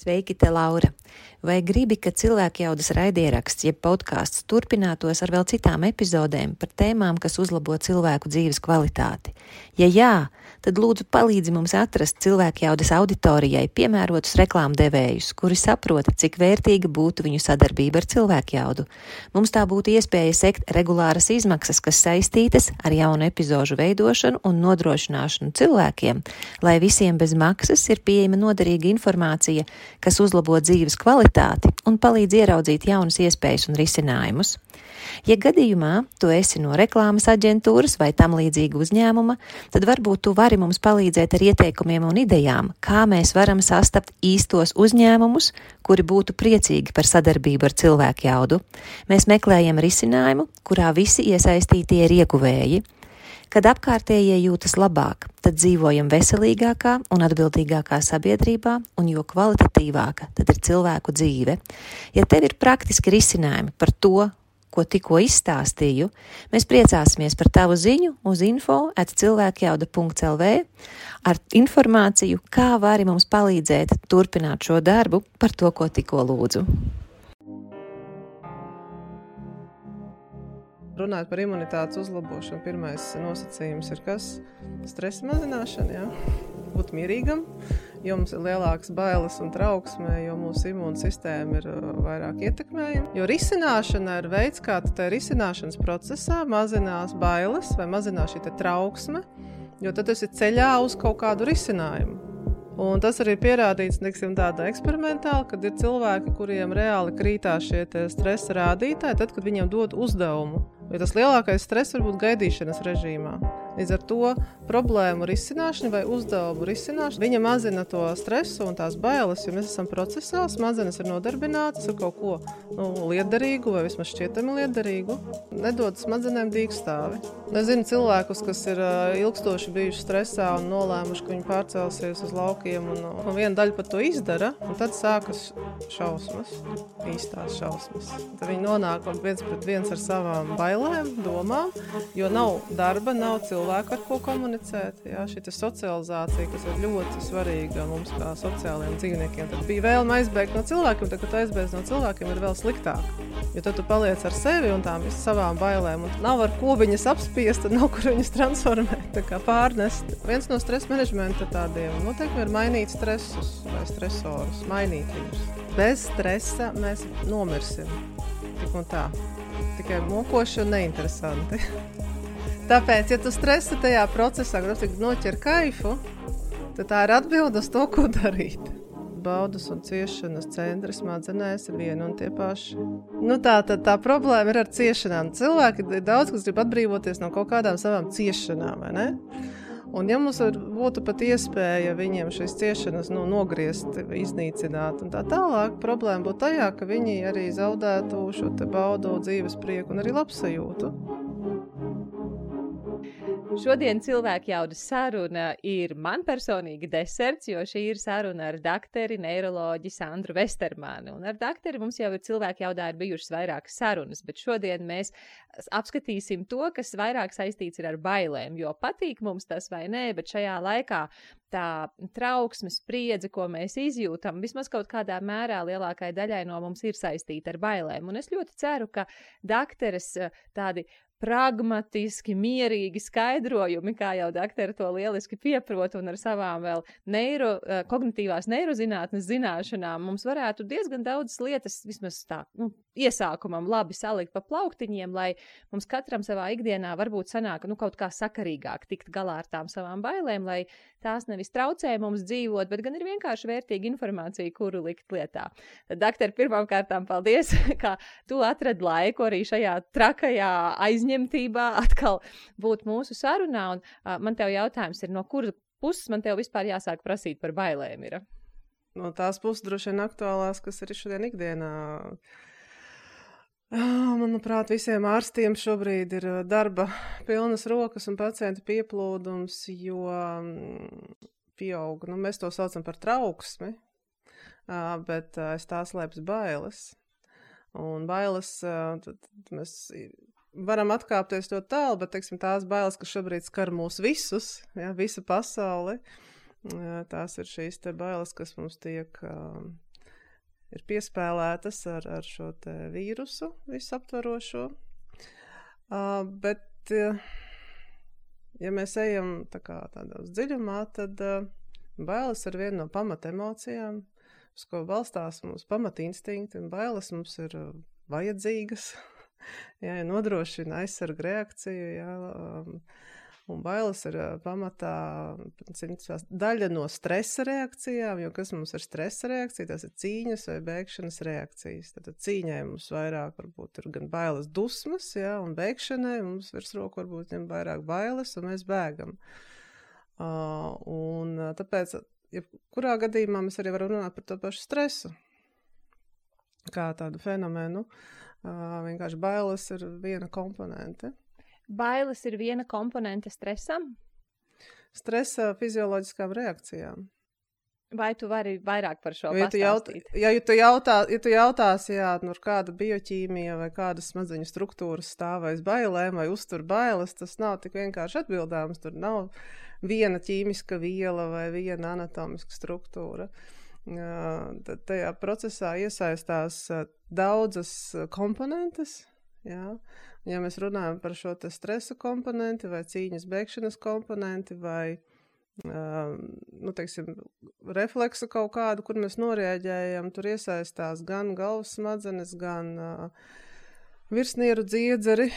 Sveiki, te Laura! Vai gribi, ka cilvēkjaudas raidieraksts, jeb podkāsts turpinātos ar vēl citām epizodēm par tēmām, kas uzlabo cilvēku dzīves kvalitāti? Ja jā, tad lūdzu palīdzi mums atrast cilvēkjaudas auditorijai piemērotus reklāmdevējus, kuri saprota, cik vērtīga būtu viņu sadarbība ar cilvēkjaudu. Mums tā būtu iespēja sekt regulāras izmaksas, kas saistītas ar jaunu epizožu veidošanu un nodrošināšanu cilvēkiem, lai visiem bez maksas ir pieejama noderīga informācija, kas uzlabo dzīves kvalitāti un palīdz ieraudzīt jaunas iespējas un risinājumus. Ja gadījumā tu esi no reklāmas aģentūras vai tam līdzīga uzņēmuma, tad varbūt tu vari mums palīdzēt ar ieteikumiem un idejām, kā mēs varam sastapt īstos uzņēmumus, kuri būtu priecīgi par sadarbību ar cilvēkjaudu. Mēs meklējam risinājumu, kurā visi iesaistītie ir ieguvēji. Kad apkārtējie jūtas labāk, tad dzīvojam veselīgākā un atbildīgākā sabiedrībā, un jo kvalitatīvāka tad ir cilvēku dzīve. Ja tev ir praktiski risinājumi par to, ko tikko izstāstīju, mēs priecāsimies par tavu ziņu uz info@cilvēkjauda.lv ar informāciju, kā vari mums palīdzēt turpināt šo darbu par to, ko tikko lūdzu. Runājot par imunitātes uzlabošanu, pirmais nosacījums ir kas? Stresa mazināšana, jā. Būt mierīgam, jo mums ir lielākas bailes un trauksme, jo mūsu imūnsistēma ir vairāk ietekmējama. Jo risināšana ir veids, kā tā risināšanas procesā mazinās bailes vai mazinās šī trauksme, jo tad tas ir ceļā uz kaut kādu risinājumu. Un tas arī ir pierādīts, tāda eksperimentāli, kad ir cilvēki, kuriem reāli krītās šie stresa rādītāji, tad, kad viņiem dod uzdevumu. Jo tas lielākais stress var būt gaidīšanas režīmā. Līdz ar to problēmu risināšana vai uzdevumu risināšana, viņa mazina to stresu un tās bailes, jo mēs esam procesā, smadzenes ir nodarbinātas ar kaut ko liederīgu vai vismaz šķietami liederīgu. Nedod smadzenēm dīkstāvi. Es zinu cilvēkus, kas ir ilgstoši bijuši stresā un nolēmuši, ka viņi pārcelsies uz laukiem un viena daļa pat to izdara, un tad sākas šausmas, īstās šausmas. Tad viņi nonāk viens pret viens ar savām bailēm, domām, jo nav darba, nav cilvēku ar ko komunicēt. Jā, šī socializācija, kas ir ļoti svarīga mums kā sociālajiem dzīvniekiem. Tad bija vēlme aizbēgt no cilvēkiem, tad, kad tu aizbēdz no cilvēkiem, ir vēl sliktāk. Jo tad tu paliec ar sevi un tām savām bailēm. Un nav ar ko viņas apspiest, tad nav kur viņas transformēt, tā kā pārnest. Viens no stresa menedžmenta tādiem noteikti ir mainīt stresus vai stresorus, mainīt viņus. Bez stresa mēs nomirsim. Tik un tā. Tikai mokoši un neinteresanti. Tāpēc, ja tu stresi tajā procesā, noķer kaifu, tad tā ir atbilde uz to, ko darīt. Baudas un ciešanas centri smadzenēs ir vieni un tie paši. Tā problēma ir ar ciešanām. Cilvēki ir daudz, kas grib atbrīvoties no kaut kādām savām ciešanām, vai ne? Un ja mums būtu pat iespēja viņiem šīs ciešanas nogriezt, iznīcināt un tā tālāk, problēma būtu tajā, ka viņi arī zaudētu šo baudu, dzīves prieku un arī labsajūtu. Šodien cilvēkjaudas saruna ir man personīgi deserts, jo šī ir saruna ar dakteri, neiroloģi Sandru Vestermanu. Un ar dakteri mums jau ir cilvēkjaudā ir bijušas vairākas sarunas, bet šodien mēs apskatīsim to, kas vairāk saistīts ir ar bailēm, jo patīk mums tas vai nē, bet šajā laikā tā trauksme, spriedze, ko mēs izjūtam, vismaz kaut kādā mērā lielākai daļai no mums ir saistīta ar bailēm. Un es ļoti ceru, ka dakteres tādi pragmatiski, mierīgi skaidrojumi, kā jau dakteri to lieliski pieprot un ar savām vēl kognitīvās neirozinātnes zināšanām mums varētu diezgan daudz lietas vismaz tā, iesākumam labi salikt pa plauktiņiem, lai mums katram savā ikdienā varbūt sanāk kaut kā sakarīgāk tikt galā ar tām savām bailēm, lai tās nevis traucē mums dzīvot, bet gan ir vienkārši vērtīga informācija, kuru likt lietā. Tad, dakteri, pirmām kārtām paldies, ka tu atradi laiku arī šajā trakajā aizņemtībā atkal būt mūsu sarunā, un man tev jautājums ir, no kuras puses man tev vispār jāsāk prasīt par bailēm ir? No tās puses droši vien aktuālās, kas ir šodien ikdienā. Manuprāt, visiem ārstiem šobrīd ir darba pilnas rokas un pacientu pieplūdums, jo pieaug, mēs to saucam par trauksmi, bet aiz tā slēpjas bailes. Un bailes, mēs varam atkāpties to tālu, bet, tās bailes, kas šobrīd skar mūs visus, visu pasauli, tās ir šīs te bailes, kas mums tiek ir piespēlētas ar šo te vīrusu visaptvarošo. Bet, ja mēs ejam tādā uz dziļumā, tad bailes ir viena no pamata emocijām, uz ko balstās mūsu pamata instinkti, un bailes mums ir vajadzīgas, jā, nodrošina aizsarga reakciju, jā, un bailes ir pamatā daļa no stresa reakcijām, jo kas mums ir stresa reakcija, tas ir cīņas vai bēgšanas reakcijas. Tad cīņai mums vairāk varbūt ir gan bailes dusmas, jā, un bēgšanai mums virsroku varbūt ņem vairāk bailes, un mēs bēgam. Un tāpēc, kurā gadījumā mēs arī varam runāt par to pašu stresu, kā tādu fenomenu. Vienkārši bailes ir viena komponente. Bailes ir viena komponente stresam? Stresa fizioloģiskām reakcijām. Vai tu vari vairāk par šo pastāstīt? Ja tu jautāsi, ar kāda bioķīmija vai kādas smadzeņu struktūras stāv aiz bailēm vai uztur bailes, tas nav tik vienkārši atbildāms. Tur nav viena ķīmiska viela vai viena anatomiska struktūra. Tad tajā procesā iesaistās daudzas komponentes, jā. Ja mēs runājam par šo te stresa komponenti vai cīņas bēgšanas komponenti vai, teiksim, refleksu kaut kādu, kur mēs noreaģējam, tur iesaistās gan galvas smadzenes, gan virsnieru dziedzeri,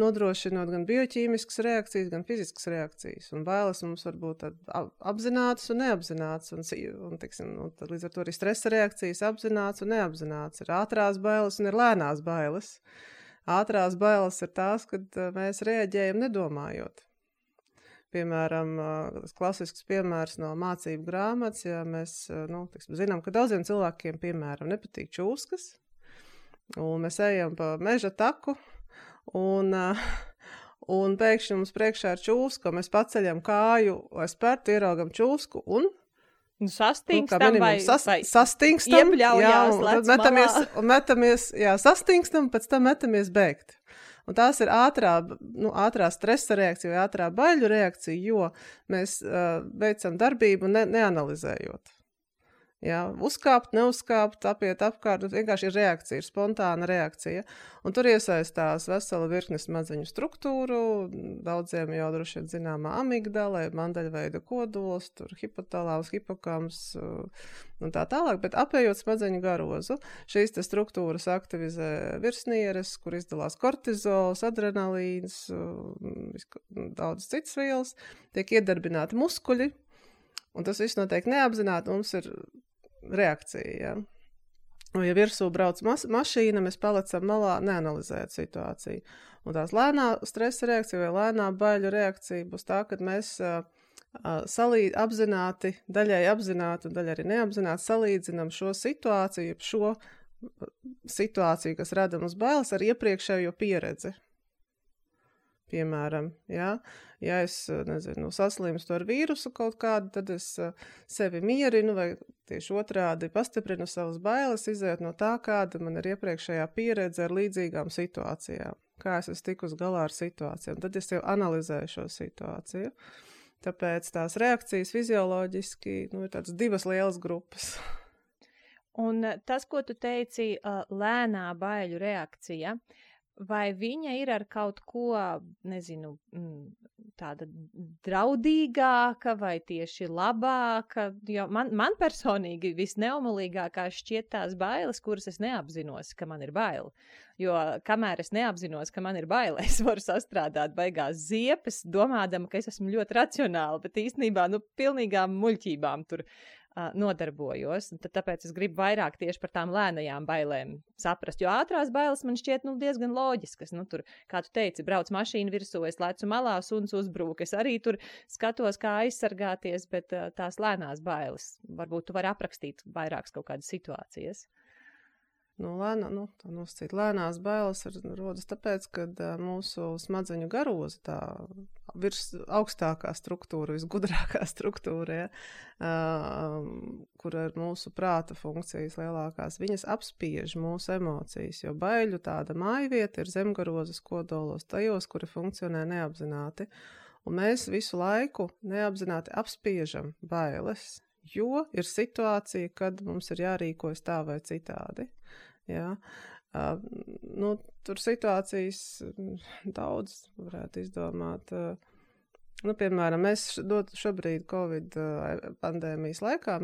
nodrošinot gan bioķīmiskas reakcijas, gan fiziskas reakcijas. Un bailes mums var būt apzinātas un neapzinātas. Un teiksim, tad līdz ar to arī stresa reakcijas apzināts un neapzināts. Ir ātrās bailes un ir lēnās bailes. Ātrās bailes ir tās, kad mēs reaģējam nedomājot. Piemēram, klasisks piemērs no mācību grāmatas, ja mēs zinām, ka daudziem cilvēkiem, piemēram, nepatīk čūskas, un mēs ejam pa meža taku, un pēkšņi mums priekšā ir čūska, mēs paceļam kāju vai spērtu, ieraugam čūsku, un sastingstam vai sastingstam, iebļaujās, sastingstam, pēc tam metamies bēgt. Un tās ir ātrā stresa reakcija vai ātrā baiļu reakcija, jo mēs veicam darbību neanalizējot. Jā, uzkāpt, neuzkāpt, apiet apkārt, vienkārši ir reakcija, ir spontāna reakcija. Un tur iesaistās vesela virkne smadzeņu struktūru, daudziem jau droši vien zināmā amigdala, mandaļveida kodols, tur hipotalāms, hipokams un tā tālāk, bet apējot smadzeņu garozu, šīs te struktūras aktivizē virsnieres, kur izdalās kortizols, adrenalīns, daudz citas vielas, tiek iedarbināti muskuļi, un tas viss notiek neapzināti, mums ir reakcija, jā. Un ja virsū brauc mašīna, mēs palicam malā neanalizēt situāciju. Un tās lēnā stresa reakcija vai lēnā baiļu reakcija būs tā, kad mēs apzināti, daļai apzināti un daļai arī neapzināti salīdzinam šo situāciju, kas rada mums bailes ar iepriekšējo pieredzi. Piemēram, ja es, saslimstu ar vīrusu kaut kādu, tad es sevi mierinu vai tieši otrādi pastiprinu savas bailes, izējot no tā, kāda man ir iepriekšējā pieredze ar līdzīgām situācijām. Kā es esmu tikus galā ar situācijām. Tad es jau analizēju šo situāciju. Tāpēc tās reakcijas fizioloģiski ir tādas divas lielas grupas. Un tas, ko tu teici, lēnā baiļu reakcija, vai viņa ir ar kaut ko, tāda draudīgāka vai tieši labāka? Jo man personīgi visneumolīgākā šķiet tās bailes, kuras es neapzinos, ka man ir baila. Jo kamēr es neapzinos, ka man ir baila, es varu sastrādāt baigās ziepes, domādama, ka es esmu ļoti racionāla, bet īstenībā pilnīgām muļķībām tur nodarbojos. Tāpēc es gribu vairāk tieši par tām lēnajām bailēm saprast, jo ātrās bailes man šķiet diezgan loģiskas. Tur, kā tu teici, brauc mašīna virsū, es lecu malā, suns uzbrūk, es arī tur skatos, kā aizsargāties, bet tās lēnās bailes, varbūt tu vari aprakstīt vairākas kaut kādas situācijas. Lēnās bailes rodas tāpēc, ka mūsu smadzeņu garoza, tā augstākā struktūra, visgudrākā struktūra, kur ir mūsu prāta funkcijas lielākās, viņas apspiež mūsu emocijas, jo baiļu tāda mājvieta ir zemgarozas kodolos, tajos, kuri funkcionē neapzināti. Un mēs visu laiku neapzināti apspiežam bailes, jo ir situācija, kad mums ir jārīkojas tā vai citādi. Jā. Tur situācijas daudz varētu izdomāt. Piemēram, mēs šobrīd Covid pandēmijas laikā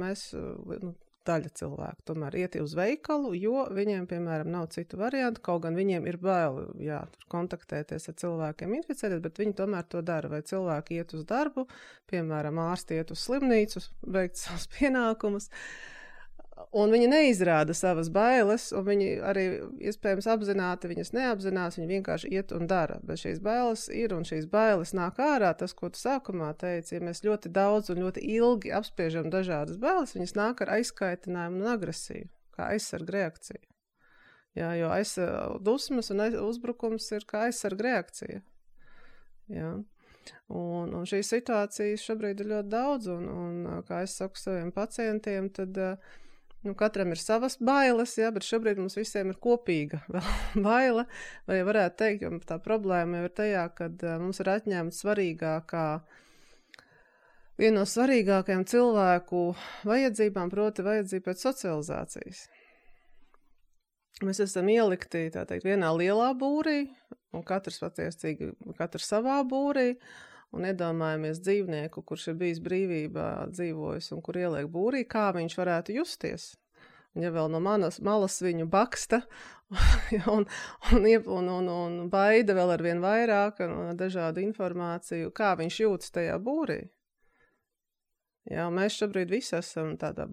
daļa cilvēku tomēr iet uz veikalu, jo viņiem, piemēram, nav citu variantu, kaut gan viņiem ir bail, tur kontaktēties ar cilvēkiem inficēties, bet viņi tomēr to dara. Vai cilvēki iet uz darbu, piemēram, ārsti iet uz slimnīcu, veikt savus pienākumus, un viņi neizrāda savas bailes, un viņi arī iespējams apzināti viņas neapzinās, viņi vienkārši iet un dara. Bet šīs bailes ir, un šīs bailes nāk ārā, tas, ko tu sākumā teici, ja mēs ļoti daudz un ļoti ilgi apspiežam dažādas bailes, viņas nāk ar aizskaitinājumu un agresiju, kā aizsarga reakcija. Jā, jo dusmas un uzbrukums ir kā aizsarga reakcija. Jā. Un šīs situācijas šobrīd ir ļoti daudz, un kā es saku saviem pacientiem, tad katram ir savas bailes, bet šobrīd mums visiem ir kopīga baile, vai varētu teikt, jo tā problēma jau ir tajā, kad mums ir atņemta viena no svarīgākajām cilvēku vajadzībām, proti vajadzība pēc socializācijas. Mēs esam ielikti, tā teikt, vienā lielā būrī, un katrs savā būrī, un iedomājamies dzīvnieku, kurš ir bijis brīvībā dzīvojis un kur ieliek būrī, kā viņš varētu justies. Un ja vēl no malas viņu baksta un baida vēl ar vien vairāk un dažādu informāciju, kā viņš jūtas tajā būrī. Jā, mēs šobrīd visi esam tādā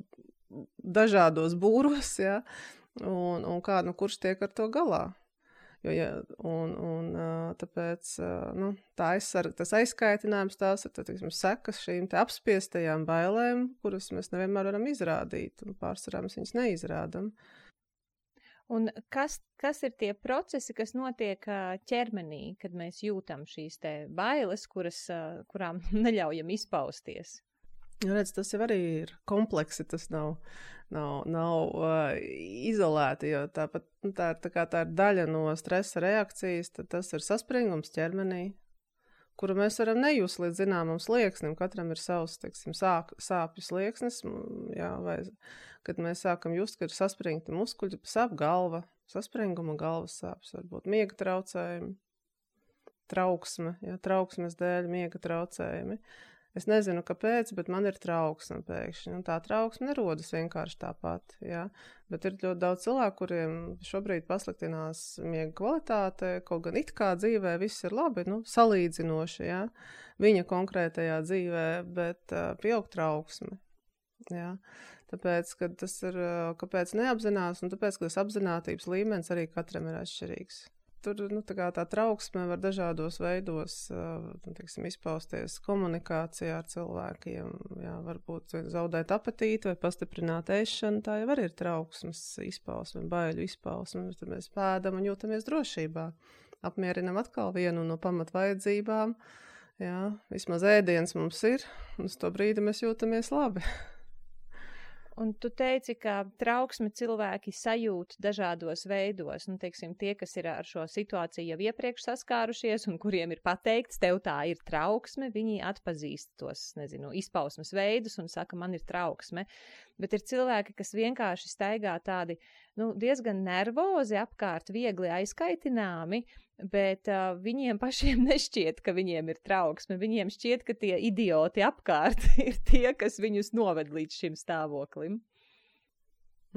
dažādos būros, un kurš tiek ar to galā. Tāpēc tas aizskaitinājums, tās ir sekas šīm apspiestajām bailēm, kuras mēs nevienmēr varam izrādīt, un pārsvarā mēs viņas neizrādam. Un kas ir tie procesi, kas notiek ķermenī, kad mēs jūtam šīs te bailes, kurām neļaujam izpausties? Redz, tas jau arī ir kompleksi, tas nav izolēti, jo tāpat tā ir daļa no stresa reakcijas, tad tas ir saspringums ķermenī, kuru mēs varam nejust līdz zināmam slieksnim. Katram ir savs, sāpju slieksnis, vai kad mēs sākam just, kad ir saspringti muskuļi, sāp galva, saspringuma galvas sāpes, varbūt miega traucējumi, trauksmes dēļ miega traucējumi. Es nezinu, kāpēc, bet man ir trauksme pēkšņi. Un tā trauksme nerodas vienkārši tāpat. Jā. Bet ir ļoti daudz cilvēku, kuriem šobrīd pasliktinās miega kvalitāte, kaut gan it kā dzīvē viss ir labi, salīdzinoši, jā. Viņa konkrētajā dzīvē, bet pieaug trauksme. Jā. Tāpēc, ka tas ir, kāpēc neapzinās, un tāpēc, ka tas apzinātības līmenis arī katram ir atšķirīgs. Tur tā trauksme var dažādos veidos izpausties komunikācijā ar cilvēkiem. Jā, varbūt zaudēt apetīti vai pastiprināt ēšanu. Tā jau arī ir trauksmes izpausme, baiļu izpausme. Tad mēs pēdam un jūtamies drošībā. Apmierinam atkal vienu no pamatvajadzībām. Jā, vismaz ēdiens mums ir, un uz to brīdi mēs jūtamies labi. Un tu teici, ka trauksmi cilvēki sajūt dažādos veidos. Tie, kas ir ar šo situāciju jau iepriekš saskārušies un kuriem ir pateikts, tev tā ir trauksme, viņi atpazīst tos, izpausmes veidus un saka, man ir trauksme. Bet ir cilvēki, kas vienkārši staigā tādi, diezgan nervozi apkārt, viegli aizkaitināmi, bet viņiem pašiem nešķiet, ka viņiem ir trauksme. Viņiem šķiet, ka tie idioti apkārt ir tie, kas viņus noved līdz šim stāvoklim.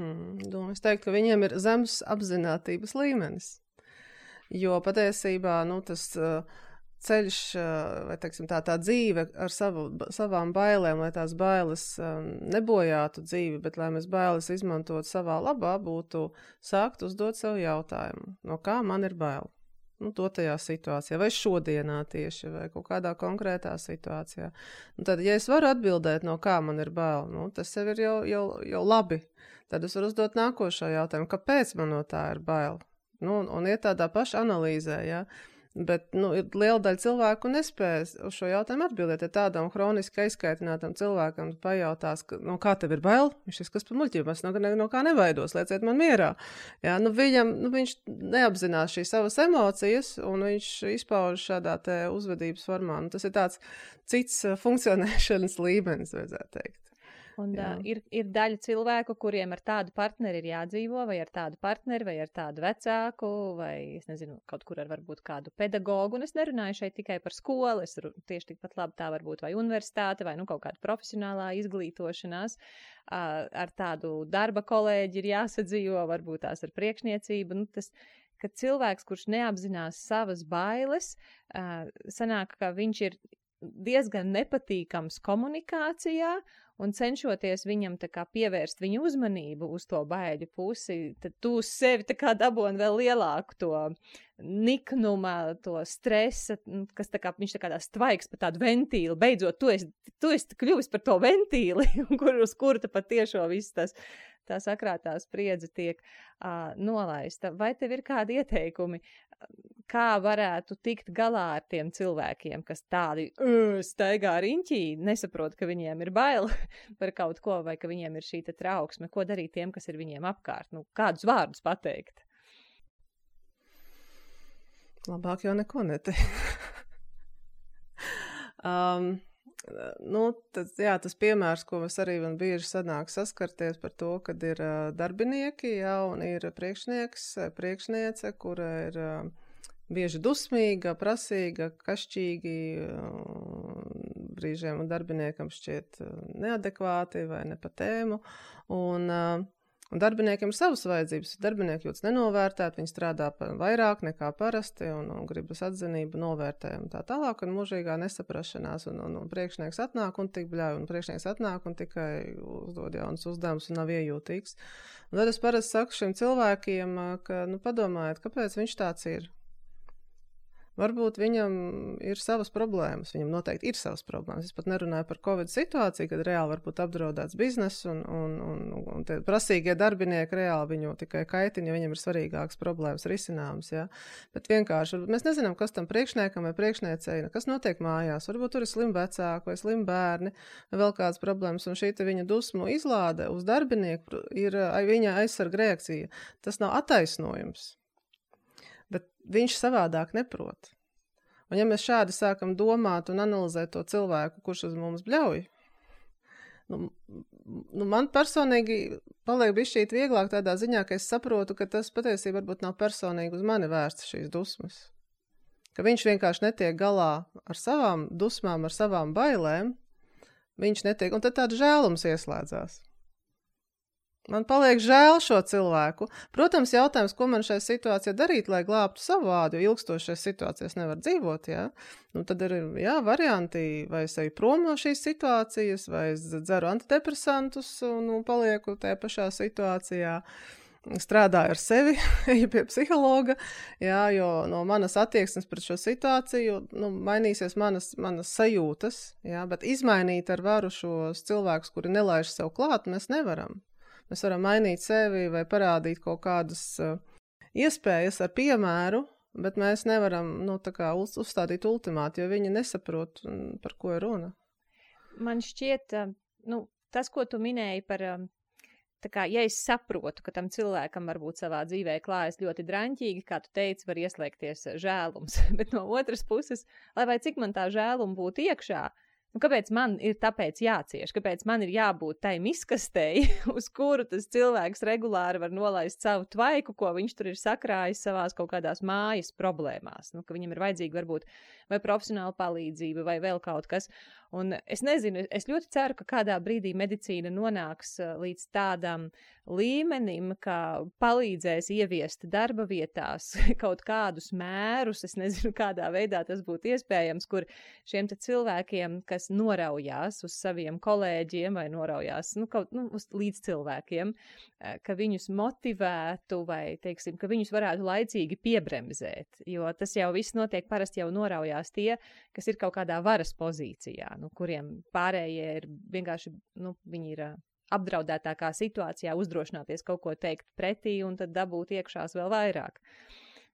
Es teiktu, ka viņiem ir zems apzinātības līmenis. Jo patiesībā, tas ceļš, vai tā dzīve ar savām bailēm, lai tās bailes nebojātu dzīvi, bet lai mēs bailes izmantot savā labā, būtu sākt uzdot sev jautājumu, no kā man ir bail. Tajā situācijā, vai šodienā tieši, vai kaut kādā konkrētā situācijā. Tad, ja es varu atbildēt, no kā man ir bail, tas jau ir jau labi. Tad es varu uzdot nākošo jautājumu, kāpēc man no tā ir bail. Un iet tādā paša analīzē, jā. Bet ir liela daļa cilvēku nespējas uz šo jautājumu atbildēt. Ja tādam hroniski aizskaitinātam cilvēkam pajautās, kā tev ir bail, viņš ir kas pa muļķību, es no kā nevaidos, lieciet man mierā. Jā, viņš neapzinās šīs savas emocijas, un viņš izpauž šādā te uzvedības formā. Tas ir tāds cits funkcionēšanas līmenis, vajadzētu teikt. Un ir daļa cilvēku, kuriem ar tādu partneri ir jādzīvo, vai ar tādu partneri, vai ar tādu vecāku, vai, es nezinu, kaut kur ar varbūt kādu pedagogu. Un es nerunāju šeit tikai par skolu, es tieši tikpat labi tā varbūt vai universitāte, vai kaut kāda profesionālā izglītošanās. Ar tādu darba kolēģi ir jāsadzīvo, varbūt tās ar priekšniecību. Kad cilvēks, kurš neapzinās savas bailes, sanāk, ka viņš ir diezgan nepatīkams komunikācijā un cenšoties viņam tā kā pievērst viņu uzmanību uz to baiļu pusi, tad tu uz sevi tā kā daboni vēl lielāku to niknuma, to stresa, kas tā kā, viņš tā kā tās tvaiks pa tādu ventīli. Beidzot, tu esi kļuvis par to ventīli, uz kuru tu pat tiešo viss tā sakrātā spriedze tiek nolaista. Vai tev ir kādi ieteikumi, kā varētu tikt galā ar tiem cilvēkiem, kas tādi staigā riņķī, nesaprot, ka viņiem ir bail par kaut ko, vai ka viņiem ir šī trauksme? Ko darīt tiem, kas ir viņiem apkārt? Kādus vārdus pateikt? Labāk jau neko neteikt. Tas piemērs, ko mēs arī man bieži sanāk saskarties par to, kad ir darbinieki, un ir priekšniece, kura ir bieži dusmīga, prasīga, kašķīgi, brīžiem darbiniekam šķiet neadekvāti vai ne pa tēmu, un darbiniekiem ir savas vajadzības. Darbinieki jūtas nenovērtēt, viņi strādā vairāk nekā parasti un gribas atzinību, novērtējumu tā tālāk, un mūžīgā nesaprašanās, un priekšnieks atnāk un tik bļauj, un priekšnieks atnāk un tikai uzdod jaunas uzdevumus un nav iejūtīgs. Un tad es parasti saku šiem cilvēkiem, ka, padomājiet, kāpēc viņš tāds ir. Varbūt viņam ir savas problēmas, viņam noteikti ir savas problēmas. Es pat nerunāju par Covid situāciju, kad reāli var būt apdraudēts biznes un tie prasīgie darbinieki reāli viņu tikai kaitina, jo viņam ir svarīgākas problēmas risināmas. Ja? Bet vienkārši mēs nezinām, kas tam priekšniekam vai priekšniecei, kas notiek mājās. Varbūt tur ir slim vecāki vai slim bērni vai vēl kādas problēmas, un šī viņa dusmu izlāde uz darbinieku ir viņa aizsarga reakcija. Tas nav attaisnojums. Bet viņš savādāk neprot. Un ja mēs šādi sākam domāt un analizēt to cilvēku, kurš uz mums bļauj, man personīgi paliek bišķīt vieglāk tādā ziņā, ka es saprotu, ka tas patiesībā varbūt nav personīgi uz mani vērsts šīs dusmas. Ka viņš vienkārši netiek galā ar savām dusmām, ar savām bailēm, viņš netiek, un tad tāds žēlums ieslēdzās. Man paliek žēl šo cilvēku. Protams, jautājums, ko man šajā situācijā darīt, lai glābtu savu ādu, jo ilgstošais situācijas nevar dzīvot, jā. Tad ir, varianti, vai es eju prom no šīs situācijas, vai es dzeru antidepresantus un palieku tajā pašā situācijā. Strādāju ar sevi, eju pie psihologa, jo no manas attieksmes pret šo situāciju, mainīsies manas sajūtas, bet izmainīt ar varu šos cilvēkus, kuri nelaiž sev klāt, mēs nevaram. Mēs varam mainīt sevi vai parādīt kaut kādas iespējas ar piemēru, bet mēs nevaram uzstādīt ultimātu, jo viņi nesaprot, par ko ir runa. Man šķiet, tas, ko tu minēji par, ja es saprotu, ka tam cilvēkam varbūt savā dzīvē klājas ļoti draņķīgi, kā tu teici, var ieslēgties žēlums, bet no otras puses, lai vai cik man tā žēluma būtu iekšā, kāpēc man ir tāpēc jācieš? Kāpēc man ir jābūt tai miskastei, uz kuru tas cilvēks regulāri var nolaist savu tvaiku, ko viņš tur ir sakrājis savās kaut kādās mājas problēmās? Ka viņam ir vajadzīga varbūt vai profesionāla palīdzība vai vēl kaut kas. Un es nezinu, es ļoti ceru, ka kādā brīdī medicīna nonāks līdz tādam līmenim, ka palīdzēs ieviest darba vietās kaut kādus mērus, es nezinu, kādā veidā tas būtu iespējams, kur šiem te cilvēkiem, kas noraujās uz saviem kolēģiem vai noraujās uz līdz cilvēkiem, ka viņus motivētu vai, teiksim, ka viņus varētu laicīgi piebremzēt, jo tas jau viss notiek, parasti jau noraujās tie, kas ir kaut kādā varas pozīcijā, kuriem pārējie ir vienkārši, viņi ir apdraudētākā situācijā uzdrošināties kaut ko teikt pretī un tad dabūt iekšās vēl vairāk.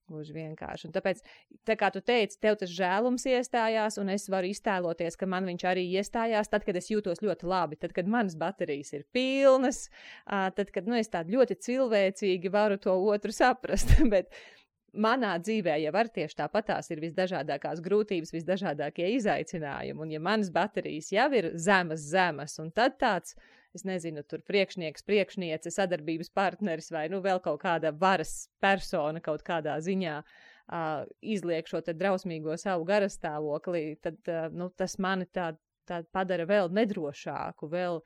Gluži vienkārši. Un tāpēc, tā kā tu teici, tev tas žēlums iestājās un es varu iztēloties, ka man viņš arī iestājās tad, kad es jūtos ļoti labi, tad, kad manas baterijas ir pilnas, tad, kad es tādi ļoti cilvēcīgi varu to otru saprast, bet manā dzīvē jau var tieši tāpatās ir visdažādākās grūtības, visdažādākie izaicinājumi, un ja manas baterijas jau ir zemas, un tad tāds, es nezinu, tur priekšniece, sadarbības partneris vai, vēl kaut kāda varas persona kaut kādā ziņā izliek šo te drausmīgo savu garastāvokli, tad, tas mani tā padara vēl nedrošāku, vēl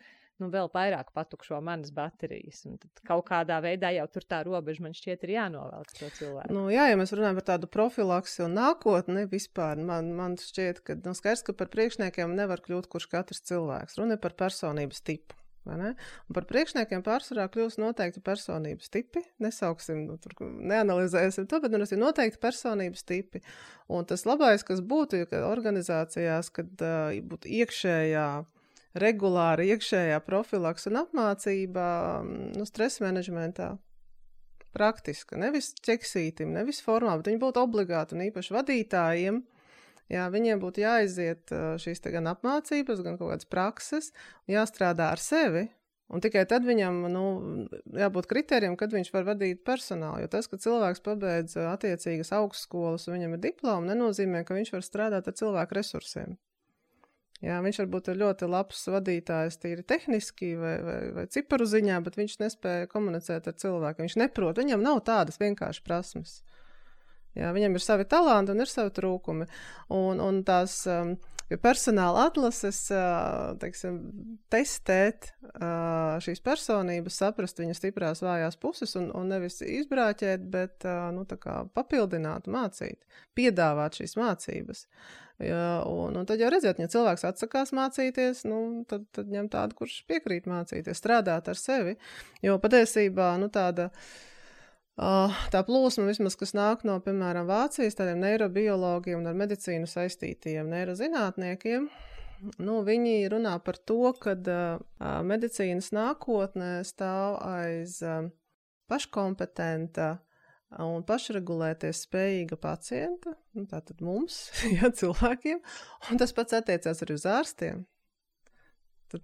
vairāk patukšo manas baterijas. Un tad kaut kādā veidā jau tur tā robeža man šķiet ir jānovelk to cilvēku. Jā, ja mēs runājam par tādu profilaksi un nākotni vispār, man šķiet, ka skaidrs, ka par priekšniekiem nevar kļūt kurš katrs cilvēks. Runa par personības tipu. Un par priekšniekiem pārsvarā kļūst noteikti personības tipi. Nesauksim, neanalizēsim to, bet ir noteikti personības tipi. Un tas labais, kas būtu, ka organizācijās, kad būtu regulāra iekšējā profilaks un apmācība stresa menedžmentā. Praktiska, nevis ķeksītim, nevis formā, bet viņi būtu obligāti un īpaši vadītājiem. Jā, viņiem būtu jāiziet šīs te gan apmācības, gan kaut kādas prakses, jāstrādā ar sevi, un tikai tad viņam, jābūt kritērijam, kad viņš var vadīt personālu, jo tas, ka cilvēks pabeidz attiecīgas augstskolas un viņam ir diploma, nenozīmē, ka viņš var strādāt ar cilvēku resursiem. Jā, viņš varbūt ir ļoti labs vadītājs tīri tehniski vai ciparu ziņā, bet viņš nespēja komunicēt ar cilvēku, viņš neprot, viņam nav tādas vienkārši prasmes. Jā, viņam ir savi talanti un ir savi trūkumi. Un tās personāla atlases, testēt šīs personības, saprast viņas stiprās vājās puses un nevis izbrāķēt, bet tā kā papildināt, mācīt, piedāvāt šīs mācības. Jā, un tad jau redziet, ja cilvēks atsakās mācīties, tad ņem tādu, kurš piekrīt mācīties, strādāt ar sevi. Jo patiesībā, tā plūsma vismaz, kas nāk no, piemēram, Vācijas, tādiem neirobiologiem un ar medicīnu saistītajiem neirozinātniekiem, viņi runā par to, ka medicīnas nākotnē stāv aiz paškompetenta un pašregulēties spējīga pacienta, tātad mums, cilvēkiem, un tas pats attiecās arī uz ārstiem. Tad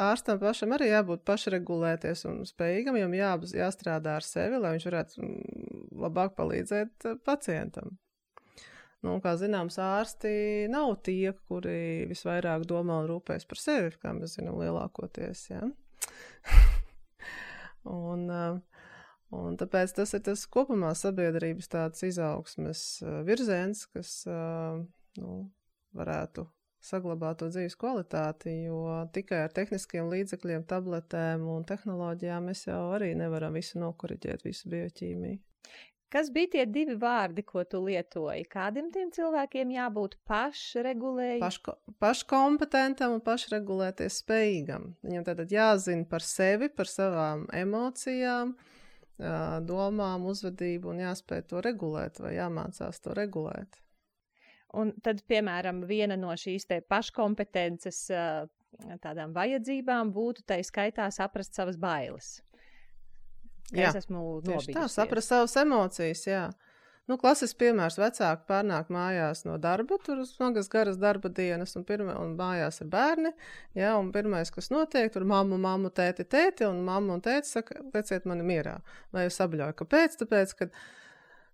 ārstam pašam arī jābūt pašregulēties un spējīgam, jo jāstrādā ar sevi, lai viņš varētu labāk palīdzēt pacientam. Kā zināms, ārsti nav tie, kuri visvairāk domā un rūpēs par sevi, kā mēs zinām lielākoties. Ja? un tāpēc tas ir tas kopumā sabiedrības tāds izaugsmes virziens, kas varētu saglabāt to dzīves kvalitāti, jo tikai ar tehniskiem līdzekļiem, tabletēm un tehnoloģijām mēs jau arī nevaram visu nokoriģēt, visu bioķīmiju. Kas bija tie 2 vārdi, ko tu lietoji? Kādiem tiem cilvēkiem jābūt pašregulējumam? Paškompetentam un pašregulēties spējīgam. Viņam tātad jāzina par sevi, par savām emocijām, domām, uzvedību un jāspēj to regulēt vai jāmācās to regulēt. Un tad, piemēram, viena no šīs te paškompetences tādām vajadzībām būtu tai skaitā saprast savas bailes. Es esmu nobijusies. Tā, saprast savas emocijas, jā. Klasisks piemērs, vecāki pārnāk mājās no darba, tur smagas garas darba dienas, un mājās ir bērni, jā, un pirmais, kas notiek, tur mammu, tēti, un mamma un tēti saka, lieciet mani mierā. Vai es sabļauju, kāpēc? Tāpēc, ka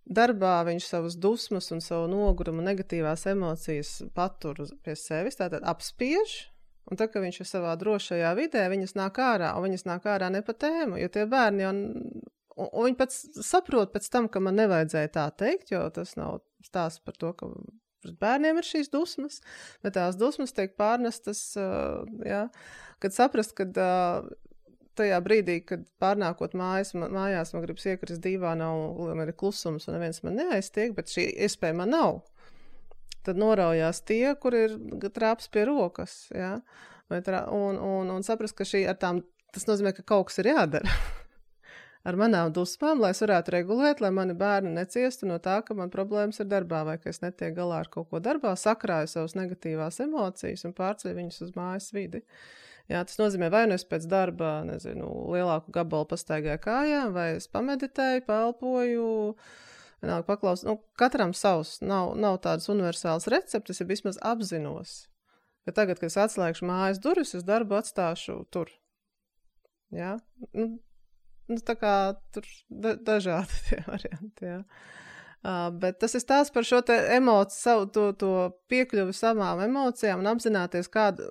darbā viņš savus dusmas un savu nogurumu negatīvās emocijas patur pie sevis, tātad apspiež, un tad, kad viņš ir savā drošajā vidē, viņas nāk ārā, un viņas nāk ārā ne pa tēmu, jo tie bērni jau, un viņi pats saprot pēc tam, ka man nevajadzēja tā teikt, jo tas nav stāsts par to, ka bērniem ir šīs dusmas, bet tās dusmas tiek pārnestas, kad saprast, kad tajā brīdī, kad pārnākot mājās man gribas iekrist dīvānā un man ir klusums un neviens man neaiztiek, bet šī iespēja man nav. Tad noraujās tie, kur ir trāps pie rokas, ja? Un saprast, ka tas nozīmē, ka kaut kas ir jādara ar manām dusmām, lai es varētu regulēt, lai mani bērni neciestu no tā, ka man problēmas ir darbā vai ka es netiek galā ar kaut ko darbā, sakrāju savas negatīvās emocijas un pārceļu viņus uz mājas vidi. Jā, tas nozīmē, vai es pēc darba, lielāku gabalu pastaigāju kājām, vai es pameditēju, paelpoju, paklausu. Katram savs, nav tādas universālas receptes, ja vismaz apzinos, ka tagad, kad es atslēgšu mājas durvis, es darbu atstāšu tur. Jā, tā kā tur dažādi tie varianti, jā. Bet tas ir stāsts par šo te emociju, savu to piekļuvi savām emocijām un apzināties,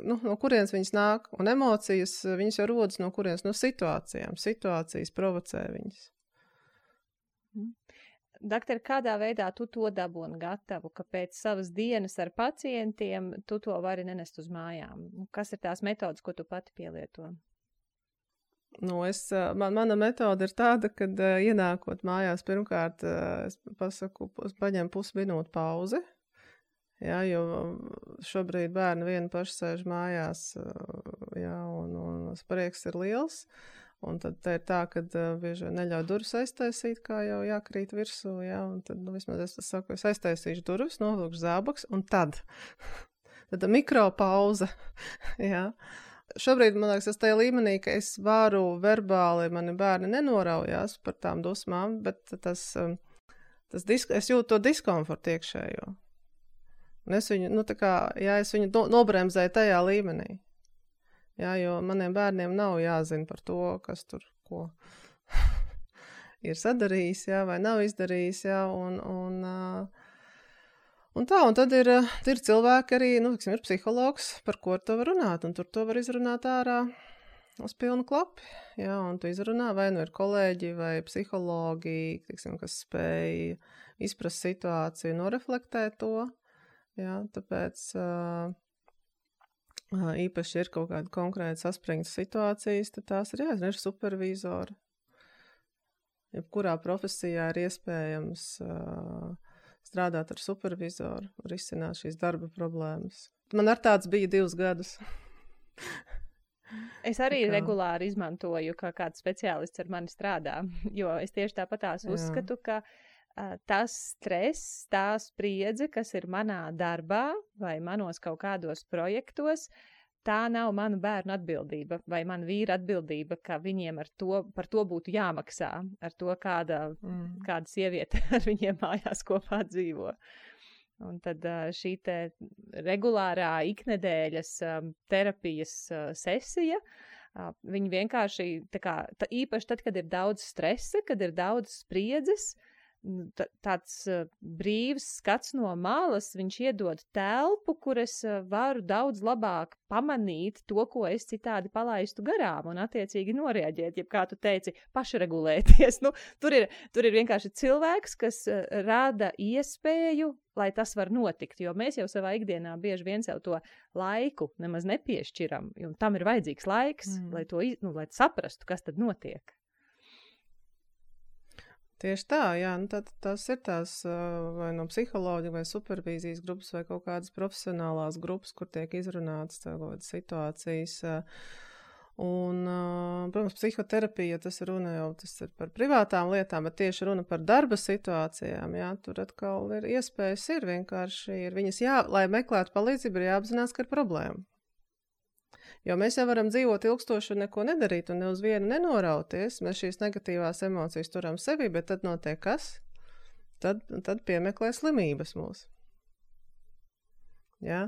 no kurienes viņas nāk. Un emocijas, viņas jau rodas no kurienes, no situācijām. Situācijas provocē viņas. Doktor, kādā veidā tu to dabūni gatavu, ka pēc savas dienas ar pacientiem tu to vari nenest uz mājām? Kas ir tās metodas, ko tu pati pielieto? Mana metode ir tāda, kad ienākot mājās, pirmkārt, es pasaku, paņem pusminūtu pauzi, jā, jo šobrīd bērni vieni paši sēž mājās, jā, un sprieks ir liels, un tad te ir tā, kad bieži neļauj durvis aiztaisīt, kā jau jākrīt virsū, jā, un tad, vismaz es saku, es aiztaisīšu durvis, novilkšu zābaks, un tad mikropauze, jā. Šobrīd, man liekas, es tajā līmenī, ka es varu verbāli, mani bērni nenoraujās par tām dusmām, bet es jūtu to diskomfortu iekšējo. Un es viņu, es viņu nobremzēju tajā līmenī. Jā, jo maniem bērniem nav jāzina par to, kas tur ko ir sadarījis, jā, vai nav izdarījis, jā, un tad ir cilvēki arī, ir psihologs, par ko to var runāt, un tur to var izrunāt ārā uz pilnu klapi, jā, un tu izrunā, vai nu ir kolēģi vai psihologi, kas spēj izprast situāciju, noreflektēt to, jā, tāpēc īpaši ir kaut kāda konkrēta saspringta situācijas, tad tās ir jāzina, ir supervizori. Jebkurā profesijā ir iespējams strādāt ar supervizoru, risināt šīs darba problēmas. Man ar tāds bija 2 gadus. Es arī regulāri izmantoju, kā kāds speciālists ar mani strādā, jo es tieši tāpatās uzskatu, ka tas stress, tā spriedze, kas ir manā darbā vai manos kaut kādos projektos, tā nav manu bērnu atbildība vai mana vīra atbildība, ka viņiem par to būtu jāmaksā, ar to kāda sieviete ar viņiem mājās kopā dzīvo. Un tad šī te regulārā iknedēļas terapijas sesija, viņi vienkārši, īpaši tad, kad ir daudz stresa, kad ir daudz spriedzes, tāds brīvs skats no malas, viņš iedod telpu, kur es varu daudz labāk pamanīt to, ko es citādi palaistu garām un attiecīgi noreaģēt, jeb kā tu teici, pašregulēties. Tur ir vienkārši cilvēks, kas rada iespēju, lai tas var notikt, jo mēs jau savā ikdienā bieži vien sev to laiku nemaz nepiešķiram, un tam ir vajadzīgs laiks, lai saprastu, kas tad notiek. Tieši tā, jā, tas ir tās vai no psiholoģija vai supervīzijas grupas vai kaut kādas profesionālās grupas, kur tiek izrunātas tādas situācijas. Un, protams, psihoterapija, tas ir par privātām lietām, bet tieši runa par darba situācijām, jā, tur atkal ir iespējas, vienkārši viņas lai meklētu palīdzību, ir jāapzinās, ka ir problēma. Jo mēs jau varam dzīvot ilgstoši un neko nedarīt un ne uz vienu nenorauties. Mēs šīs negatīvās emocijas turam sevi, bet tad notiek kas? Tad piemeklē slimības mūs. Ja?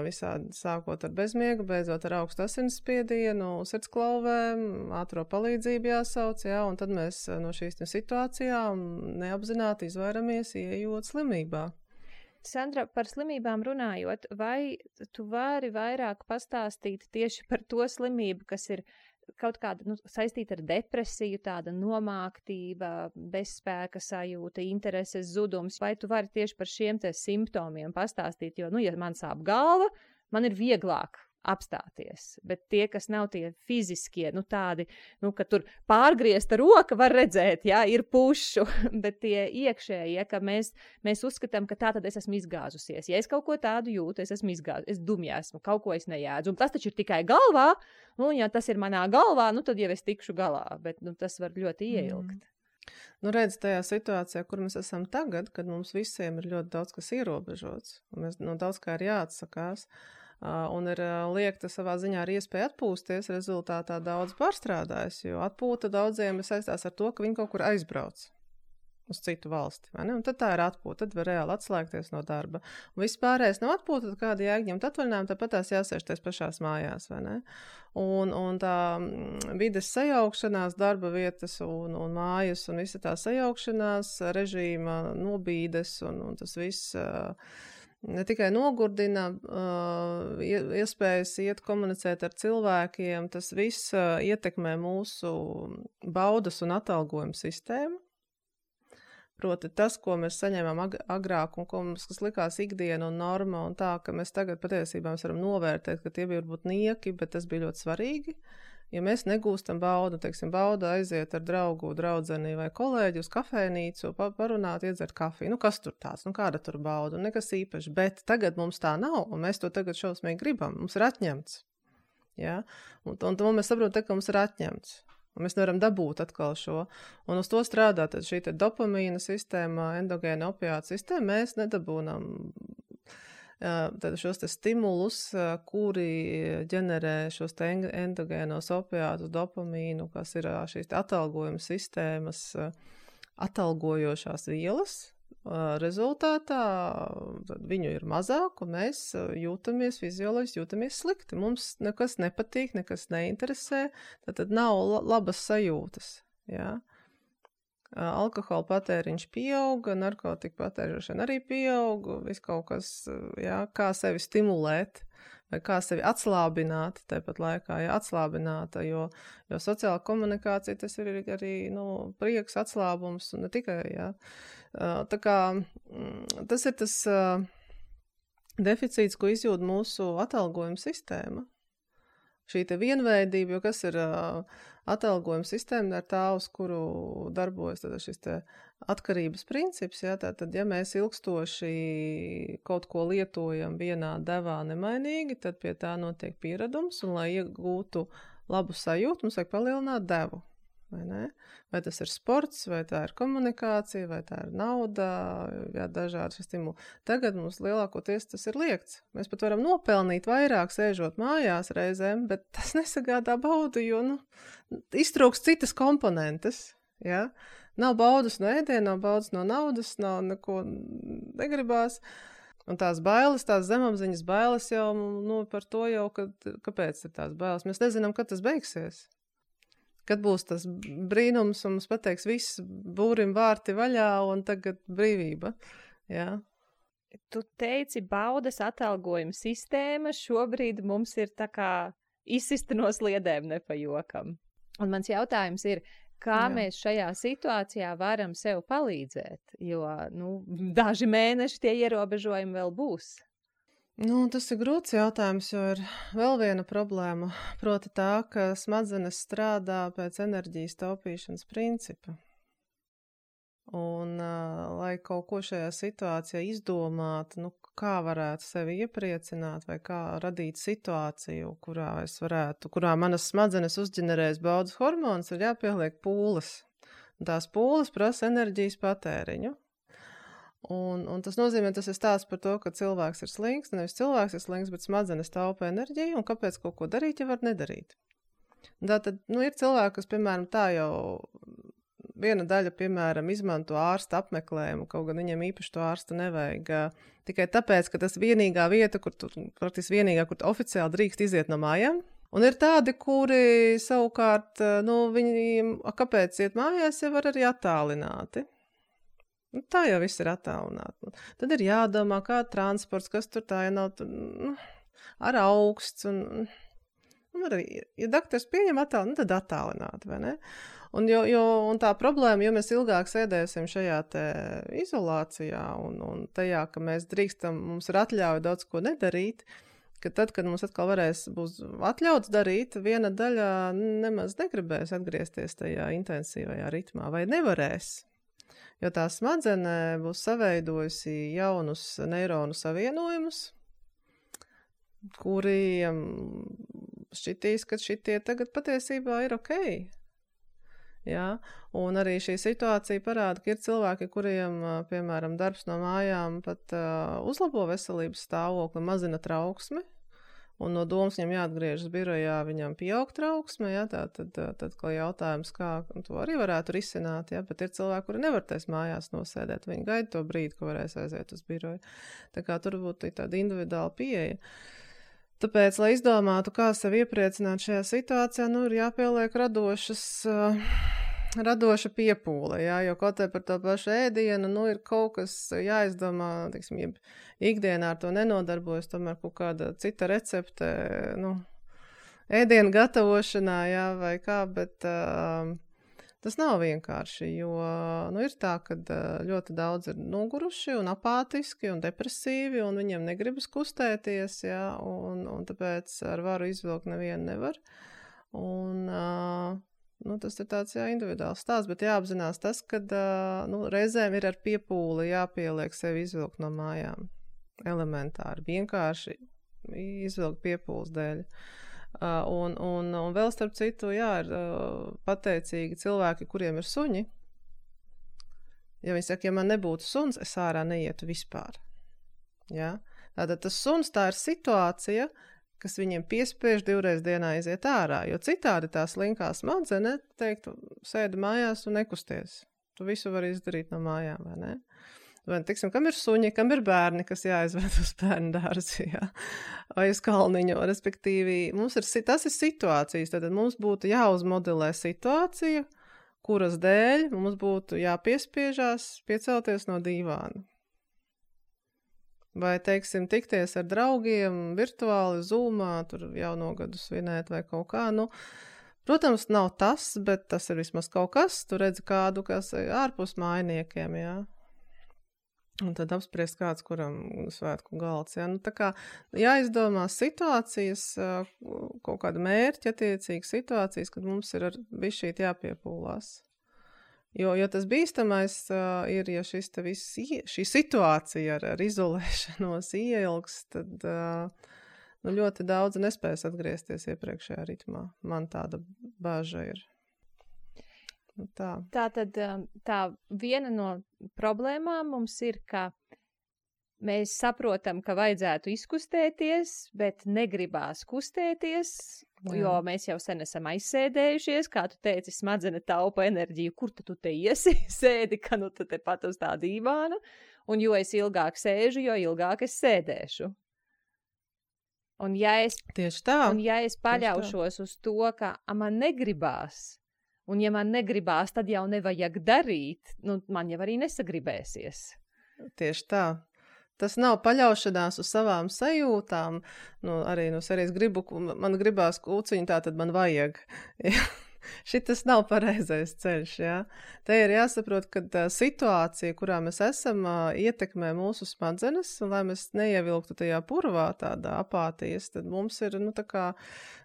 Visādi sākot ar bezmiegu, beidzot ar augstu asinsspiedienu, sirdsklauvēm, ātro palīdzību jāsauc, ja? Un tad mēs no šīs situācijām neapzināti izvairamies ieejot slimībā. Sandra, par slimībām runājot, vai tu vari vairāk pastāstīt tieši par to slimību, kas ir kaut kāda saistīta ar depresiju, tāda nomāktība, bezspēka sajūta, intereses zudums, vai tu vari tieši par šiem te simptomiem pastāstīt, jo, ja man sāp galva, man ir vieglāk apstāties, bet tie, kas nav tie fiziskie, tādi, ka tur pārgriezta roka var redzēt, jā, ir pušu, bet tie iekšējie, ka mēs uzskatām, ka tā tad es esmu izgāzusies. Ja es kaut ko tādu jūtu, es esmu izgāzusies, es dumja esmu, kaut ko es nejēdzu, un tas taču ir tikai galvā, ja tas ir manā galvā, tad jau es tikšu galā, bet tas var ļoti ieilgt. Redz, tajā situācijā, kur mēs esam tagad, kad mums visiem ir ļoti daudz kas ierobežots, un mēs daudz kā ir jāatsakās, un ir liekta savā ziņā arī iespēja atpūsties, rezultātā daudz pārstrādājas, jo atpūta daudziem saistās ar to, ka viņi kaut kur aizbrauc. uz citu valsti, vai ne? Un tad tā ir atpūta, tad var reāli atslēgties no darba. Un viss pārējais nav atpūta, tad kāda jāņemt atvaļinājumu, tāpat tās jāsēžties pašās mājās, vai ne? Un tā vides sajaukšanās, darba vietas un mājas un visa tā sajaukšanās, režīma nobīdes un tas viss ne tikai nogurdina iespējas iet komunicēt ar cilvēkiem, tas viss ietekmē mūsu baudas un atalgojuma sistēmu. Proti tas, ko mēs saņēmām agrāk un kas likās ikdiena un norma un tā, ka mēs tagad patiesībā varam novērtēt, ka tie bija varbūt nieki, bet tas bija ļoti svarīgi. Ja mēs negūstam baudu, teiksim, bauda aiziet ar draugu, draudzeni vai kolēģi uz kafejnīcu, parunāt, iedzert kafiju. Kas tur tāds? Kāda tur bauda? Nekas īpaši. Bet tagad mums tā nav, un mēs to tagad šausmīgi gribam. Mums ir atņemts. Ja? Un mēs saprotam, ka mums ir atņemts. Un mēs nevaram dabūt atkal šo. Un uz to strādā tad šī dopamīna sistēma, endogēna opiāta sistēma. Mēs nedabūnam tad šos stimulus, kuri ģenerē šos endogēnos opiātus, dopamīnu, kas ir šīs atalgojuma sistēmas atalgojošās vielas. Rezultātā viņu ir mazāk, un mēs jūtamies fizioloģiski, jūtamies slikti. Mums nekas nepatīk, nekas neinteresē, tad nav labas sajūtas. Ja? Alkohola patēriņš pieauga, narkotika patēriņšana arī pieauga, viss kaut kas, ja, kā sevi stimulēt vai kā sevi atslābināt, tāpat laikā, ja atslābināta, jo sociāla komunikācija tas ir arī, prieks, atslābums un ne tikai, ja. Tā kā tas ir tas deficīts, ko izjūt mūsu atalgojuma sistēma. Šī te vienveidība, jo kas ir atalgojuma sistēma, ir tā, uz kuru darbojas šis te atkarības princips. Ja, tātad, ja mēs ilgstoši kaut ko lietojam vienā devā nemainīgi, tad pie tā notiek pieredums, un lai iegūtu labu sajūtu, mums vajag palielināt devu. Vai ne? Vai tas ir sports, vai tā ir komunikācija, vai tā ir nauda, jā, dažādi stimuli. Tagad mums lielākoties tas ir liegts. Mēs pat varam nopelnīt vairāk sēžot mājās reizēm, bet tas nesagādā baudu, jo iztrūkst citas komponentes. Ja? Nav baudas no ēdiena, nav baudas no naudas, nav neko negribās. Un tās bailes, tās zemapziņas bailes jau, par to jau, kāpēc ir tās bailes. Mēs nezinām, kad tas beigsies. Kad būs tas brīnums un mums pateiks viss būrim vārti vaļā un tagad brīvība. Ja? Tu teici, baudas atalgojuma sistēma šobrīd mums ir tā kā izsista no sliedēm nepajokam. Un mans jautājums ir, kā mēs šajā situācijā varam sev palīdzēt? Jo, daži mēneši tie ierobežojumi vēl būs. Tas ir grūts jautājums, jo ir vēl viena problēma, proti tā, ka smadzenes strādā pēc enerģijas taupīšanas principa. Un, lai kaut ko šajā situācijā izdomātu, kā varētu sevi iepriecināt vai kā radīt situāciju, kurā manas smadzenes uzģenerēs baudas hormonus, ir jāpieliek pūles. Un tās pūles prasa enerģijas patēriņu. Un tas nozīmē, tas ir stāsts par to, ka cilvēks ir slings, nevis cilvēks ir slings, bet smadzenes taupa enerģiju, un kāpēc kaut ko darīt, ja var nedarīt. Tātad, ir cilvēki, kas, piemēram, tā jau viena daļa, piemēram, izmanto ārsta apmeklējumu, kaut gan viņiem īpaši to ārstu nevajag, tikai tāpēc, ka tas vienīgā vieta, praktiski vienīgā, kur oficiāli drīkst iziet no mājām. Un ir tādi, kuri savukārt, viņi, kāpēc iet mājās, jau var arī attālināti. Tā jau viss ir attālināti. Tad ir jādomā, kā transports, kas tur tā, ja nav ar augsts. Arī, ja doktors pieņem attālināti, tad attālināti, vai ne? Un tā problēma, jo mēs ilgāk sēdēsim šajā te izolācijā un tajā, ka mēs drīkstam, mums ir atļauja daudz ko nedarīt, ka tad, kad mums atkal būs atļauts darīt, viena daļa nemaz negribēs atgriezties tajā intensīvajā ritmā, vai nevarēs. Jo tā smadzenē būs saveidojusi jaunus neironu savienojumus, kuriem šķitīs, ka šitie tagad patiesībā ir ok. Ja? Un arī šī situācija parāda, ka ir cilvēki, kuriem, piemēram, darbs no mājām pat uzlabo veselības stāvokli, mazina trauksmi. un no domas viņam jāatgriežas birojā, viņam pieaug trauksme, ja, tad kā jautājums, kā to arī varētu risināt, ja, bet ir cilvēki, kuri nevar tais mājās nosēdēt, viņi gaida to brīdi, ka varēs aiziet uz biroju. Tā kā tur būtu tāda individuāla pieeja. Tāpēc, lai izdomātu, kā sevi iepriecināt šajā situācijā, ir jāpieliek radoša piepūle, jā, jo kaut vai par to pašu ēdienu, ir kaut kas jāizdomā, teiksim, ikdienā ar to nenodarbojas, tomēr kaut kāda cita recepte, ēdienu gatavošanā, jā, vai kā, bet tas nav vienkārši, jo, ir tā, ka ļoti daudz ir noguruši un apātiski un depresīvi, un viņiem negribas kustēties, jā, un tāpēc ar varu izvilkt nevienu nevar, un tas ir tāds individuāls stāsts, bet jāapzinās tas, ka reizēm ir ar piepūli jāpieliek sevi izvilkt no mājām. Elementāri, vienkārši izvilkt piepūles dēļ. Un vēl starp citu, ir pateicīgi cilvēki, kuriem ir suņi. Ja viņi saka, ja man nebūtu suns, es ārā neietu vispār. Ja? Tātad tas suns, tā ir situācija, kas viņiem piespiež 2 reizes dienā iziet ārā, jo citādi tā slinkā smadzenes teiktu, sēdi mājās un nekusties. Tu visu vari izdarīt no mājām, vai ne? Vai, tiksim, kam ir suņi, kam ir bērni, kas jāizved uz bērnu dārzi, vai uz kalniņu, respektīvi, tas ir situācijas, tad mums būtu jāuzmodelē situācija, kuras dēļ mums būtu jāpiespiežās piecelties no dīvāna. Vai, teiksim, tikties ar draugiem virtuāli, Zoomā, tur jauno gadu svinēt vai kaut kā, protams, nav tas, bet tas ir vismaz kaut kas, tu redzi kādu, kas ārpus mājniekiem, jā. Un tad apspriest kāds, kuram svētku galds, jā. Tā kā jāizdomā situācijas, kaut kāda mērķa attiecīga situācijas, kad mums ir bišķīt jāpiepūlās. Jo tas bīstamais ir, ja šī situācija ar izolēšanos ieilgs, tad ļoti daudz nespēs atgriezties iepriekšējā ritmā. Man tāda bāža ir. Tā. Tātad tā viena no problēmām mums ir, ka mēs saprotam, ka vajadzētu izkustēties, bet negribās kustēties, jo mēs jau sen esam aizsēdējušies, kā tu teici, smadzene taupa enerģiju, kur tu te iesi, sēdi, ka tu te pat uz tā dīvāna, un jo es ilgāk sēžu, jo ilgāk es sēdēšu. Un ja es paļaušos uz to, ka man negribās, un ja man negribās, tad jau nevajag darīt, man jau arī nesagribēsies. Tieši tā. Tas nav paļaušanās uz savām sajūtām, arī no serijas man gribās kūciņu, tā tad man vajag. Šitas nav pareizais ceļš, jā. Te ir jāsaprot, ka situācija, kurā mēs esam, ietekmē mūsu smadzenes, un lai mēs neievilktu tajā purvā tādā apātijas, tad mums ir, tā kā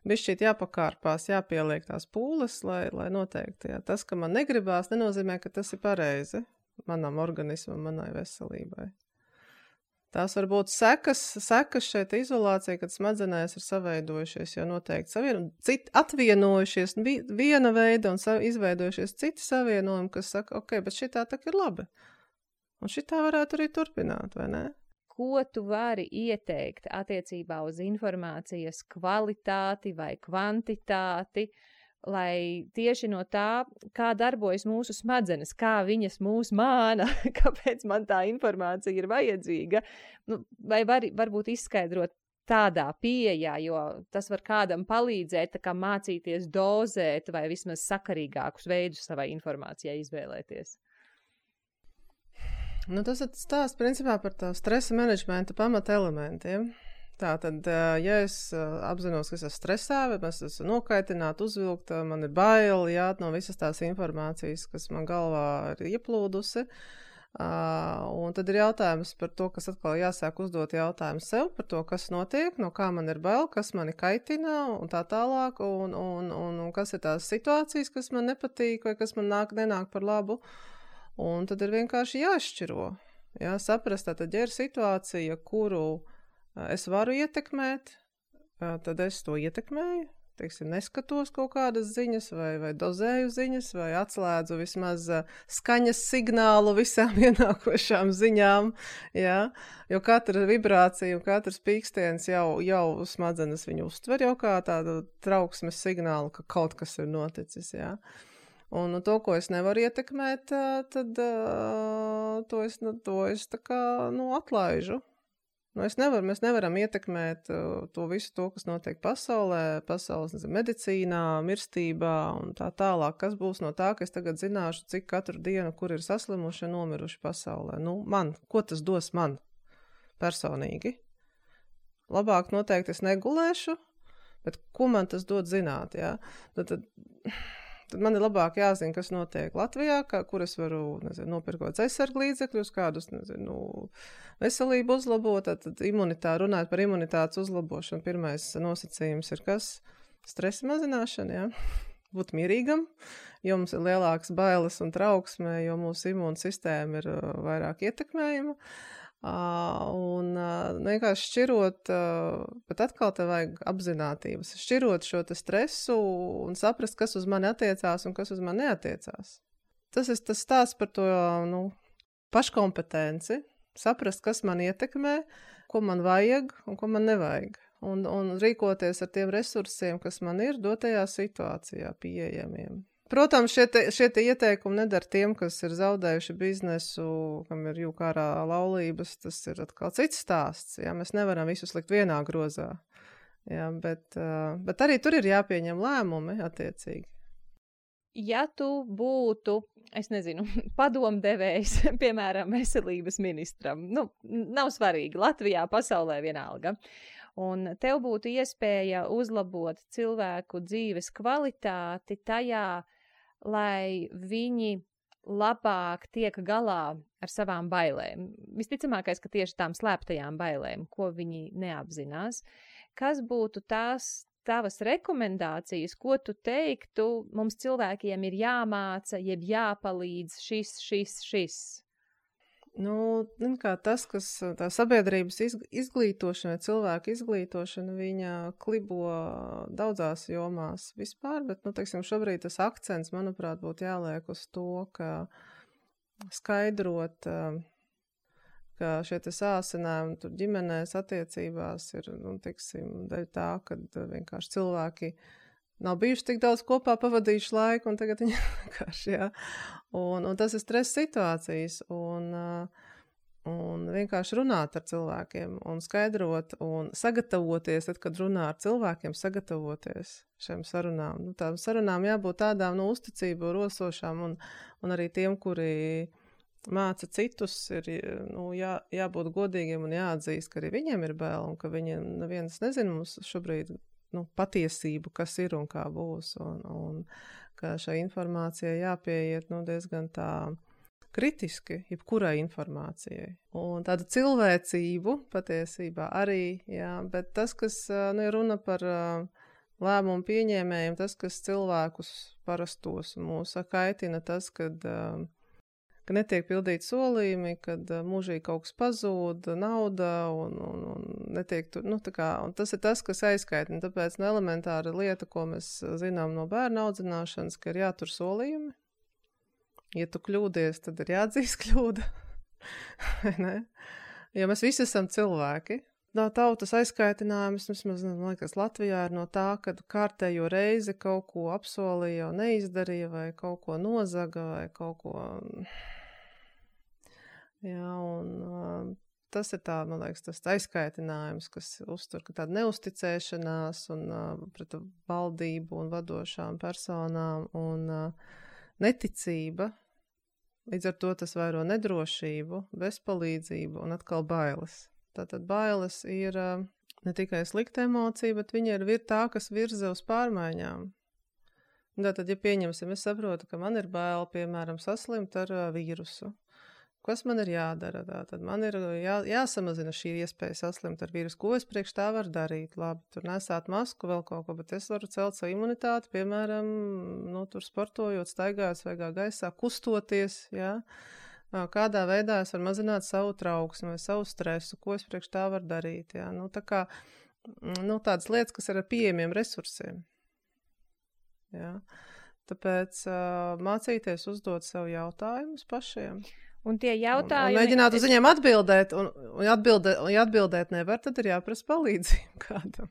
bišķīt jāpakārpās, jāpieliek tās pūles, lai noteikti, jā. Tas, ka man negribās, nenozīmē, ka tas ir pareizi manam organismam, manai veselībai. Tās var būt sekas šeit izolācija, kad smadzenēs ir saveidojušies jau noteikti atvienojušies viena veida un izveidojušies citi savienojumi, kas saka, ok, bet šitā tak ir labi. Un šitā varētu arī turpināt, vai ne? Ko tu vari ieteikt attiecībā uz informācijas kvalitāti vai kvantitāti, lai tieši no tā, kā darbojas mūsu smadzenes, kā viņas mūs māna, kāpēc man tā informācija ir vajadzīga, vai varbūt izskaidrot tādā pieejā, jo tas var kādam palīdzēt, tā kā mācīties dozēt vai vismaz sakarīgākus veidus savai informācijai izvēlēties. Tas ir stāsts principā par tā stresa menedžmenta pamata elementiem. Tātad, ja es apzinos, ka es esmu stresā, vai es esmu nokaitināta, uzvilkta, man ir baili, no visas tās informācijas, kas man galvā ir ieplūdusi, un tad ir jautājums par to, kas atkal jāsāk uzdot jautājumu sev par to, kas notiek, no kā man ir bail, kas mani kaitina un tā tālāk, un kas ir tās situācijas, kas man nepatīk vai kas man nenāk par labu, un tad ir vienkārši jāšķiro, saprast, tātad, ja ir situācija, kuru es varu ietekmēt, tad es to ietekmēju. teiksim, neskatos kaut kādas ziņas vai dozēju ziņas vai atslēdzu vismaz skaņas signālu visām ienākošām ziņām, jā, jo katra vibrācija un katrs pīkstiens jau smadzenes viņu uztver jau kā tādu trauksmes signālu, ka kaut kas ir noticis, jā. Un to, ko es nevaru ietekmēt, tad to es tā kā, atlaižu. Mēs nevaram ietekmēt to visu to, kas notiek pasaulē, pasaules medicīnā, mirstībā un tā tālāk. Kas būs no tā, ka es tagad zināšu, cik katru dienu, kur ir saslimuši un nomiruši pasaulē? Ko tas dos man personīgi? Labāk noteikti es negulēšu, bet ko man tas dod zināt, jā? Tad man ir labāk jāzina, kas notiek Latvijā, kur es varu, nopirkot aizsargu līdzekļus, kādus, veselību uzlabot, tad runāt par imunitātes uzlabošanu. Pirmais nosacījums ir kas? Stresa mazināšana, jā. Būt mierīgam, jo mums ir lielākas bailes un trauksme, jo mūsu imūnsistēma ir vairāk ietekmējama. Un vienkārši šķirot, bet atkal te vajag apzinātības, šķirot šo te stresu un saprast, kas uz mani attiecās un kas uz mani neatiecās. Tas ir tas stāsts par to, paškompetenci, saprast, kas man ietekmē, ko man vajag un ko man nevajag. Un rīkoties ar tiem resursiem, kas man ir dotajā situācijā pieejamiem. Protams, šie te ieteikumi nedara tiem, kas ir zaudējuši biznesu, kam ir jūkārā laulības, tas ir atkal cits stāsts. Jā, mēs nevaram visus likt vienā grozā. Jā, bet arī tur ir jāpieņem lēmumi attiecīgi. Ja tu būtu, es nezinu, padomdevējs, piemēram, veselības ministram, nav svarīgi, Latvijā, pasaulē vienalga, un tev būtu iespēja uzlabot cilvēku dzīves kvalitāti tajā, lai viņi labāk tiek galā ar savām bailēm. Visticamākais, ka tieši tām slēptajām bailēm, ko viņi neapzinās. Kas būtu tās tavas rekomendācijas, ko tu teiktu, mums cilvēkiem ir jāmāca, jeb jāpalīdz šis? Tas, kas tā sabiedrības izglītošana, cilvēka izglītošana, viņa klibo daudzās jomās vispār, bet, šobrīd tas akcents, manuprāt, būtu jāliek uz to, ka skaidrot, ka šie te sāsinājumi tur ģimenēs attiecībās ir, dēļ tā, kad vienkārši cilvēki nav bijuši tik daudz kopā pavadījuši laiku, un tagad viņi vienkārši, jā. Un tas ir stresa situācijas, un vienkārši runāt ar cilvēkiem, un skaidrot, un sagatavoties, tad, kad runā ar cilvēkiem, sagatavoties šiem sarunām. Tām sarunām jābūt tādām, uzticību rosošām, un arī tiem, kuri māca citus, ir jābūt godīgiem un jāatzīst, ka arī viņiem ir bail, un ka viņiem neviens nezina mums šobrīd, patiesību, kas ir un kā būs, un ka šai informācijai jāpieiet, diezgan tā kritiski, jebkurai informācijai. Un tādu cilvēcību patiesībā arī, jā, bet tas, kas, ir runa par lēmumu pieņēmējiem, tas, kas cilvēkus parastos mūs kaitina, tas, kad netiek pildīti solījumi, kad mūžīgi kaut kas pazūd, nauda un netiek tur, un tas ir tas, kas aizskaitina. Tāpēc elementāra lieta, ko mēs zinām no bērnu audzināšanas, ka ir jātur solījumi. Ja tu kļūdies, tad ir jāatzīst kļūda. Ne? Jo mēs visi esam cilvēki. Tautas aizskaitinājums, man liekas, Latvijā ir no tā, kad kārtējo reizi kaut ko apsolīja un neizdarīja, vai kaut ko nozaga, vai kaut ko... Jā, un tas ir tā, man liekas, tas aizskaitinājums, kas uztur, ka tāda neusticēšanās un pret valdību un vadošām personām un neticība. Līdz ar to tas vairo nedrošību, bezpalīdzību un atkal bailes. Tātad bailes ir ne tikai slikta emocija, bet viņa ir tā, kas virza uz pārmaiņām. Tātad, ja pieņemsim, es saprotu, ka man ir bail, piemēram, saslimt ar vīrusu. Kas man ir jādara? Tātad man ir jāsamazina šī iespēja saslimt ar vīrusu. Ko es priekš tā varu darīt? Labi, tur nesāt masku vēl kaut ko, bet es varu celt savu imunitāti, piemēram, tur sportojot, staigājot svaigā gaisā, kustoties, jā. Kādā veidā es varu mazināt savu trauksmi vai savu stresu, ko es priekš tā varu darīt, jā. Tādas lietas, kas ir ar pieejamiem resursiem. Jā. Tāpēc mācīties uzdot sev jautājumus pašiem. Un tie jautājumi... Un mēģināt uz viņiem atbildēt, un atbildēt nevar, tad ir jāprasa palīdzību kādam.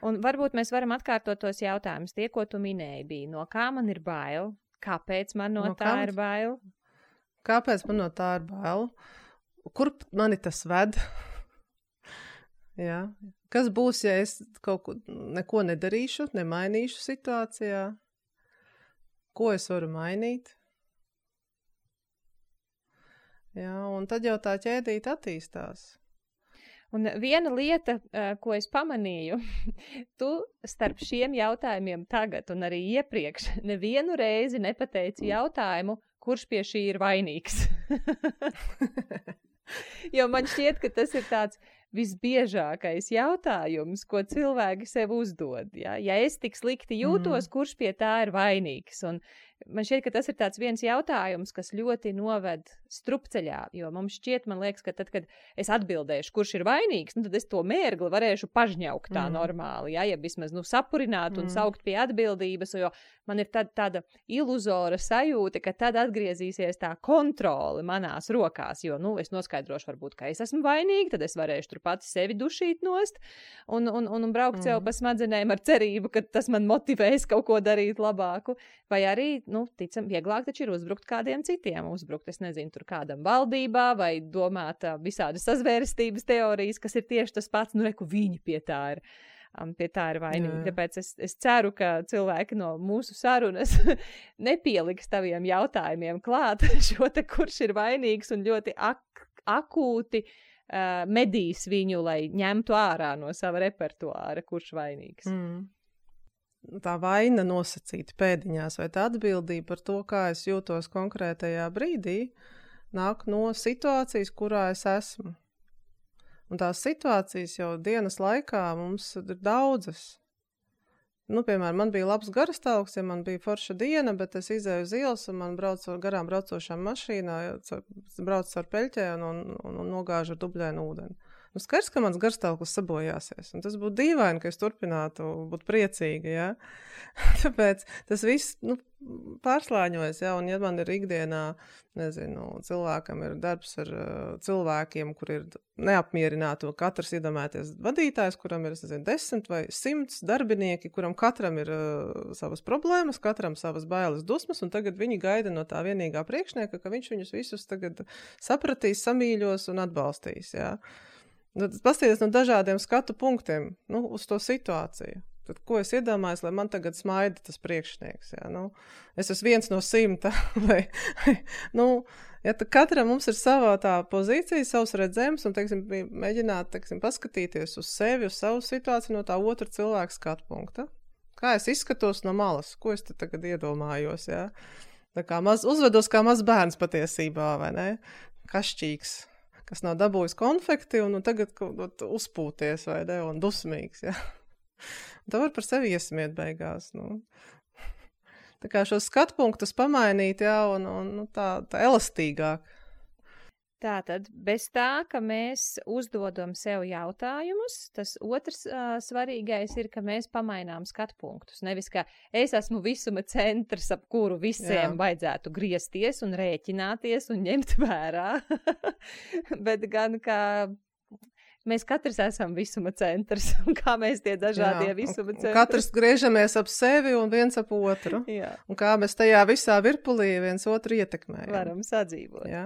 Un varbūt mēs varam atkārtot tos jautājumus. Tie, ko tu minēji, bija, no kā man ir bail? Kāpēc man no tā ir bail? Kāpēc man no tā ir bail? Kur mani tas ved? Jā. Kas būs, ja es neko nedarīšu, nemainīšu situācijā? Ko es varu mainīt? Jā, un tad jau tā ķēdīte attīstās. Un viena lieta, ko es pamanīju, tu starp šiem jautājumiem tagad un arī iepriekš nevienu reizi nepateici jautājumu, kurš pie šī ir vainīgs. Jo man šķiet, ka tas ir tāds visbiežākais jautājums, ko cilvēki sev uzdod. Ja es tik slikti jūtos, kurš pie tā ir vainīgs? Un man šķiet, ka tas ir tāds viens jautājums, kas ļoti noved strupceļā, jo mums šķiet, man liekas, ka tad, kad es atbildēšu, kurš ir vainīgs, tad es to mērgli varēšu pažņaukt tā normāli, ja vismaz sapurināt un saukt pie atbildības, jo man ir tāda iluzora sajūta, ka tad atgriezīsies tā kontrole manās rokās, jo, es noskaidrošu varbūt, ka es esmu vainīga, tad es varēšu tur pati sevi dušīt nost un braukt sev pa smadzenēm ar cerību, ka tas man motivēs kaut ko darīt labāku, vai arī, ticam, vieglāk taču ir uzbrukt kādiem citiem, es nezinu, tur kādam valdībā, vai domāt visādas sazvērestības teorijas, kas ir tieši tas pats, reku viņi pie tā ir vainīgi. Tāpēc es ceru, ka cilvēki no mūsu sarunas nepieliks taviem jautājumiem klāt šo te, kurš ir vainīgs un ļoti akūti medīs viņu, lai ņemtu ārā no sava repertuāra, kurš vainīgs. Tā vaina nosacīta pēdiņās, vai tā atbildība par to, kā es jūtos konkrētajā brīdī, nāk no situācijas, kurā es esmu. Un tās situācijas jau dienas laikā mums ir daudzas. Piemēram, man bija labs garastāvoklis, ja man bija forša diena, bet es izēju uz ielas un man garām braucošām mašīnā, braucu ar peļķēm un nogāžu ar dubļainu ūdeni. Skaidrs, ka mans garstāvoklis sabojāsies, un tas būtu dīvaini, ka es turpinātu būt priecīga, ja? Tāpēc tas viss, pārslāņojas, ja? Un ja man ir ikdienā, cilvēkam ir darbs ar cilvēkiem, kur ir neapmierināti, katrs iedomāties vadītājs, kuram ir, 10 vai 100 darbinieki, kuram katram ir savas problēmas, katram savas bailes dusmas, un tagad viņi gaida no tā vienīgā priekšnieka, ka viņš viņus visus tagad sapratīs, samīļos un atbalstīs, ja? Paskatīties no dažādiem skatu punktiem uz to situāciju. Tad, ko es iedomājos, lai man tagad smaida tas priekšnieks? Ja? Es esmu 1 no 100. Tad katram mums ir sava tā pozīcija, savs redzējums un, mēģināt, paskatīties uz sevi, uz savu situāciju no tā otra cilvēka skatu punkta. Kā es izskatos no malas? Ko es te tagad iedomājos? Ja? Tā kā uzvedos kā mazs bērns patiesībā, vai ne? Kašķīgs, kas nav dabūjis konfekti un tagad uzpūties, vai ne, un dusmīgs, ja. Tā var par sevi iesmiet beigās, Tā kā šos skatpunktus pamainīt, ja, un tā elastīgāk. Tātad, bez tā, ka mēs uzdodam sev jautājumus, tas otrs svarīgais ir, ka mēs pamainām skatpunktus. Nevis, ka es esmu visuma centrs, ap kuru visiem vajadzētu griezties un rēķināties un ņemt vērā, bet gan, ka mēs katrs esam visuma centrs, un kā mēs tie dažādie visuma centri. Katrs griežamies ap sevi un viens ap otru. Jā. Un kā mēs tajā visā virpulī viens otru ietekmējam. Varam sadzīvot. Jā.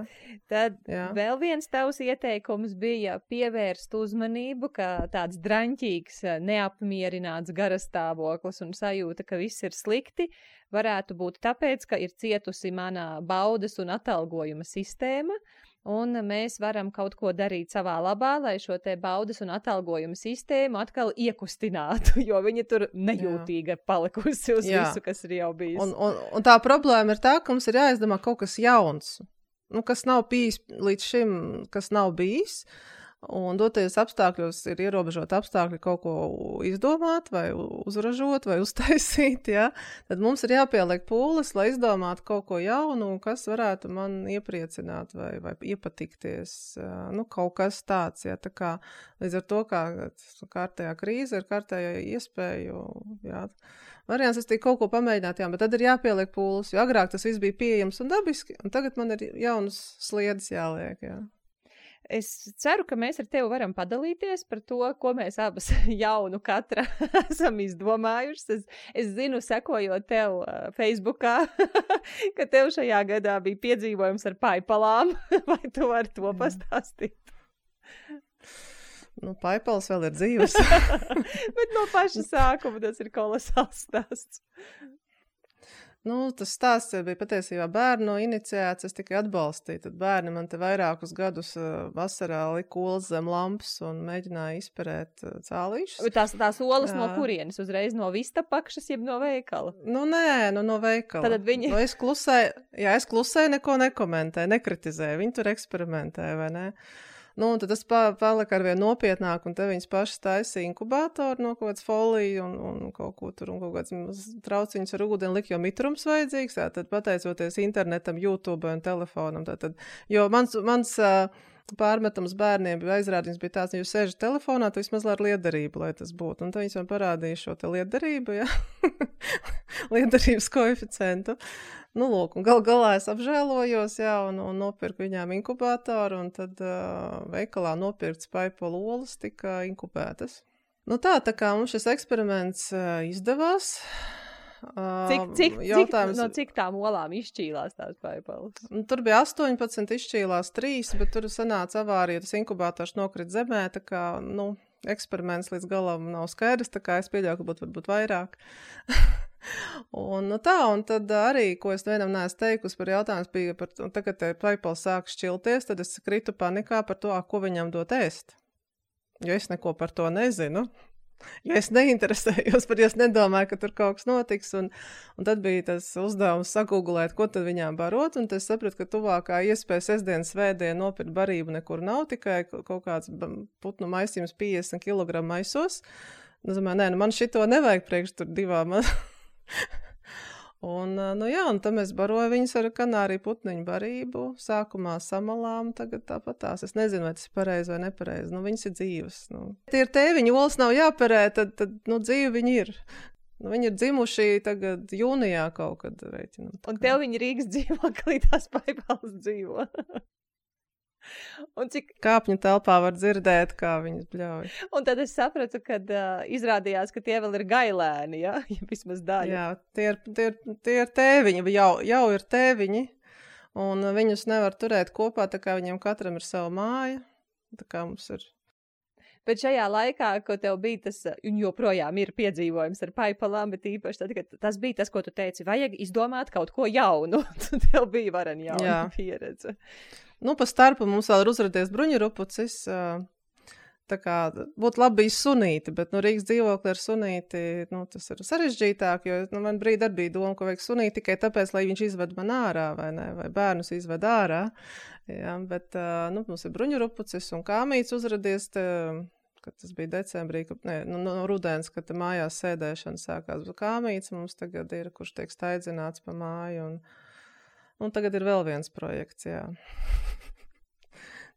Tad vēl viens tavs ieteikums bija pievērst uzmanību, ka tāds draņķīgs, neapmierināts garastāvoklis un sajūta, ka viss ir slikti, varētu būt tāpēc, ka ir cietusi manā baudas un atalgojuma sistēma, un mēs varam kaut ko darīt savā labā, lai šo te baudas un atalgojuma sistēmu atkal iekustinātu, jo viņa tur nejūtīga palikusi uz visu, kas ir jau bijis. Un tā problēma ir tā, ka mums ir jāizdomā kaut kas jauns, kas nav bijis līdz šim, kas nav bijis, Un dotajos apstākļos ir ierobežot apstākļi kaut ko izdomāt vai uzražot vai uztaisīt, ja? Tad mums ir jāpieliek pūles, lai izdomātu kaut ko jaunu, kas varētu man iepriecināt vai iepatikties. Nu, kaut kas tāds, ja? Tā kā līdz ar to, kā kārtējā krīze ir kārtējā iespēju, jā. Variants, es kaut ko pamēģināt, jā, bet tad ir jāpieliek pūles, jo agrāk tas viss bija pieejams un dabiski, un tagad man ir jaunas sliedes jāliek, jā. Es ceru, ka mēs ar tevi varam padalīties par to, ko mēs abas jaunu katra esam izdomājušas. Es zinu, sekojot tev Facebookā, ka tev šajā gadā bija piedzīvojums ar paipalām. Vai tu vari to pastāstīt? Nu, paipals vēl ir dzīves. Bet no paša sākuma tas ir kolosāls stāsts. Nu, tas stāsts bija patiesībā bērnu iniciēts, es tikai atbalstīju. Tad bērni man te vairākus gadus vasarā lika olas zem lampas un mēģināja izperēt cālīšus. Tās olas no kurienes? Uzreiz no Vistapakšas, jeb no veikala? Nu, nē, no veikala. Tad viņi... Nu, es klusēju, neko nekomentēju, nekritizēju. Viņi tur eksperimentēja, vai ne? Nu, un tad tas palika arvien nopietnāk, un te viņas pašas taisīja inkubātoru no kaut kāds foliju un kaut ko tur, un kaut kāds trauciņus ar ūdeni lika, jo mitrums vajadzīgs, tad pateicoties internetam, YouTube un telefonam. Jo mans pārmetams bērniem aizrādījums bija tāds, ja jūs sēžat telefonā, tad vismaz ar liederību, lai tas būtu. Un tad viņas man parādīja šo te liederību, ja? Liederības koeficientu. Nu, lūk, un galā es apžēlojos, jā, un nopirku viņām inkubātoru, un tad veikalā nopirkts paipalu olas tika inkubētas. Nu tā kā mums šis eksperiments izdevās. Cik tām olām izšķīlās tās paipalas? Tur bija 18, izšķīlās 3, bet tur sanāca avārija, tas inkubātors nokrit zemē, tā kā, nu, eksperiments līdz galam nav skaidrs, tā kā es pieļauju, ka varbūt vairāk. Un tad arī, ko es vienam neesmu teikusi par jautājums, bija par to, tagad paipals sāk šķilties, tad es kritu panikā par to, ko viņam dot ēst. Jo es neko par to nezinu. Jo es neinteresējos par, jo es nedomāju, ka tur kaut kas notiks, un tad bija tas uzdevums sagūglēt, ko tad viņām barot, un tad es sapratu, ka tuvākā iespēja sestdien, svētdien nopirkt barību nekur nav, tikai kaut kāds putnu maisījums 50 kg maisos. Es domāju, man šito nevajag priekš tur divām. Un tad mēs baroju viņus ar kanāriju putniņu barību, sākumā samalām, tagad tāpat tās. Es nezinu, vai tas ir pareizi vai nepareizi. Nu, viņas ir dzīves. Nu. Tie ir tēviņi, olas nav jāperē, tad dzīvi viņi ir. Nu, viņi ir dzimuši tagad jūnijā kaut kad reiķinam. Un tev viņi Rīgas dzīvoklī tās paipalas dzīvo. Un cik kāpņu telpā var dzirdēt, kā viņas bļauj. Un tad es sapratu, kad izrādījās, ka tie vēl ir gailēni, ja? Ja vismaz daļa. Jā, tie ir tēviņi, jau ir tēviņi, un viņus nevar turēt kopā, tā kā viņiem katram ir sava māja, tā kā mums ir. Bet šajā laikā, ko tev bija tas, un joprojām ir piedzīvojums ar paipalām, bet īpaši tad, kad tas bija tas, ko tu teici, vajag izdomāt kaut ko jaunu, tev bija varen jauna pieredze. Nu, pa starpu mums vēl ir uzradies bruņurupucis, tā kā būtu labi bijis sunīti, bet Rīgas dzīvokli ar sunīti, tas ir sarežģītāk, jo man brīdi arī bija doma, ka vajag sunīti tikai tāpēc, lai viņš izved man ārā, vai ne, vai bērnus izved ārā, jā, bet, mums ir bruņurupucis un kāmīts uzradies, kad tas bija decembrī, no rudens, kad mājās sēdēšana sākās, bet kāmīts mums tagad ir, kurš tiek staidzināts pa māju, un tagad ir vēl viens projekts, jā.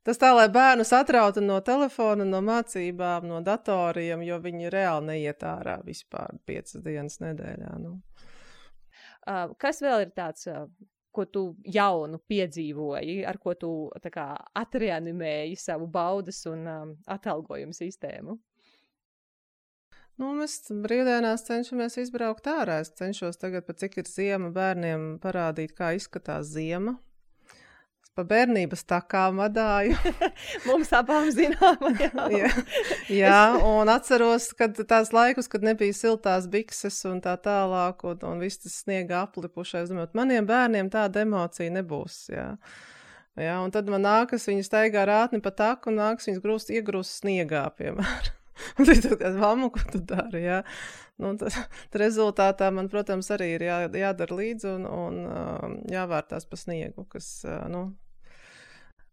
Tas tā, lai bērnus atrautu no telefona, no mācībām, no datoriem, jo viņi reāli neiet ārā vispār 5 dienas nedēļā. Nu. Kas vēl ir tāds, ko tu jaunu piedzīvoji, ar ko tu tā kā atreanimēji savu baudas un atalgojumu sistēmu? Mēs brīvdienās cenšamies izbraukt ārā. Es cenšos tagad, pat cik ir ziema, bērniem parādīt, kā izskatās ziema. Pa bērnības takām vadāju. Mums abām zināma, jā. Jā, un atceros, kad tās laikus, kad nebija siltās bikses un tā tālāk, un viss tas sniega aplipušais. Maniem bērniem tāda emocija nebūs, jā. Jā, un tad man nākas, viņi staigā rātni pa taku, un nākas viņas iegrūst sniegā, piemēram. Un tad kā mammu, ko tu dari, jā. Tad rezultātā man, protams, arī ir jādara līdzi un jāvērtās pa sniegu, kas,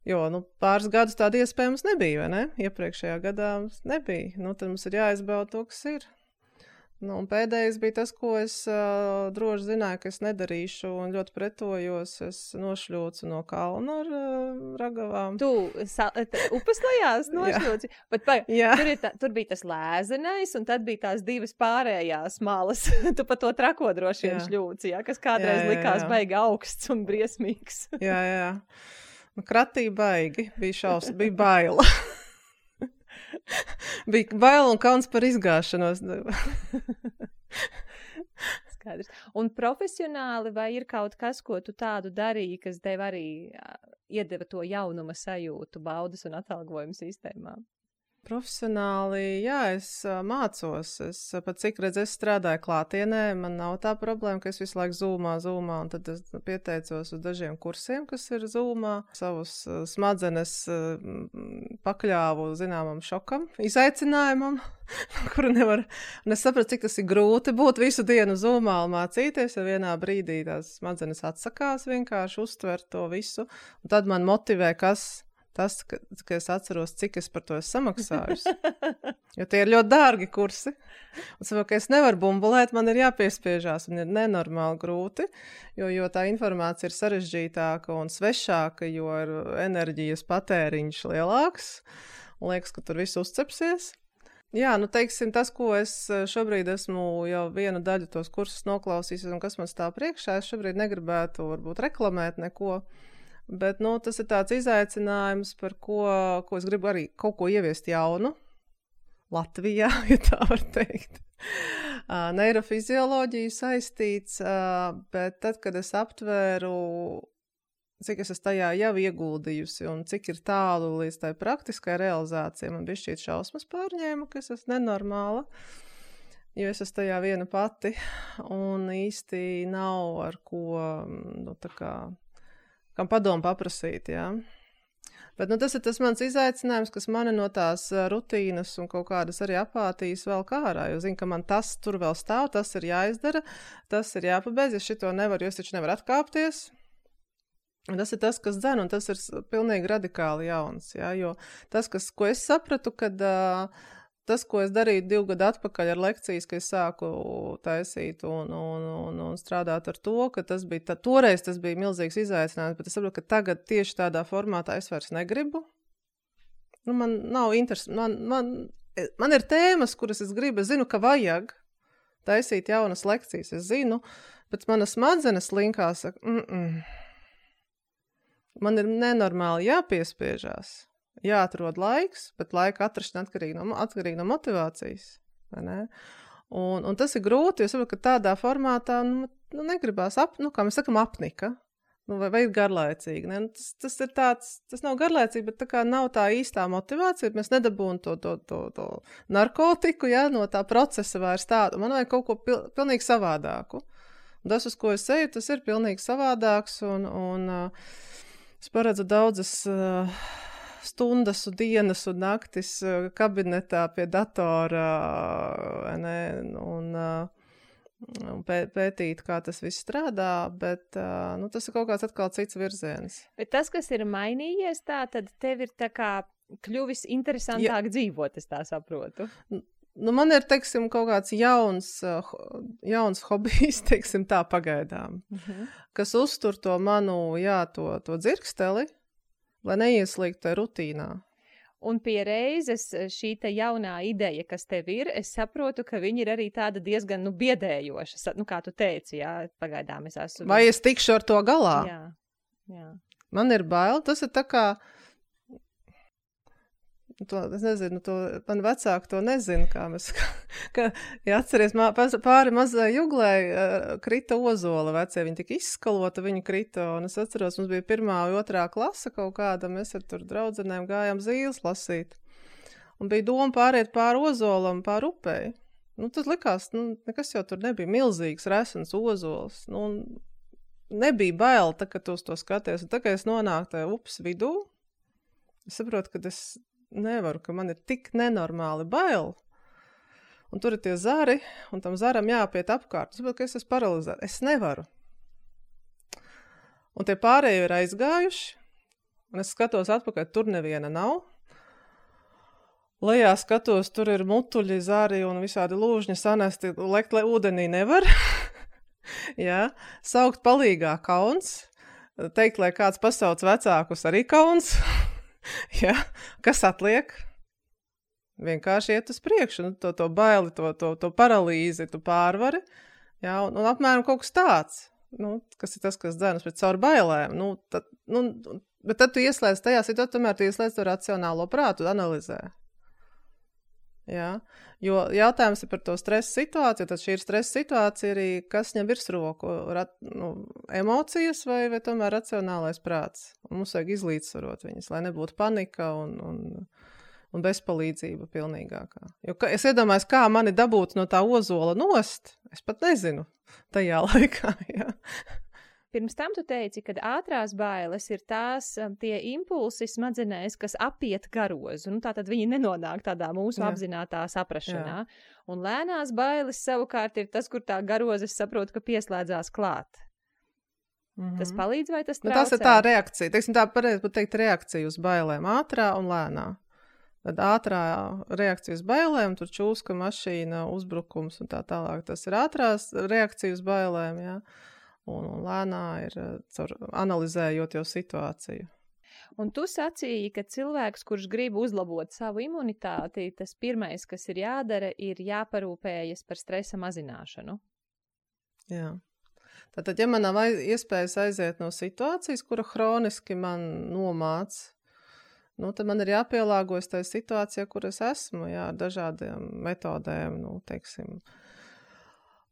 Jo, pāris gadus tāda iespēja mums nebija, vai ne? Iepriekšējā gadā mums nebija. Tad mums ir jāizbauda to, kas ir. Un pēdējais bija tas, ko es droši zināju, ka es nedarīšu un ļoti pretojos. Es nošļūcu no kalna ar ragavām. Tu upes lejās nošļūci? Tur bija tas lēzenais, un tad bija tās divas pārējās malas. Tu pa to trako droši vien šļūci, kas kādreiz likās baigi augsts un briesmīgs. Jā. Kratī baigi, bija baila. Bija baila un kauns par izgāšanos. Skaidrs. Un profesionāli vai ir kaut kas, ko tu tādu darīji, kas tev arī iedeva to jaunuma sajūtu baudas un atalgojuma sistēmā? Profesionāli, jā, es mācos. Es pat cik redz, es strādāju klātienē, man nav tā problēma, ka es visu laiku zūmā, un tad es pieteicos uz dažiem kursiem, kas ir zūmā. Savus smadzenes pakļāvu zināmam šokam, izaicinājumam, kuru nevar. Un es sapratu, cik tas ir grūti būt visu dienu zūmā un mācīties, ja vienā brīdī tās smadzenes atsakās vienkārši uztvert to visu. Un tad man motivē, tas, ka es atceros, cik es par to esmu samaksājusi. Jo tie ir ļoti dārgi kursi. Un saprotu, ka es nevaru bumbulēt, man ir jāpiespiežās un ir nenormāli grūti, jo tā informācija ir sarežģītāka un svešāka, jo ir enerģijas patēriņš lielāks. Un liekas, ka tur viss uzcepsies. Jā, teiksim, tas, ko es šobrīd esmu jau vienu daļu tos kursus noklausījusi un kas man stāv priekšā, es šobrīd negribētu varbūt reklamēt neko. Bet, tas ir tāds izaicinājums, par ko es gribu arī kaut ko ieviest jaunu Latvijā, ja tā var teikt. Neirofizioloģiju saistīts, bet tad, kad es aptvēru, cik es tajā jau ieguldījusi un cik ir tālu līdz tai praktiskai realizācijai, man bišķīt šausmas pārņēma, ka es esmu nenormāla, jo es esmu tajā viena pati un īsti nav ar ko, kam padomu paprasīt, jā. Bet tas ir tas mans izaicinājums, kas mani no tās rutīnas un kaut kādas arī apātijas vēl ārā, jo zinu, ka man tas tur vēl stāv, tas ir jāizdara, tas ir jāpabeidz, ja šito nevaru, jo es taču nevaru atkāpties. Un tas ir tas, kas dzen, un tas ir pilnīgi radikāli jauns, jā, jo tas, ko es sapratu, kad tas, ko es darīju 2 gadu atpakaļ ar lekcijas, ka es sāku taisīt un strādāt ar to, ka toreiz tas bija milzīgs izaicinājums, bet es saprotu, ka tagad tieši tādā formātā es vairs negribu. Man nav interesi. Man ir tēmas, kuras es gribu, es zinu, ka vajag taisīt jaunas lekcijas, es zinu, bet manas smadzenes linkā saka, man ir nenormāli jāpiespiežās. Jāatrod laiks, bet laika atrašana atkarīgi no motivācijas. Vai ne? Un tas ir grūti, jo saprotu, ka tādā formātā negribās, kā mēs sakam, apnika. Vai ir garlaicīgi. Ne? Tas ir tāds, tas nav garlaicīgi, bet tā kā nav tā īstā motivācija, mēs nedabūn to narkotiku, ja, no tā procesa vairs tādu. Man vajag kaut ko pilnīgi savādāku. Un tas, uz ko es eju, tas ir pilnīgi savādāks, un es paredzu daudzas stundas un dienas un naktis kabinetā pie datora un pētīt, kā tas viss strādā, bet tas ir kaut kāds atkal cits virziens. Bet tas, kas ir mainījies tad tev ir tā kā kļuvis interesantāk dzīvot, es tā saprotu. Man ir, teiksim, kaut kāds jauns hobijs, teiksim tā pagaidām, kas uztur to manu, to dzirksteli, lai neieslīgtu tajā rutīnā. Un pie reizes šī te jaunā ideja, kas tev ir, es saprotu, ka viņa ir arī tāda diezgan, biedējoša. Kā tu teici, jā, pagaidām es esmu. Vai es tikšu ar to galā? Jā. Man ir bail, tas ir tā kā, es nezinu, man vecāki to nezinu, ja atceries, pāri mazai juglai krita ozola vecie, viņi tika izskalota, viņi krita, un es atceros, mums bija 1. un 2. klase kaut kāda, mēs ar tur draudzenēm gājām zīles lasīt, un bija doma pāriet pāri ozolam, pāri upei. Tas likās, nekas jau tur nebija milzīgs, resens ozols, nebija bail, kad tu uz to skaties, un kad es nonāku tajā upes vidū, es saprotu, ka es nevaru, ka man ir tik nenormāli bail. Un tur ir tie zari, un tam zaram jāpiet apkārt. Es saprotu, ka es esmu paralizēta. Es nevaru. Un tie pārējie ir aizgājuši, Un es skatos atpakaļ, tur neviena nav. Lejā skatos, tur ir mutuļi, zari un visādi lūžņi sanesti, lekt ūdenī nevar. Jā, saukt palīgā kauns, teikt, lai kāds pasauc vecākus arī kauns. Jā, kas atliek? Vienkārši iet uz priekšu, to baili, to paralīzi, tu pārvari. Jā, un apmēram kaut kas tāds, kas ir tas, kas dzenas pēc caur bailēm. Bet tad tu ieslēdz tajā situācijā, tomēr tu ieslēdz to racionālo prātu, analizē. Jā, jo jautājums ir par to stresa situāciju, tad šī ir stresa situācija arī, kas ņem virsroku, emocijas vai tomēr racionālais prāts. Un mums vajag izlīdzsvarot viņas, lai nebūtu panika un bezpalīdzība pilnīgākā. Jo es iedomājos, kā mani dabūt no tā ozola nost, es pat nezinu tajā laikā, jā. Pirms tam tu teici, ka ātrās bailes ir tie impulsi smadzenēs, kas apiet garozu. Tātad viņi nenonāk tādā mūsu apzinātā saprašanā. Jā. Un lēnās bailes savukārt ir tas, kur tā garozes saprot, ka pieslēdzās klāt. Tas palīdz vai tas traucē? Tas ir tā reakcija. Teiksim, tā pareizi pat teikt reakcija uz bailēm. Ātrā un lēnā. Tad ātrā reakcija uz bailēm, tur čūska, mašīna, uzbrukums un tā tālāk. Tas ir ātrās reakcija uz bailēm, jā. Un lēnā ir analizējot jau situāciju. Un tu sacīji, ka cilvēks, kurš grib uzlabot savu imunitāti, tas pirmais, kas ir jādara, ir jāparūpējas par stresa mazināšanu. Jā. Tātad, ja man nav iespējas aiziet no situācijas, kura hroniski man nomāc, tad man ir jāpielāgojas tai situācijai, kur es esmu, jā, ar dažādiem metodēm, teiksim,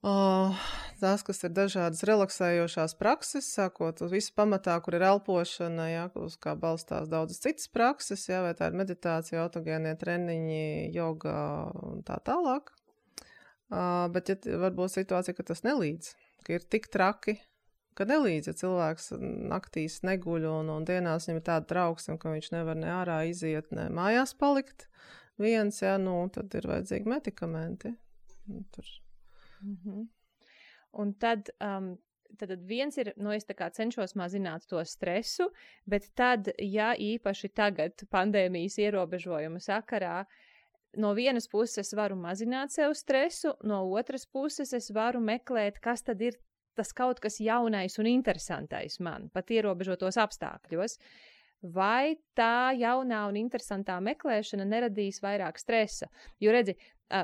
tās, kas ir dažādas relaksējošās prakses, sākot uz visu pamatā, kur ir elpošana, jā, uz kā balstās daudzas citas prakses, jā, vai tā ir meditācija, autogēnie treniņi, joga un tā tālāk. Bet ja varbūt situācija, ka tas nelīdz, ka ir tik traki, ka nelīdz, ja cilvēks naktīs neguļ un dienās viņam ir tāda trauksme, ka viņš nevar ne ārā iziet, ne mājās palikt viens, jā, tad ir vajadzīgi medikamenti. Tur. Un tad viens ir, es tā kā cenšos mazināt to stresu, bet tad, ja īpaši tagad pandēmijas ierobežojumu sakarā, no vienas puses varu mazināt sev stresu, no otras puses es varu meklēt, kas tad ir tas kaut kas jaunais un interesantais man, pat ierobežotos apstākļos. Vai tā jaunā un interesantā meklēšana neradīs vairāk stresa? Jo redzi,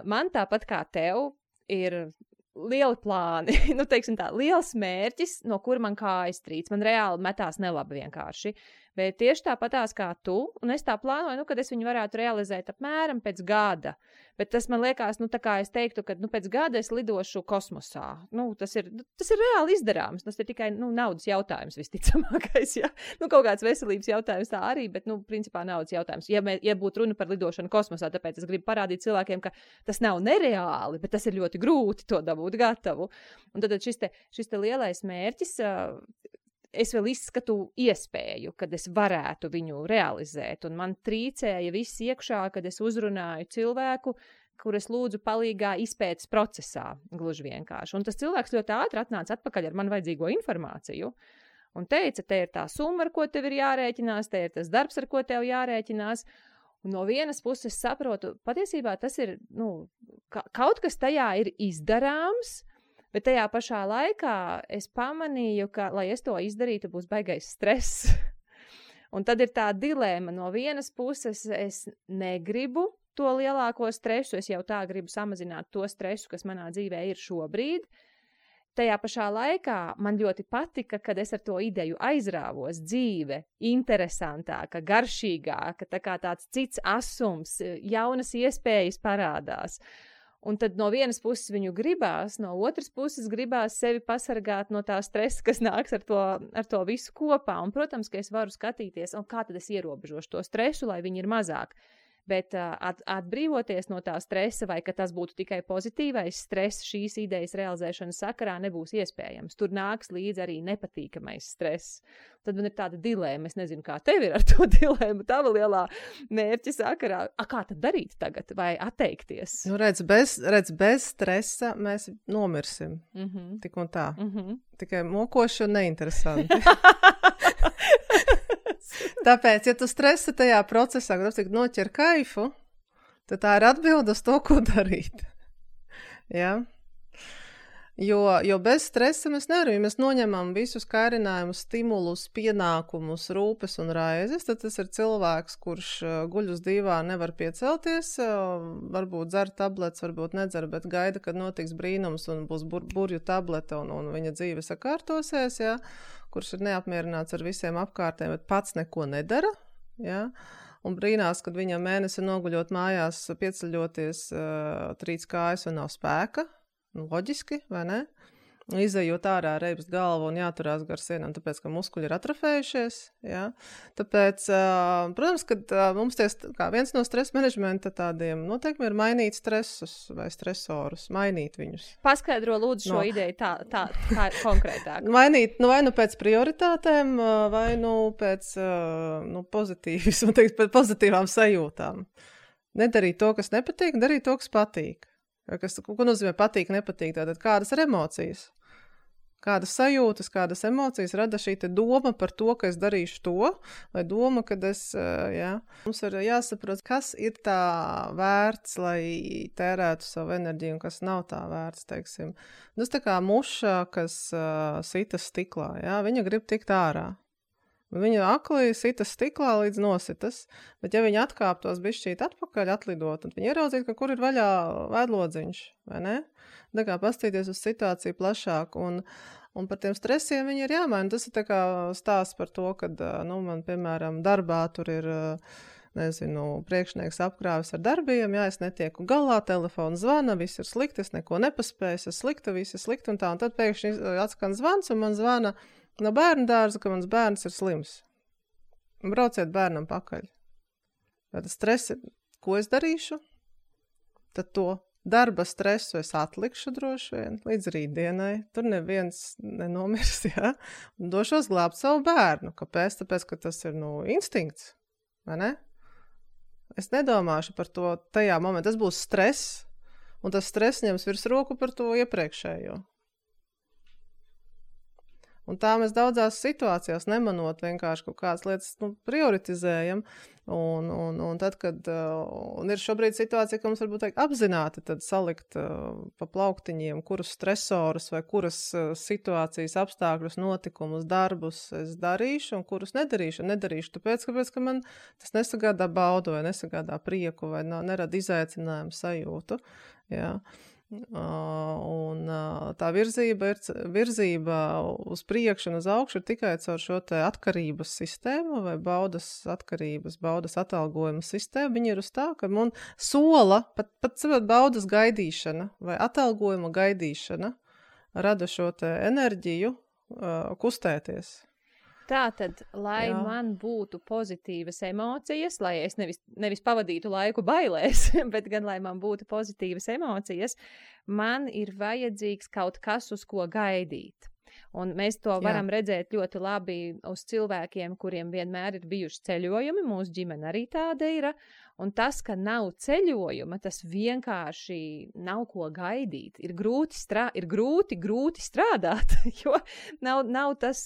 man tāpat kā tev ir lieli plāni, teiksim tā, liels mērķis, no kura man kājas trīc. Man reāli metās nelabi vienkārši. Bet tieši tāpatās kā tu, un es tā plānoju, kad es viņu varētu realizēt apmēram pēc gada. Bet tas man liekas, tā kā es teiktu, ka pēc gada es lidošu kosmosā. Tas ir reāli izdarāms. Tas ir tikai naudas jautājums visticamākais. Ja? Kaut kāds veselības jautājums tā arī, bet principā naudas jautājums. Ja būtu runa par lidošanu kosmosā, tāpēc es gribu parādīt cilvēkiem, ka tas nav nereāli, bet tas ir ļoti grūti to dabūt gatavu. Un tad šis te lielais mērķis, es vēl izskatu iespēju, kad es varētu viņu realizēt, un man trīcēja viss iekšā, kad es uzrunāju cilvēku, kur es lūdzu palīgā izpētes procesā, gluži vienkārši. Un tas cilvēks ļoti ātri atnāca atpakaļ ar man vajadzīgo informāciju, un teica, te ir tā summa, ar ko tev ir jārēķinās, te ir tas darbs, ar ko tev jārēķinās, un no vienas puses saprotu, patiesībā tas ir, kaut kas tajā ir izdarāms, bet tajā pašā laikā es pamanīju, ka, lai es to izdarītu, būs baigais stress. Un tad ir tā dilēma. No vienas puses es negribu to lielāko stresu, es jau tā gribu samazināt to stresu, kas manā dzīvē ir šobrīd. Tajā pašā laikā man ļoti patika, kad es ar to ideju aizrāvos, dzīve interesantāka, garšīgāka, tā kā tāds cits asums, jaunas iespējas parādās. Un tad no vienas puses viņu gribās, no otras puses gribās sevi pasargāt no tā stresa, kas nāks ar to visu kopā. Un, protams, ka es varu skatīties, kā tad es ierobežošu to stresu, lai viņi ir mazāk. Bet atbrīvoties no tā stresa, vai ka tas būtu tikai pozitīvais stress šīs idejas realizēšanas sakarā, nebūs iespējams. Tur nāks līdz arī nepatīkamais stress. Tad man ir tāda dilēma, es nezinu, kā tev ir ar to dilēmu, tava lielā mērķa sakarā. Kā tad darīt tagad, vai atteikties? Bez stresa mēs nomirsim. Tik un tā. Tikai mokoši un neinteresanti. Tāpēc, ja tu stresi tajā procesā, kad noķer kaifu, tad tā ir atbilde uz to, ko darīt. Ja? Jo bez stresa mēs nevaram, ja mēs noņemam visus kairinājumus, stimulus, pienākumus, rūpes un raizes, tad tas ir cilvēks, kurš guļ uz dīvāna, nevar piecelties, varbūt dzer tabletes, varbūt nedzer, bet gaida, kad notiks brīnums un būs burju tablete un viņa dzīve sakārtosies, ja? Kurš ir neapmierināts ar visiem apkārtēm, bet pats neko nedara, ja? Un brīnās, kad viņam mēnesi noguļot mājās, pieceļoties, trīc kājas un nav spēka. Loģiski, vai ne? Izejot ārā reibst galvu un jāturās gar sienām, tāpēc, ka muskuļi ir atrofējušies. Ja? Tāpēc, protams, kad mums viens no stresa menedžmenta tādiem noteikumi ir mainīt stresus vai stresorus, mainīt viņus. Paskaidro lūdzu šo ideju tā kā konkrētāk. Mainīt, vai nu pēc prioritātēm, vai nu pēc pēc pozitīvām sajūtām. Nedarīt to, kas nepatīk, darīt to, kas patīk. Ko nozīmē patīk, nepatīk? Tātad kādas ir emocijas? Kādas sajūtas, kādas emocijas rada šī te doma par to, ka es darīšu to, vai doma, kad es, Mums ir jāsaprot, kas ir tā vērts, lai tērētu savu enerģiju, un kas nav tā vērts, teiksim. Tas tā kā muša, kas sitas stiklā, viņa grib tikt ārā. Viņa akli sitas stiklā līdz nositas, bet ja viņa atkāptos bišķīt atpakaļ atlidot, tad viņa ieraudzīt, ka kur ir vaļā vēdlodziņš, vai ne? Tā kā pastīties uz situāciju plašāk, un par tiem stresiem viņi ir jāmaina. Tas ir tā kā stāsts par to, kad, man, piemēram, darbā tur ir, priekšnieks apkrāvis ar darbiem, es netieku galā, telefons zvana, viss ir slikti, es neko nepaspēju, es slikta, viss ir slikti un tā, un tad pēkšņi atskan zvans, un man zvana no bērnu dārza, ka mans bērns ir slims. Brauciet bērnam pakaļ. Tad stresi, ko es darīšu? Tad to darba stresu es atlikšu droši vien līdz rītdienai. Tur neviens nenomirs, Un došos glābt savu bērnu. Kāpēc? Tāpēc, ka tas ir, instinkts. Vai ne? Es nedomāšu par to tajā momentā. Tas būs stress, un tas stress ņems virsroku par to iepriekšējo. Un tā mēs daudzās situācijās nemanot vienkārši kaut kādas lietas prioritizējam. Un tad, kad ir šobrīd situācija, ka mums varbūt apzināti tad salikt pa plauktiņiem, kurus stresorus vai kuras situācijas, apstākļus, notikumus, darbus es darīšu un kurus nedarīšu. Nedarīšu tāpēc, ka man tas nesagādā baudu vai nesagādā prieku vai nerada izaicinājumu sajūtu. Jā. Un tā virzība uz priekšu un uz augšu ir tikai caur šo te atkarības sistēmu vai baudas atalgojuma sistēmu. Viņi ir uz tā, ka man sola, pat baudas gaidīšana vai atalgojuma gaidīšana rada šo te enerģiju kustēties. Tātad, lai man būtu pozitīvas emocijas, lai es nevis pavadītu laiku bailēs, bet gan, lai man būtu pozitīvas emocijas, man ir vajadzīgs kaut kas, uz ko gaidīt. Un mēs to varam redzēt ļoti labi uz cilvēkiem, kuriem vienmēr ir bijuši ceļojumi, mūsu ģimene arī tāda ir, un tas, ka nav ceļojuma, tas vienkārši nav ko gaidīt. Ir grūti strādāt, jo nav tas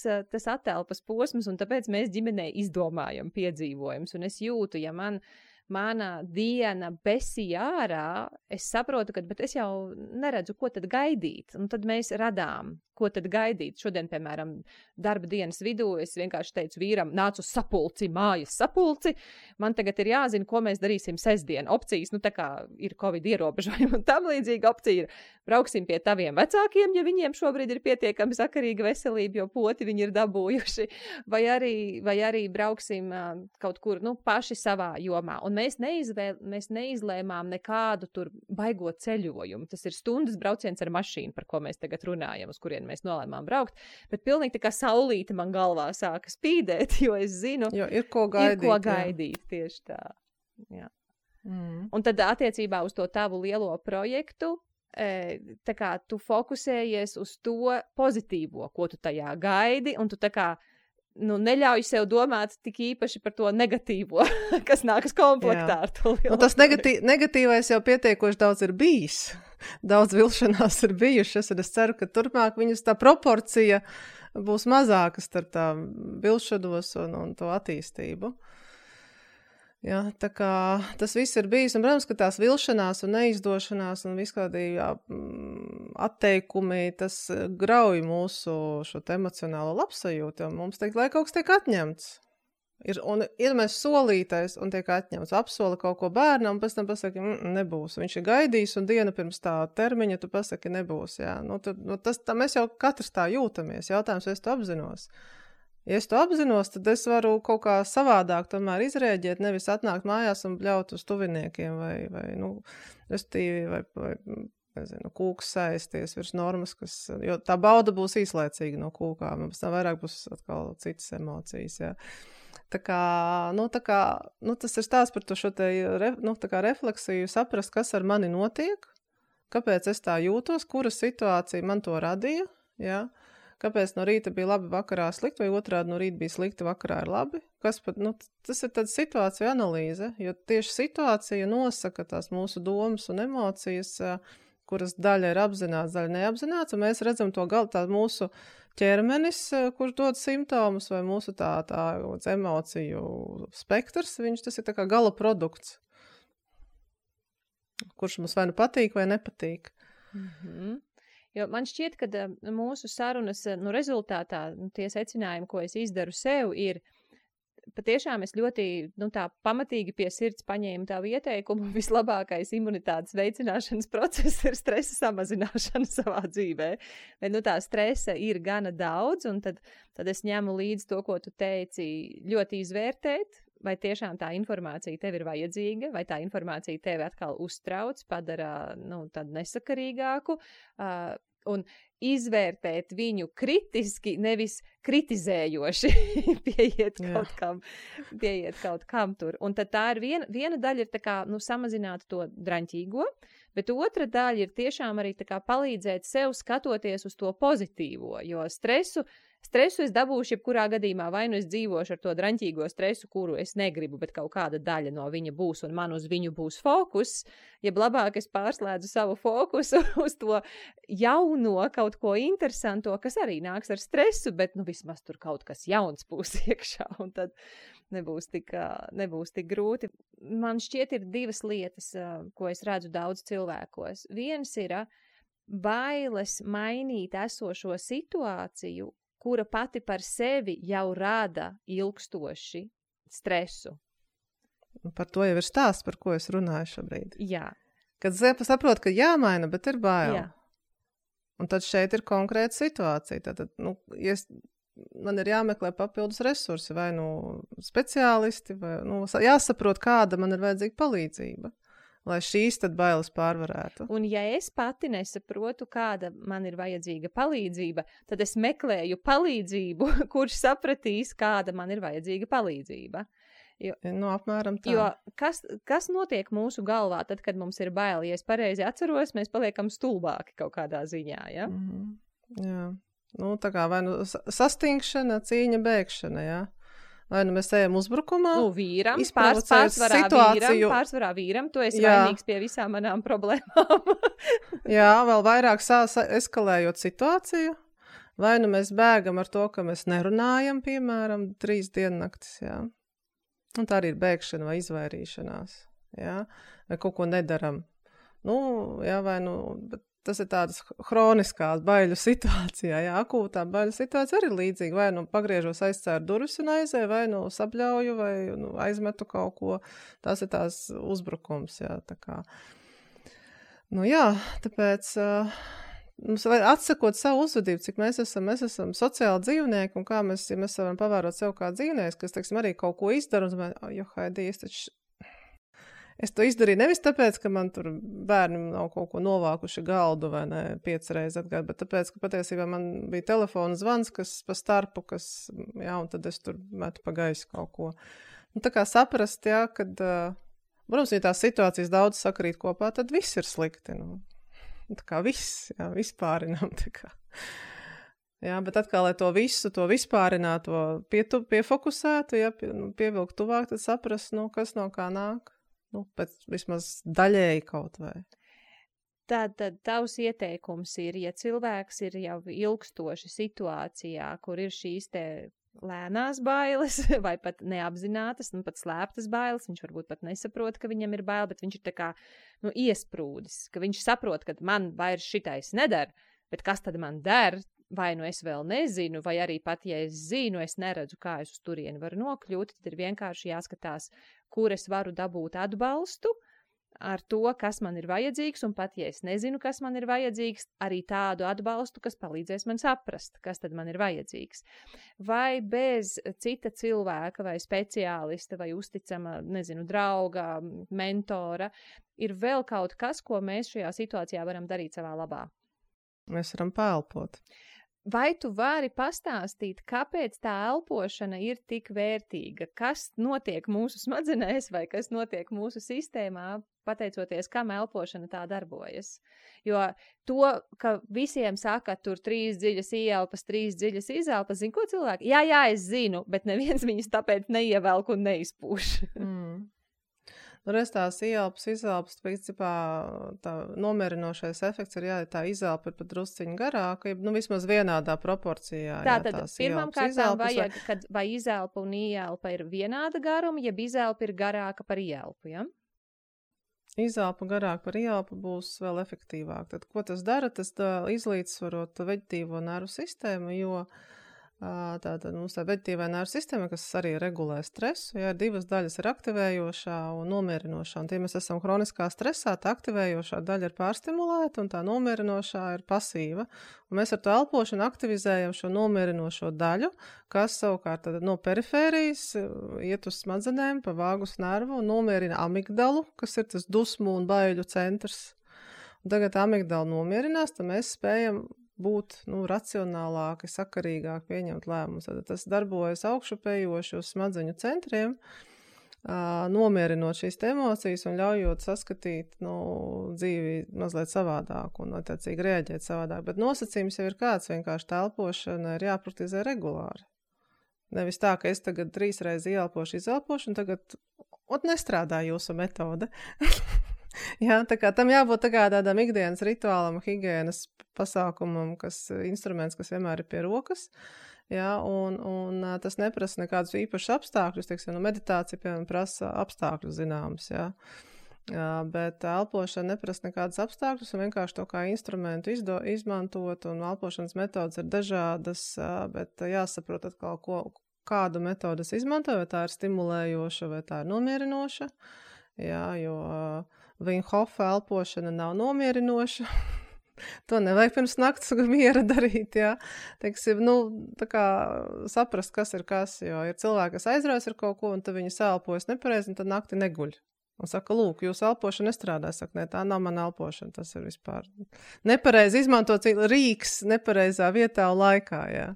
atelpas posms, un tāpēc mēs ģimenei izdomājam piedzīvojumus, un es jūtu, ja mana diena besīja ārā, es saprotu, bet es jau neredzu, ko tad gaidīt. Un tad mēs radām, ko tad gaidīt. Šodien, piemēram, darba dienas vidū es vienkārši teicu vīram, nāc uz sapulci, mājas sapulci. Man tagad ir jāzina, ko mēs darīsim sestdien. Opcijas, tā kā ir Covid ierobežojumi un tam līdzīga opcija ir brauksim pie taviem vecākiem, ja viņiem šobrīd ir pietiekami sakarīga veselība, jo poti viņi ir dabūjuši. Vai arī brauksim kaut kur, paši savā jomā. Un mēs neizlēmām nekādu tur baigot ceļojumu. Tas ir stundas brauciens ar mašīnu, par ko mēs tagad runājam, uz kurien mēs nolēmām braukt. Bet pilnīgi tā kā saulīte man galvā sāka spīdēt, jo es zinu, ir ko gaidīt. Tieši tā. Jā. Un tad attiecībā uz to tavu lielo projektu, tā kā tu fokusējies uz to pozitīvo, ko tu tajā gaidi, un tu tā kā neļauj sev domāt tik īpaši par to negatīvo, kas nākas komplektā ar to lielu. Un tas negatīvais jau pietiekoši daudz ir bijis. Daudz vilšanās ir bijušas, un es ceru, ka turpmāk viņas tā proporcija būs mazākas starp tām vilšanos un to attīstību. Jā, tā kā tas viss ir bijis, un, protams, ka tās vilšanās un neizdošanās un viskādi atteikumi, tas grauj mūsu šo emocionālo labsajūtu, jo mums teikt, lai kaut kas tiek atņemts. Ir mēs solītais un tiek atņemts, apsola kaut ko bērnam, un pēc tam pasaka, nebūs. Viņš ir gaidījis, un diena pirms tā termiņa tu pasaki, nebūs. Jā. Mēs jau katrs tā jūtamies. Jautājums, vai es to apzinos. Ja es to apzinos, tad es varu kaut kā savādāk tomēr izrēģēt, nevis atnākt mājās un bļaut uz tuviniekiem vai nezinu, kūks sēsties virs normas, jo tā bauda būs īslaicīga no kūkām, un pēc tam vairāk būs atkal citas emocijas, jā. Tā kā, tas ir stāsts par to šo te, refleksiju, saprast, kas ar mani notiek, kāpēc es tā jūtos, kura situācija man to radīja, jā. Kāpēc no rīta bija labi, vakarā slikti, vai otrādi no rīta bija slikti, vakarā ir labi. Tas ir tāda situācija analīze, jo tieši situācija nosaka tās mūsu domas un emocijas, kuras daļa ir apzināts, daļa neapzināts, un mēs redzam to tā mūsu ķermenis, kurš dod simptomus, vai mūsu tā emociju spektrs, tas ir tā kā gala produkts, kurš mums vai nu patīk, vai nepatīk. Mhm. Jo man šķiet, ka mūsu sarunas rezultātā tie secinājumi, ko es izdaru sev, ir patiešām es ļoti tā pamatīgi pie sirds paņēmu tavu ieteikumu. Vislabākais imunitātes veicināšanas process ir stresa samazināšana savā dzīvē. Bet tā stresa ir gana daudz, un tad es ņemu līdzi to, ko tu teici, ļoti izvērtēt, vai tiešām tā informācija tev ir vajadzīga, vai tā informācija tevi atkal uztrauc, padara tādu nesakarīgāku, un izvērtēt viņu kritiski, nevis kritizējoši pieiet kaut kam tur. Un tad tā ir viena daļa ir tā kā, samazināt to draņķīgo, bet otra daļa ir tiešām arī tā kā palīdzēt sev skatoties uz to pozitīvo, jo stresu es dabūšu jebkurā gadījumā, vai nu es dzīvošu ar to draņķīgo stresu, kuru es negribu, bet kaut kāda daļa no viņa būs, un man uz viņu būs fokus, jeb labāk es pārslēdzu savu fokusu uz to jauno kaut ko interesanto, kas arī nāks ar stresu, bet vismaz tur kaut kas jauns būs iekšā, un tad nebūs tik grūti. Man šķiet ir divas lietas, ko es redzu daudz cilvēkos. Viens ir bailes mainīt esošo situāciju, kura pati par sevi jau rada ilgstoši stresu. Par to jau ir stāsts, par ko es runāju šobrīd. Jā. Kad saprot, ka jāmaina, bet ir bail. Jā. Un tad šeit ir konkrēta situācija. Tad, man ir jāmeklē papildus resursi, vai speciālisti, vai jāsaprot, kāda man ir vajadzīga palīdzība, lai šīs tad bailes pārvarētu. Un ja es pati nesaprotu, kāda man ir vajadzīga palīdzība, tad es meklēju palīdzību, kurš sapratīs, kāda man ir vajadzīga palīdzība. Apmēram tā. Jo kas notiek mūsu galvā tad, kad mums ir baili? Ja es pareizi atceros, mēs paliekam stulbāki kaut kādā ziņā, ja? Mm-hmm. Jā. Tā kā vai sastingšana, cīņa, bēgšana, jā. Vai mēs ejam uzbrukumā? Vīram, pārsvarā vīram, tu esi vainīgs pie visām manām problēmām. Jā, vēl vairāk eskalējot situāciju. Vai mēs bēgam ar to, ka mēs nerunājam, piemēram, 3 diennaktis, jā. Un tā arī ir bēgšana vai izvairīšanās, jā. Vai kaut ko nedaram. Bet tas ir tādas hroniskās baiļu situācijā, jā, akūtā baiļu situācija arī līdzīga, vai pagriežos aizcēru durvis un aizēju, vai sabļauju, vai aizmetu kaut ko, tās ir tās uzbrukums, jā, tā kā. Tāpēc mums vajag atsakot savu uzvedību, cik mēs esam sociāli dzīvnieki, un kā mēs varam pavērot sev kā dzīvnieks, kas, teiksim, arī kaut ko izdara, un Haidī, es to izdarīju nevis tāpēc, ka man tur bērni nav kaut ko novākuši galdu vai ne 5 reizes atgāju, bet tāpēc, ka patiesībā man bija telefona zvans, kas pa starpu, un tad es tur metu pa gaisu kaut ko. Tā kā saprast, jā, kad, protams, ja tās situācijas daudz sakrīt kopā, tad viss ir slikti. Tā kā viss, jā, vispārinām, tā kā. Jā, bet atkal, lai to visu, to vispārināto piefokusētu, ja, pievilkt tuvāk, tad saprast, kas no kā nāk. Pēc vismaz daļēji kaut vai. Tad tavs ieteikums ir, ja cilvēks ir jau ilgstoši situācijā, kur ir šīs te lēnās bailes vai pat neapzinātas, pat slēptas bailes, viņš varbūt pat nesaprot, ka viņam ir bail, bet viņš ir tā kā, iesprūdis, ka viņš saprot, ka man vairs šitais nedara, bet kas tad man der, vai es vēl nezinu, vai arī pat, ja es zinu, es neredzu, kā es uz turieni varu nokļūt, tad ir vienkārši jāskatās, kur es varu dabūt atbalstu, ar to, kas man ir vajadzīgs, un pat, ja es nezinu, kas man ir vajadzīgs, arī tādu atbalstu, kas palīdzēs man saprast, kas tad man ir vajadzīgs. Vai bez cita cilvēka, vai speciālista, vai uzticama, drauga, mentora, ir vēl kaut kas, ko mēs šajā situācijā varam darīt savā labā? Mēs varam pēlpot. Vai tu vari pastāstīt, kāpēc tā elpošana ir tik vērtīga? Kas notiek mūsu smadzenēs vai kas notiek mūsu sistēmā, pateicoties, kam elpošana tā darbojas? Jo to, ka visiem saka, tur 3 dziļas ieelpas, 3 dziļas izelpas, zin ko cilvēki? Jā, es zinu, bet neviens viņus tāpēc neievelk un neizpūš. Reiz tās ieelpas, izelpas, principā tā nomierinošais efekts ir, tā izelpa ir pat drusciņi garāka, vismaz vienādā proporcijā. Tātad pirmām kārtām vajag, kad vai izelpa un ielpa ir vienāda garuma, jeb izelpa ir garāka par ielpu, ja? Izelpa garāka par ielpu būs vēl efektīvāk. Tad, ko tas dara? Tas izlīdzsvarot veģetīvo nervu sistēmu, jo tātad mums tā veģetīvā nervu sistēma, kas arī regulē stresu, ir 2 daļas ir aktivējošā un nomierinošā. Un tie mēs esam hroniskā stresā, tā aktivējošā daļa ir pārstimulēta un tā nomierinošā ir pasīva. Un mēs ar to elpošanu aktivizējam šo nomierinošo daļu, kas savukārt no perifērijas iet uz smadzenēm pa vāgus nervu un nomierina amigdalu, kas ir tas dusmu un baiļu centrs. Un tagad amigdala nomierinās, tad mēs spējam būt racionālāki, sakarīgāk pieņemt lēmumus. Tas darbojas augšupējoši uz smadzeņu centriem, nomierinot šīs emocijas un ļaujot saskatīt dzīvi mazliet savādāk un attiecīgi reaģēt savādāk. Bet nosacījums jau ir kāds, vienkārši tā elpošana ir jāpraktizē regulāri. Nevis tā, ka es tagad 3 reizes ieelpošu, izelpošu un tagad nestrādā jūsu metode. Jā, tā kā tam jābūt tādam ikdienas rituālam, higienas pasākumam, instruments, kas vienmēr ir pie rokas. Jā, un tas neprasa nekādus īpašus apstākļus, teiksim, meditācija, piemēram, prasa apstākļus zināmus, jā. Bet elpošana neprasa nekādus apstākļus un vienkārši to kā instrumentu izmantot, un elpošanas metodas ir dažādas, bet jāsaprot atkal, kādu metodu es izmantoju, vai tā ir stimulējoša, vai tā ir nomierinoša, jā, jo Wim Hof elpošana nav nomierinoša. To nevajag pirms nakts miera darīt, jā. Teiksim, tā kā saprast, kas ir kas, jo ir cilvēki, kas aizraujas ar kaut ko, un tad viņi sāelpojas nepareizi, un tad nakti neguļ. Un saka, lūk, jūsu elpošana nestrādā. Saka, ne, tā nav mana elpošana, tas ir vispār nepareizi izmantots rīks nepareizā vietā un laikā, jā.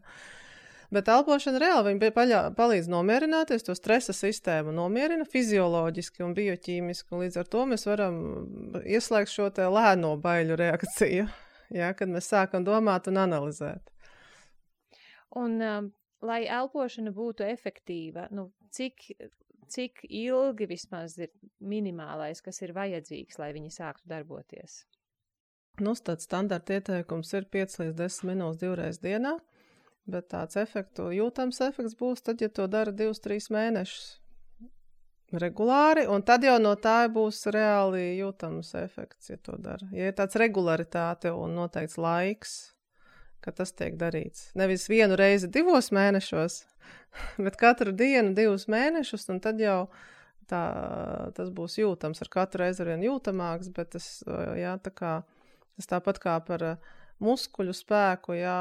Bet elpošana reāli viņa palīdz nomierināties, to stresa sistēmu nomierina fizioloģiski un bioķīmiski, un līdz ar to mēs varam ieslēgt šo te lēno baiļu reakciju, ja, kad mēs sākam domāt un analizēt. Un, lai elpošana būtu efektīva, cik ilgi vismaz ir minimālais, kas ir vajadzīgs, lai viņi sāktu darboties? Tāds standarta ieteikums ir 5 līdz 10 minūtes 2 reizes dienā. Bet tāds jūtams efekts būs tad, ja to dara 2-3 mēnešus regulāri, un tad jau no tā būs reāli jūtams efekts, ja to dara. Ja ir tāds regularitāte un noteikts laiks, ka tas tiek darīts. Nevis 1 reizi 2 mēnešos, bet katru dienu 2 mēnešus, un tad jau tas būs jūtams. Ar katru reizi arvien jūtamāks, bet tas tāpat kā par muskuļu spēku, jā,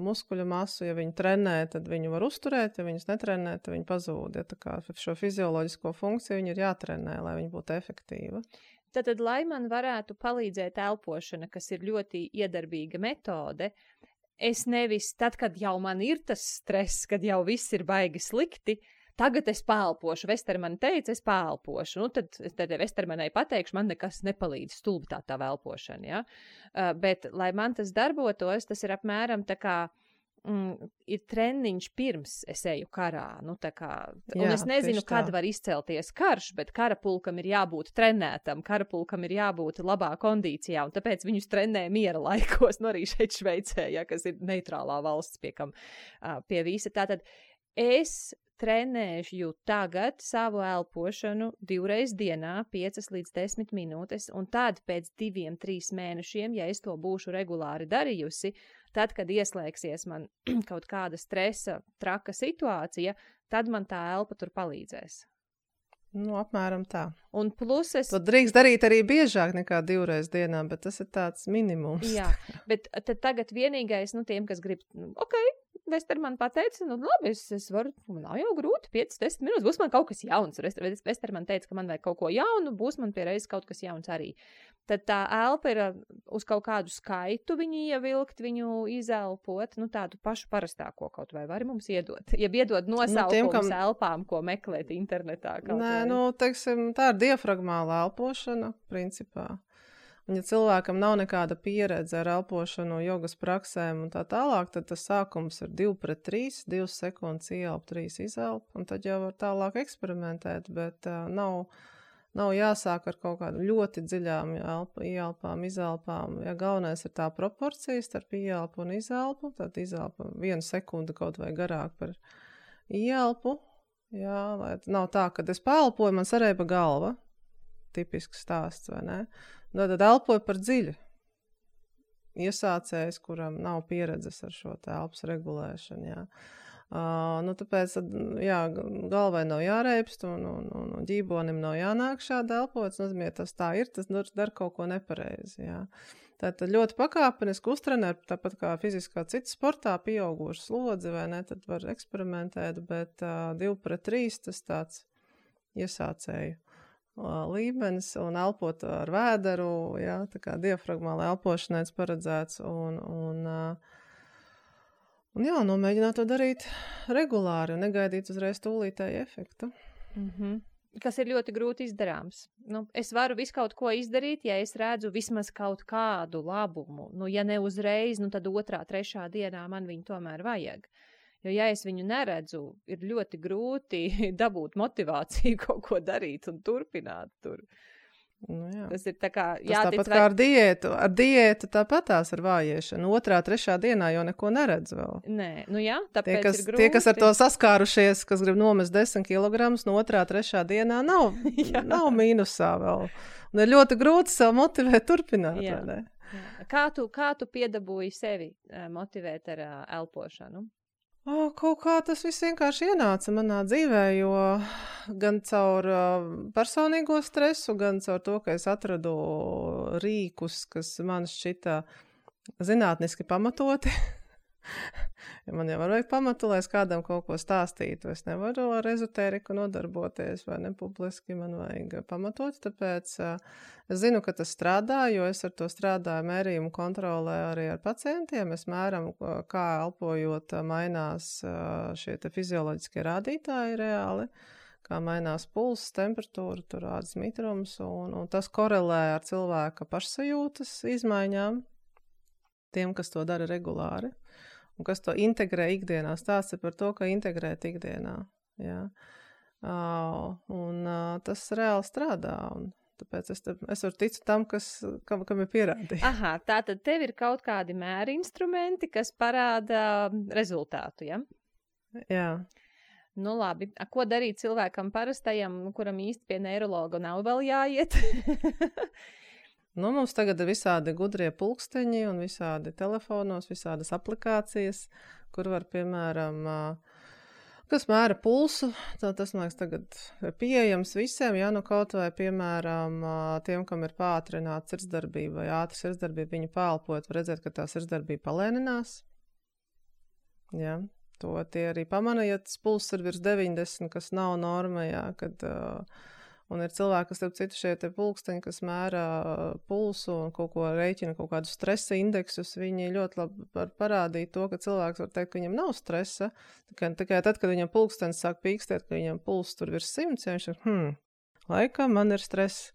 muskuļu masu, ja viņi trenē, tad viņu var uzturēt, ja viņus netrenē, tad viņi pazūd. Ja, tā kā šo fizioloģisko funkciju viņi ir jātrenē, lai viņi būtu efektīva. Tad, lai man varētu palīdzēt elpošana, kas ir ļoti iedarbīga metode, es nevis tad, kad jau man ir tas stress, kad jau viss ir baigi slikti, tagad es pāelpošu. Vestermane teica, es pāelpošu. Tad Vestermanei pateikšu, man nekas nepalīdz, stulbi tā elpošana. Ja? Bet, lai man tas darbotos, tas ir apmēram tā kā ir treniņš pirms es eju karā. Nu, tā kā, un Jā, es nezinu, tieši tā. kad var izcelties karš, bet karapulkam ir jābūt trenētam, karapulkam ir jābūt labā kondīcijā, un tāpēc viņus trenē miera laikos, nu arī šeit Šveicē, ja, kas ir neitrālā valsts pie visa. Tātad es trenēšu tagad savu elpošanu 2 reizes dienā, 5 līdz 10 minūtes, un tad pēc 2-3 mēnešiem, ja es to būšu regulāri darījusi, tad, kad ieslēgsies man kaut kāda stresa, traka situācija, tad man tā elpa tur palīdzēs. Nu, apmēram tā. Un plus es... To drīkst darīt arī biežāk nekā 2 reizes dienā, bet tas ir tāds minimums. Jā, bet tad tagad vienīgais, nu, tiem, kas grib, Vesterman pateica, nu, labi, es varu, nav jau grūti, 5-10 minūtes, būs man kaut kas jauns. Vesterman teica, ka man vajag kaut ko jaunu, būs man pie reizes kaut kas jauns arī. Tad tā elpa ir uz kaut kādu skaitu viņu ievilkt, viņu izelpot, nu, tādu pašu parastāko kaut vai vari mums iedot. Ja iedod nosaukums elpām, ko meklēt internetā. Nē, teiksim, tā ir diafragmāla elpošana, principā. Un, ja cilvēkam nav nekāda pieredze ar elpošanu, jogas praksēm un tā tālāk, tad tas sākums ir 2-3, 2 sekundes ieelp, 3 izelp, un tad jau var tālāk eksperimentēt, bet nav jāsāk ar kaut kādu ļoti dziļām ieelpām, izelpām. Ja galvenais ir tā proporcija starp ieelpu un izelpu, tad izelpa 1 sekundi kaut vai garāk par ieelpu. Jā, lai nav tā, kad es paelpoju, man sarēba galva. Tipisks stāsts, vai ne? Tad elpoju par dziļu. Iesācējs, kuram nav pieredzes ar šo elpas regulēšanu, jā. Tāpēc, jā, galvai nav jāreipst un ģībonim nav jānāk šādi elpot. Nozīmē, tas tā ir, tas dar kaut ko nepareizi, jā. Tātad ļoti pakāpeniski uztrenē, tāpat kā fiziskā cita sportā, pieauguši slodzi, vai ne, tad var eksperimentēt, bet 2-3 tas tāds iesācēju līmenis un elpot ar vēderu, jā, tā kā diafragmāla elpošanai paredzēts un jā, mēģināt to darīt regulāri un negaidīt uzreiz tūlītēju efektu. Kas ir ļoti grūti izdarāms. Es varu visu kaut ko izdarīt, ja es redzu vismaz kaut kādu labumu. Ja ne uzreiz, tad 2., 3. dienā man viņu tomēr vajag. Jo, ja es viņu neredzu, ir ļoti grūti dabūt motivāciju kaut ko darīt un turpināt tur. Jā. Tas ir tā kā jātic. Tas tāpat kā ar diētu. Ar diētu tāpatās ar vājiešanu. 2., 3. dienā jau neko neredz vēl. Nē, jā, tāpēc ir grūti. Tie, kas ar to saskārušies, kas grib nomest 10 kilogramus, no 2., 3. dienā nav mīnusā vēl. Un ir ļoti grūti sev motivēt turpināt. Jā. Vai ne? Jā. Kā tu piedabūji sevi motivēt ar elpošanu? Kaut kā tas viss vienkārši ienāca manā dzīvē, jo gan caur personīgo stresu, gan caur to, ka es atradu rīkus, kas man šķita zinātniski pamatoti. Ja man jau vajag pamatu, lai es kādam kaut ko stāstītu. Es nevaru ar ezotēriku nodarboties vai ne publiski, man vajag pamatot, tāpēc es zinu, ka tas strādā, jo es ar to strādāju mērījumu kontrolē arī ar pacientiem. Es mēram, kā elpojot mainās šie te fizioloģiskie rādītāji reāli, kā mainās pulss, temperatūra, tur ādas mitrums, un tas korelē ar cilvēka pašsajūtas izmaiņām, tiem, kas to dara regulāri. Un kas to integrē ikdienā. Stāsts ir par to, ka integrēt ikdienā. Jā. Tas reāli strādā. Un tāpēc es varu ticu tam, kam ir pierādījumi. Aha, tātad tev ir kaut kādi mēri instrumenti, kas parāda rezultātu, ja? Jā. Nu labi. Ko darīt cilvēkam parastajam, kuram īsti pie neirologa nav vēl jāiet? Mums tagad ir visādi gudrie pulksteņi un visādi telefonos, visādas aplikācijas, kur var, piemēram, kas mēra pulsu. Tas, man liekas, tagad ir pieejams visiem, ja kaut vai, piemēram, tiem, kam ir pātrināta sirdsdarbība vai ātra sirdsdarbība, viņi pāelpojot, var redzēt, ka tā sirdsdarbība palēninās. Jā, to tie arī pamana, ja tas pulss ir virs 90, kas nav norma, jā, kad... Un ir cilvēki, kas starp citu šie te pulksteņi, kas mēra pulsu un kaut ko reiķina, kaut kādus stresa indeksus, viņi ļoti labi var parādīt to, ka cilvēks var teikt, ka viņam nav stresa. Tikai tad, kad viņam pulkstenis sāk pīkstēt, ka viņam pulss tur virs 100, ja viņš ir, Laikam man ir stress.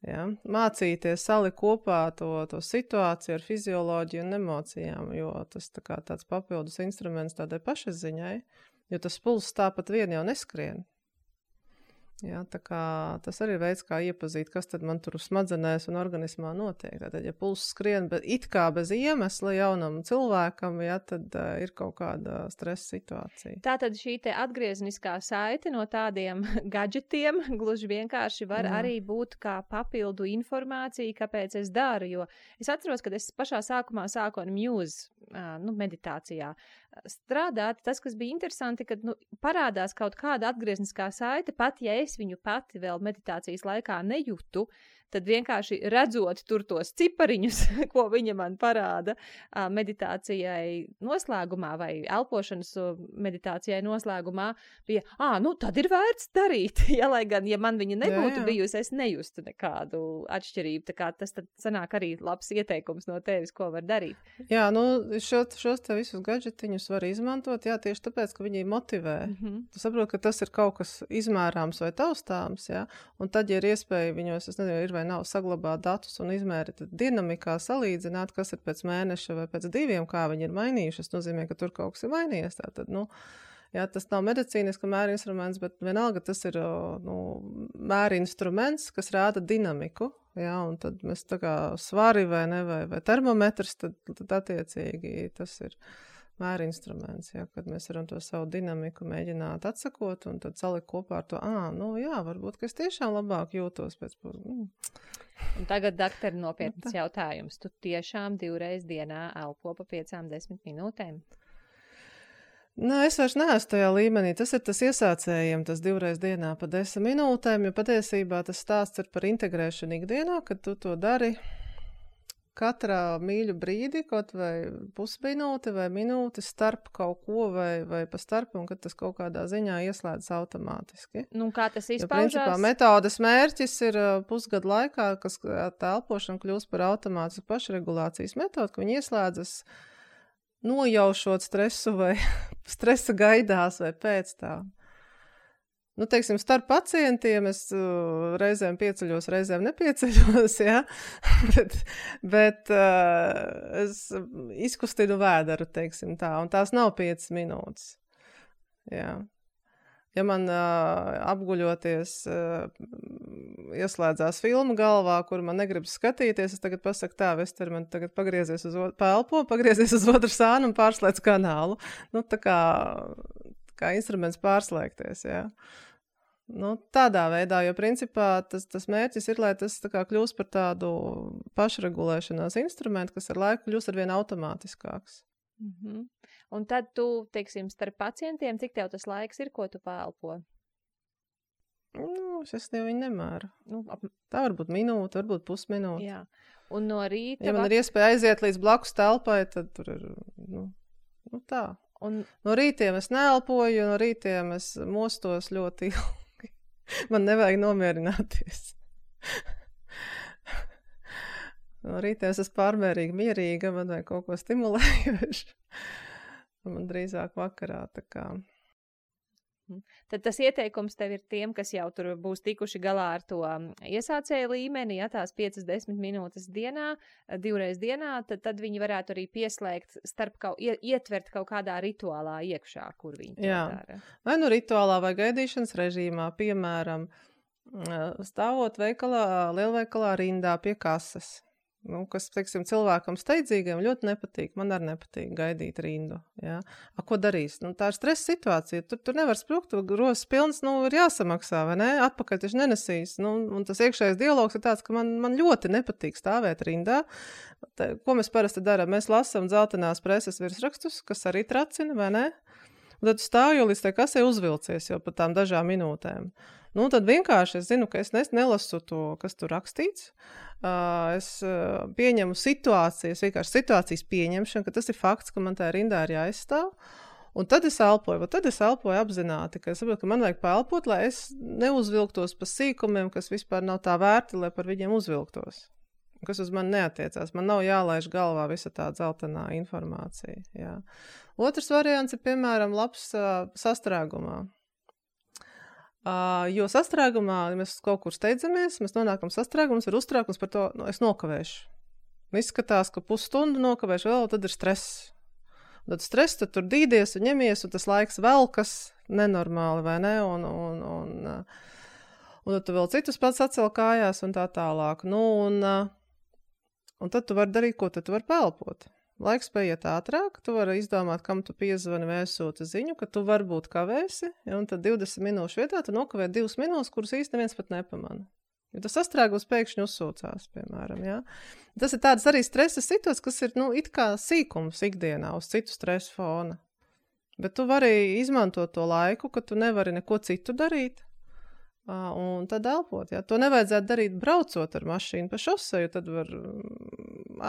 Ja? Mācīties salikt kopā to situāciju ar fizioloģiju un emocijām, jo tas tāds papildus instruments tādai pašapziņai, jo tas pulss tāpat vien jau neskrien. Ja, tā kā tas arī ir veids, kā iepazīt, kas tad man tur smadzenēs un organismā notiek. Tātad, ja pulss skrien it kā bez iemesla jaunam cilvēkam, ja, tad ir kaut kāda stresa situācija. Tātad šī te atgriezniskā saite no tādiem gadžetiem gluži vienkārši var arī būt kā papildu informācija, kāpēc es daru, jo es atceros, kad es pašā sākumā sāku ar Muse, meditācijā strādāt, tas, kas bija interesanti, kad parādās kaut kāda atgriezniskā saite, pat ja es viņu pati vēl meditācijas laikā nejūtu, tad vienkārši redzot tur tos cipariņus, ko viņa man parāda meditācijai noslēgumā vai elpošanas meditācijai noslēgumā, bija, tad ir vērts darīt. Ja, lai gan, ja man viņa nebūtu bijusi, es nejustu nekādu atšķirību. Tā kā tas tad sanāk arī labs ieteikums no tevis, ko var darīt. Jā, šos te visus gadžetiņus var izmantot, tieši tāpēc, ka viņi motivē. Tu saproti, ka tas ir kaut kas izmērāms vai taustāms, un tad, ja ir iespēja viņos, es nezinu, ir vai nav saglabāt datus un izmērīt dinamikā, salīdzināt, kas ir pēc mēneša vai pēc 2, kā viņi ir mainījušies, nozīmē, ka tur kaut kas ir mainījies. Tātad, tas nav medicīniska mēra instruments, bet vienalga tas ir mēra instruments, kas rāda dinamiku, un tad mēs tā kā svari vai termometrs, tad attiecīgi tas ir mēra instruments, kad mēs varam to savu dinamiku mēģināt atsakot un tad salikt kopā ar to, varbūt, ka es tiešām labāk jūtos pēc Un tagad, daktari, nopietnas jautājums. Tu tiešām 2 reizes dienā elpo pa 5-10 minūtēm? Es vairs neesmu tajā līmenī. Tas ir tas iesācējiem, tas 2 reizes dienā pa 10 minūtēm, jo patiesībā tas stāsts ir par integrēšanu ikdienā, kad tu to dari katrā mīļu brīdi, kaut vai pusminūte vai minūte starp kaut ko vai pa starp, un kad tas kaut kādā ziņā ieslēdz automātiski. Kā tas izpaužās? Jo principā metodes mērķis ir pusgadu laikā, kas tā elpošana kļūst par automātisku pašregulācijas metodu, ka viņi ieslēdzas nojaušot stresu vai stresa gaidās vai pēc tā. Teiksim, starp pacientiem es reizēm pieceļos, reizēm nepieceļos, bet es izkustinu vēderu, teiksim tā, un tās nav 5 minūtes. Jā. Ja man apguļoties ieslēdzās filma galvā, kur man negribas skatīties, es tagad pasaku tā, Vester, man tagad pagriezies uz otru sānu un pārslēdz kanālu. Tā kā instruments pārslēgties, tādā veidā, jo principā tas mērķis ir, lai tas tā kā kļūst par tādu pašregulēšanās instrumentu, kas ar laiku kļūst arvien automātiskāks. Un tad tu, teiksim, starp pacientiem, cik tev tas laiks ir, ko tu pēlpo? Es jau viņu nemēru. Tā varbūt minūte, varbūt pusminūte. Jā. Un no rīta... Ja man ir iespēja aiziet līdz blakus telpai, tad tur ir, tā. No rītiem es neelpoju, no rītiem es mostos ļoti ilgi. Man nevajag nomierināties. No rītiem es esmu pārmērīgi mierīga, man vajag kaut ko stimulējuši. Man drīzāk vakarā, tā kā. Tad tas ieteikums tev ir tiem, kas jau tur būs tikuši galā ar to iesācēju līmeni, tās 5-10 minūtes dienā, 2 reizes dienā, tad viņi varētu arī pieslēgt ietvert kaut kādā rituālā iekšā, kur viņi to dara. Vai rituālā vai gaidīšanas režīmā, piemēram, stāvot lielveikalā rindā pie kases. Kas, teiksim, cilvēkam steidzīgiem ļoti nepatīk. Man arī nepatīk gaidīt rindu. Ko darīs? Tā ir stresa situācija. Tur nevar sprukt, grozs pilns, ir jāsamaksā, vai ne? Atpakaļ taču nenesīs. Un tas iekšējais dialogs ir tāds, ka man ļoti nepatīk stāvēt rindā. Ko mēs parasti darām? Mēs lasām dzeltenās preses virsrakstus, kas arī tracina, vai ne? Un tad stāju līdz tai kasē uzvilcies jau pat tām dažām minūtēm. Tad vienkārši es zinu, ka es nelasu to, kas tur rakstīts. Es pieņemu situācijas, vienkārši situācijas pieņemšanu, ka tas ir fakts, ka man tā rindā ir jāizstāv. Un tad es elpoju, apzināti, ka es saprotu, ka man vajag paelpot, lai es neuzvilktos pa sīkumiem, kas vispār nav tā vērti, lai par viņiem uzvilktos. Kas uz mani neatiecās. Man nav jālaiž galvā visa tā dzeltenā informācija. Jā. Otrs variants ir, piemēram, labs sastrēgumā. Jo sastrēgumā, ja mēs kaut kur steidzamies, mēs nonākam sastrēgumus, var uztraukums par to, es nokavēšu. Izskatās, ka pusstundu nokavēšu vēl, tad ir stress. Tad stress, tad tur dīdies un ņemies, un tas laiks velkas nenormāli, vai ne? Un tad tu vēl citus pats atcel kājās un tā tālāk. Un tad tu vari darīt, ko tad tu vari pelpot. Laiks paiet ātrāk, tu vari izdomāt, kam tu piezvani vai sūti ziņu, ka tu varbūt kavēsi, un tad 20 minūšu vietā tu nokavē 2 minūtes, kuras īsti neviens pat nepamana. Jo tas sastrēgums pēkšņi uzsūcās, piemēram, jā. Tas ir tāds arī stresa situācijas, kas ir, it kā sīkums ikdienā uz citu stresu fona. Bet tu vari izmantot to laiku, ka tu nevari neko citu darīt. Un tad elpot, jā. To nevajadzētu darīt braucot ar mašīnu pa šoseju, tad var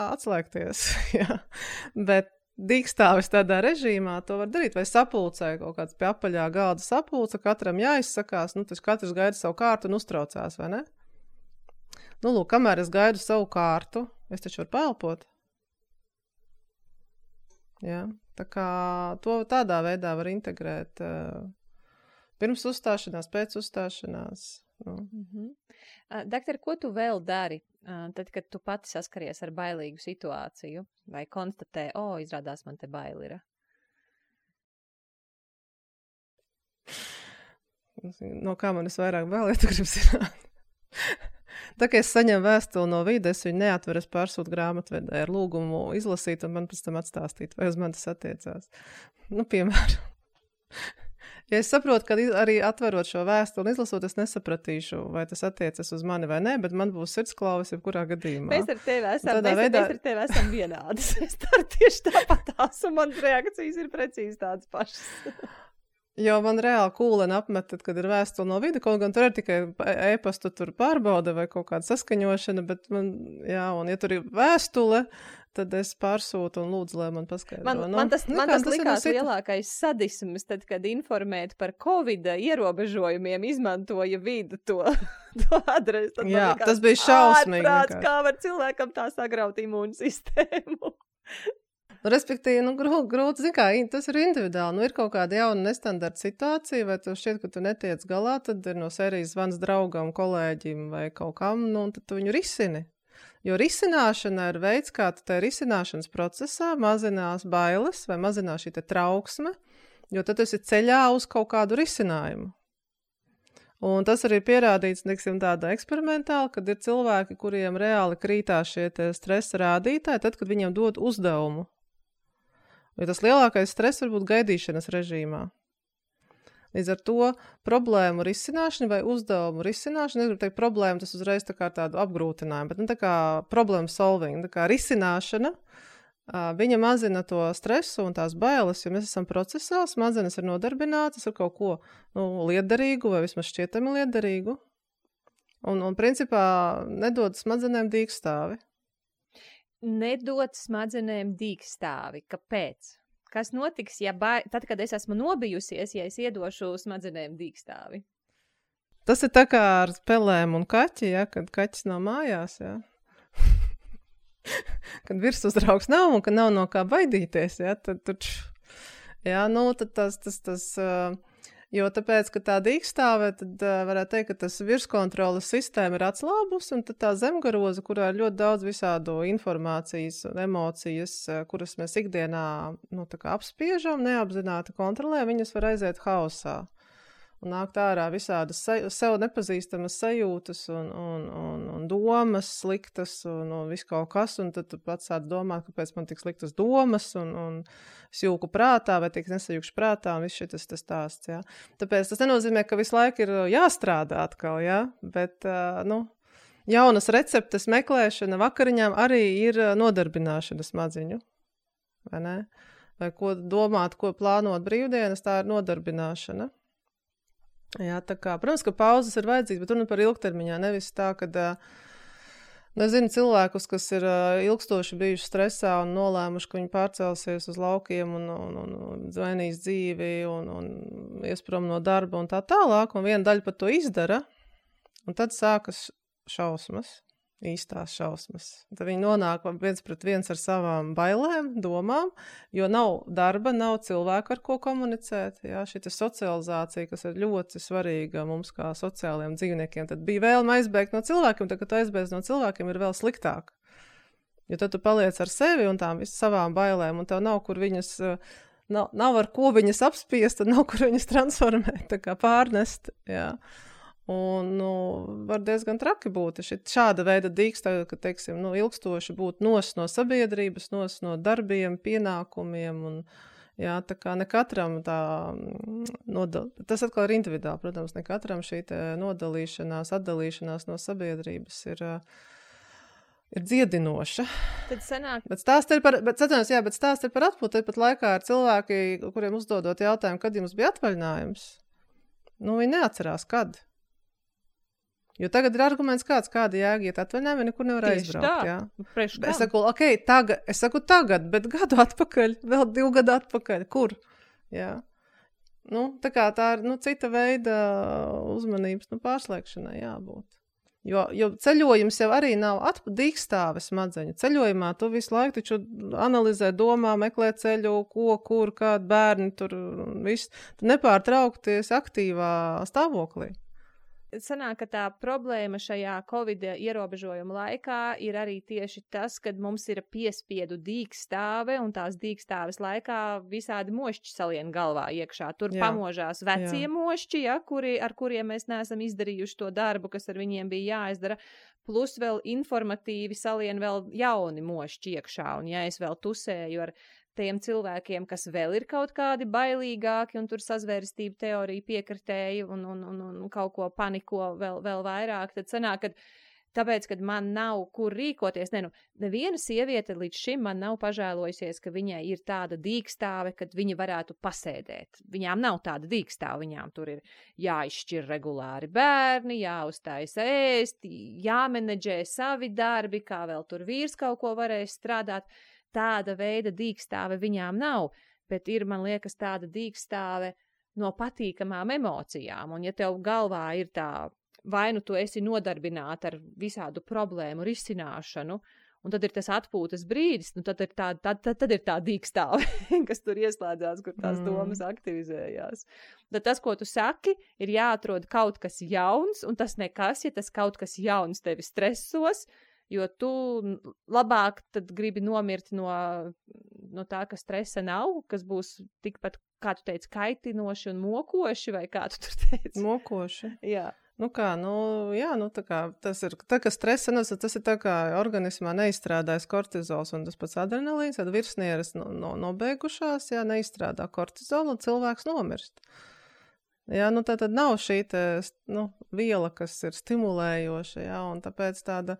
atslēgties, jā. Bet dīkstāvis tādā režīmā to var darīt, vai sapulcē kaut kāds pie apaļā galda sapulce, katram jāizsakās, tas katrs gaida savu kārtu un uztraucās, vai ne? Lūk, kamēr es gaidu savu kārtu, es taču varu pelpot. Jā, tā kā to tādā veidā var integrēt pirms uzstāšanās, pēc uzstāšanās. Doktor, ko tu vēl dari, tad, kad tu pati saskaries ar bailīgu situāciju? Vai konstatē, izrādās man te baili ir? No kā man vairāk bail, ja tu gribi zināt? Tā kā es saņemu vēstuli no vides, es viņu neatveru, es pārsūtu grāmatvedē ar lūgumu izlasīt un man pēc tam atstāstīt, vai uz man tas attiecās. Piemēram. Ja es saprotu, ka arī atverot šo vēstuli un izlasot, es nesapratīšu, vai tas attiecas uz mani vai nē, bet man būs sirdsklauvis jebkurā gadījumā. Mēs ar tevi esam vienādas. Es daru tieši tāpatās, un manas reakcijas ir precīzi tādas pašas. Jo man reāli kūleni apmet, tad, kad ir vēstule no vide, kaut gan tur ir tikai e-pastu tur pārbauda vai kaut kāda saskaņošana, bet un ja tur ir vēstule, tad es pārsūtu un lūdzu, lai man paskaidro. Man tas likās lielākais sadisms, tad, kad informēt par Covid ierobežojumiem izmantoja vidu to adresi. Jā, tas bija šausmīgi. Ārprāts, kā var cilvēkam tā sagraut imūnu sistēmu. Respektīvi, grūti, zin kā, tas ir individuāli. Ir kaut kāda jauna nestandarta situācija, vai tu šķiet, ka tu netiec galā, tad ir no sērijas zvans draugam, kolēģim vai kaut kam, un tad tu viņu risini. Jo risināšana ir veids, kā tu tajā risināšanas procesā mazinās bailes vai mazinās šī te trauksme, jo tad tu esi ceļā uz kaut kādu risinājumu. Un tas arī pierādīts, tādā eksperimentāli, kad ir cilvēki, kuriem reāli krītās šie stresa rādītāji, tad, kad viņiem dod uzdevumu. Jo tas lielākais stress var būt gaidīšanas režīmā. Līdz ar to problēmu risināšana vai uzdevumu risināšana, es gribu teikt problēmu, tas uzreiz tā kā tādu apgrūtinājumu, bet tā kā problem solving, tā kā risināšana, viņa mazina to stresu un tās bailes, jo mēs esam procesā, smadzenes ir nodarbinātas ar kaut ko liederīgu vai vismaz šķietami liederīgu. Un principā nedod smadzenēm dīkstāvi. Nedod smadzenēm dīkstāvi. Kāpēc? Kas notiks, tad, kad es esmu nobijusies, ja es iedošu smadzenēm dīkstāvi? Tas ir tā kā ar pelēm un kaķi, ja, kad kaķis nav mājās, ja. Kad virsuzraugs nav un ka nav no kā baidīties, ja, tad tad tas jo tāpēc, ka tā dīkstāve, tad varētu teikt, ka tas virskontroles sistēma ir atslābus, un tad tā zemgaroza, kurā ir ļoti daudz visādu informācijas un emocijas, kuras mēs ikdienā apspiežam, neapzināti kontrolē, viņas var aiziet haosā. Un nākt ārā visādas sev nepazīstamas sajūtas un domas sliktas un viss kaut kas, un tad tu pats sāc domāt, kāpēc man tik sliktas domas un es jūku prātā vai tik nesajūkšu prātā un viss šitas tas stāsts, jā. Tāpēc tas nenozīmē, ka visu laiku ir jāstrādā atkal, jā, bet, jaunas receptes meklēšana vakariņām arī ir nodarbināšana smadziņu, vai ne? Vai ko domāt, ko plānot brīvdienas, tā ir nodarbināšana. Jā, tā kā, protams, ka pauzes ir vajadzīgas, bet runa par ilgtermiņā, nevis tā, kad, es zinu cilvēkus, kas ir ilgstoši bijuši stresā un nolēmuši, ka viņi pārcelsies uz laukiem un mainīs dzīvi un ies prom no darba un tā tālāk, un viena daļa pat to izdara, un tad sākas šausmas. īstās šausmas. Tad viņi nonāk viens pret viens ar savām bailēm, domām, jo nav darba, nav cilvēku, ar ko komunicēt. Jā, šī socializācija, kas ir ļoti svarīga mums kā sociālajiem dzīvniekiem, tad bija vēlme aizbēgt no cilvēkiem, tad, kad tu aizbēdz no cilvēkiem, ir vēl sliktāk. Jo tad tu paliec ar sevi un tām savām bailēm, un tev nav, kur viņas, nav ar ko viņas apspiest, un nav, kur viņas transformēt, tā kā pārnest, jā. Un, var diezgan traki būt. Šāda veida dīksta, ka, teiksim, ilgstoši būt no sabiedrības, no darbiem, pienākumiem, un, jā, tā kā ne katram tas atkal ir individuāli, protams, ne katram šī nodalīšanās, atdalīšanās no sabiedrības ir dziedinoša. Tad sanāk... Bet stāst ir par atpūtu, tad pat laikā ir cilvēki, kuriem uzdodot jautājumu, kad jums bija atvaļinājums. Viņi neatcerās, kad. Jo tagad ir arguments kāda jēga iet atvaļinājumā, nekur nevar aizbraukt. Jā. Es saku tagad, bet gadu atpakaļ, vēl 2 gadu atpakaļ. Kur? Jā. Tā kā tā ir cita veida uzmanības pārslēgšanai jābūt. Jo ceļojums jau arī nav dīkstāve smadzeņu. Ceļojumā tu visu laiku taču analizē, domā, meklē ceļu, ko, kur, kādi bērni tur, viss. Tu nepārtraukti esi aktīvā stāvoklī. Sanāk, ka tā problēma šajā Covid ierobežojuma laikā ir arī tieši tas, kad mums ir piespiedu dīkstāve, un tās dīkstāves laikā visādi mošķi salien galvā iekšā. Tur pamožās vecie mošķi, ar kuriem mēs neesam izdarījuši to darbu, kas ar viņiem bija jāizdara, plus vēl informatīvi salien vēl jauni mošķi iekšā, un ja es vēl tusēju ar tiem cilvēkiem, kas vēl ir kaut kādi bailīgāki un tur sazvērestību teoriju piekritēji un kaut ko paniko vēl vairāk, tad sanāk, tāpēc, kad man nav kur rīkoties, neviena sieviete līdz šim man nav pažēlojusies, ka viņai ir tāda dīkstāve, kad viņa varētu pasēdēt. Viņām nav tāda dīkstāve, viņām tur ir jāizšķir regulāri bērni, jāuztaisa ēst, jāmenedžē savi darbi, kā vēl tur vīrs kaut ko varēs strādāt. Tāda veida dīkstāve viņām nav, bet ir, man liekas, tāda dīkstāve no patīkamām emocijām. Un ja tev galvā ir vai tu esi nodarbināta ar visādu problēmu risināšanu, un tad ir tas atpūtas brīdis, tad ir tā dīkstāve, kas tur ieslēdzās, kur tās domas aktivizējās. Tad tas, ko tu saki, ir jāatrod kaut kas jauns, un tas nekas, ja tas kaut kas jauns tevi stresos, jo tu labāk tad gribi nomirt no tā, ka stresa nav, kas būs tikpat, kā tu teici, kaitinoši un mokoši, vai kā tu tur teici? Mokoši. Jā. Tā kā tas ir, tā kā stresa, tas ir tā kā organismā neizstrādājas kortizols un tas pats adrenalīns, tad virsnieres nobeigušās, neizstrādā kortizolu un cilvēks nomirst. Jā, tā tad nav šī viela, kas ir stimulējoša, un tāpēc tāda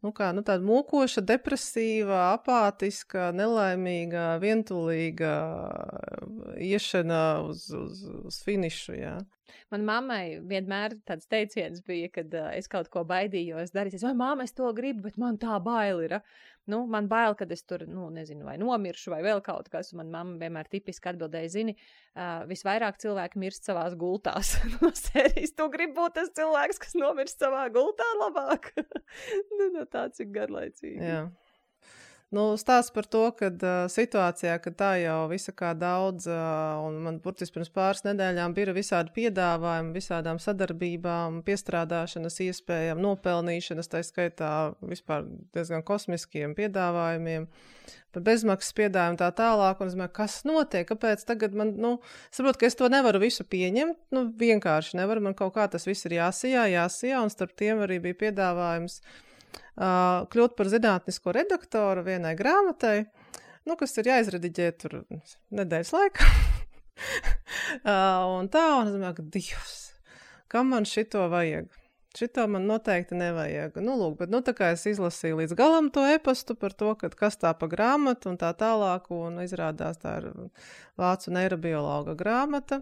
mokoša, depresīva, apātiska, nelaimīga, vientulīga iešana uz finišu, jā. Man mammai vienmēr tāds teiciens bija, kad es kaut ko baidījos darīt. Vai mamma, es to gribu, bet man tā bail ir. Man bail, kad es tur, nezinu, vai nomiršu, vai vēl kaut kas. Man mamma vienmēr tipiski atbildēja, zini, visvairāk cilvēki mirst savās gultās. No sērijas, tu gribi būt tas cilvēks, kas nomirst savā gultā labāk. Tāds ir garlaicīgi. Jā. Stāsts par to, kad situācijā, kad tā jau visa kā daudz, un man burtiski pirms pāris nedēļām bija visādi piedāvājumi, visādām sadarbībām, piestrādāšanas iespējām, nopelnīšanas, tā skaitā vispār diezgan kosmiskiem piedāvājumiem, par bezmaksas piedāvājumu tā tālāk, un es domāju, kas notiek, kāpēc tagad man, saprotu, ka es to nevaru visu pieņemt, vienkārši nevaru, man kaut kā tas viss ir jāsijā, un starp tiem arī bija piedāvājums kļūt par zinātnisko redaktoru vienai grāmatai, kas ir jāizrediģē tur nedēļas laikā. un es domāju, ka Dievs, kam man šito vajag? Šito man noteikti nevajag. Bet tā kā es izlasīju līdz galam to e-pastu par to, kas tā pa grāmatu un tā tālāk, un izrādās tā ir vācu neirobiologa grāmata.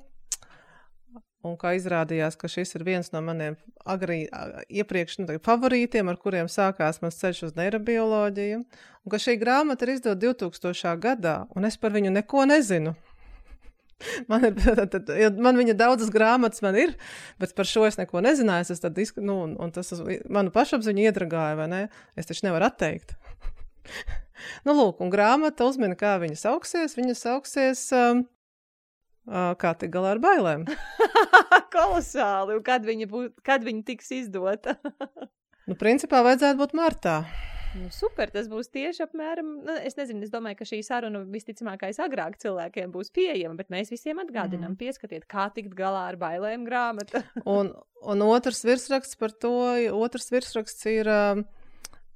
Un kā izrādījās, ka šis ir viens no maniem iepriekš favorītiem, ar kuriem sākās mans ceļš uz neirobioloģiju, un ka šī grāmata ir izdota 2000. gadā, un es par viņu neko nezinu. Man viņa daudzas grāmatas man ir, bet par šo es neko nezināju. Es tad, un tas manu pašapziņu iedragāja, vai ne? Es taču nevaru atteikt. Nu, lūk, un grāmata uzmina, kā viņa sauksies. Viņa sauksies kā tik galā ar bailēm. Kolosāli. Un kad viņa tiks izdota? Nu, principā vajadzētu būt martā. Nu, super, tas būs tieši apmēram, es nezinu, es domāju, ka šī saruna visticamākais agrāk cilvēkiem būs pieejama, bet mēs visiem atgādinām, pieskatiet, kā tikt galā ar bailēm grāmata. un otrs virsraksts par to, ir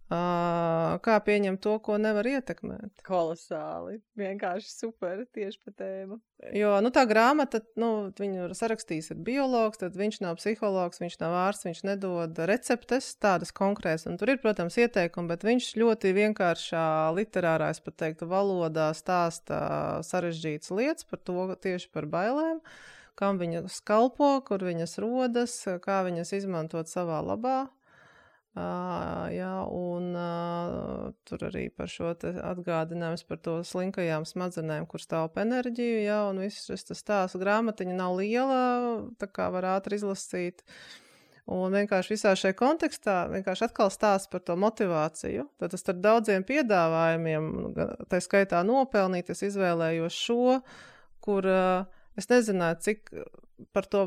kā pieņemt to, ko nevar ietekmēt. Kolosāli, vienkārši super, tieši pa tēmu. Jo, tā grāmata, viņu sarakstījis ir biologs, tad viņš nav psihologs, viņš nav ārsts, viņš nedod receptes, tādas konkrētas, un tur ir, protams, ieteikumi, bet viņš ļoti vienkāršā literārā, es pat teiktu, valodā stāsta sarežģītas lietas par to, tieši par bailēm, kam viņas kalpo, kur viņas rodas, kā viņas izmantot savā labā. Tur arī par šo atgādinājums par to slinkajām smadzenēm, kur stāv enerģiju, un viss šis stāsts grāmatiņa nav liela, tā kā var ātri izlasīt. Un vienkārši visā šajā kontekstā vienkārši atkal stāsts par to motivāciju. Tad ar daudziem piedāvājumiem, tā skaitā nopelnīt, es izvēlējos šo, kur es nezināju, cik par to,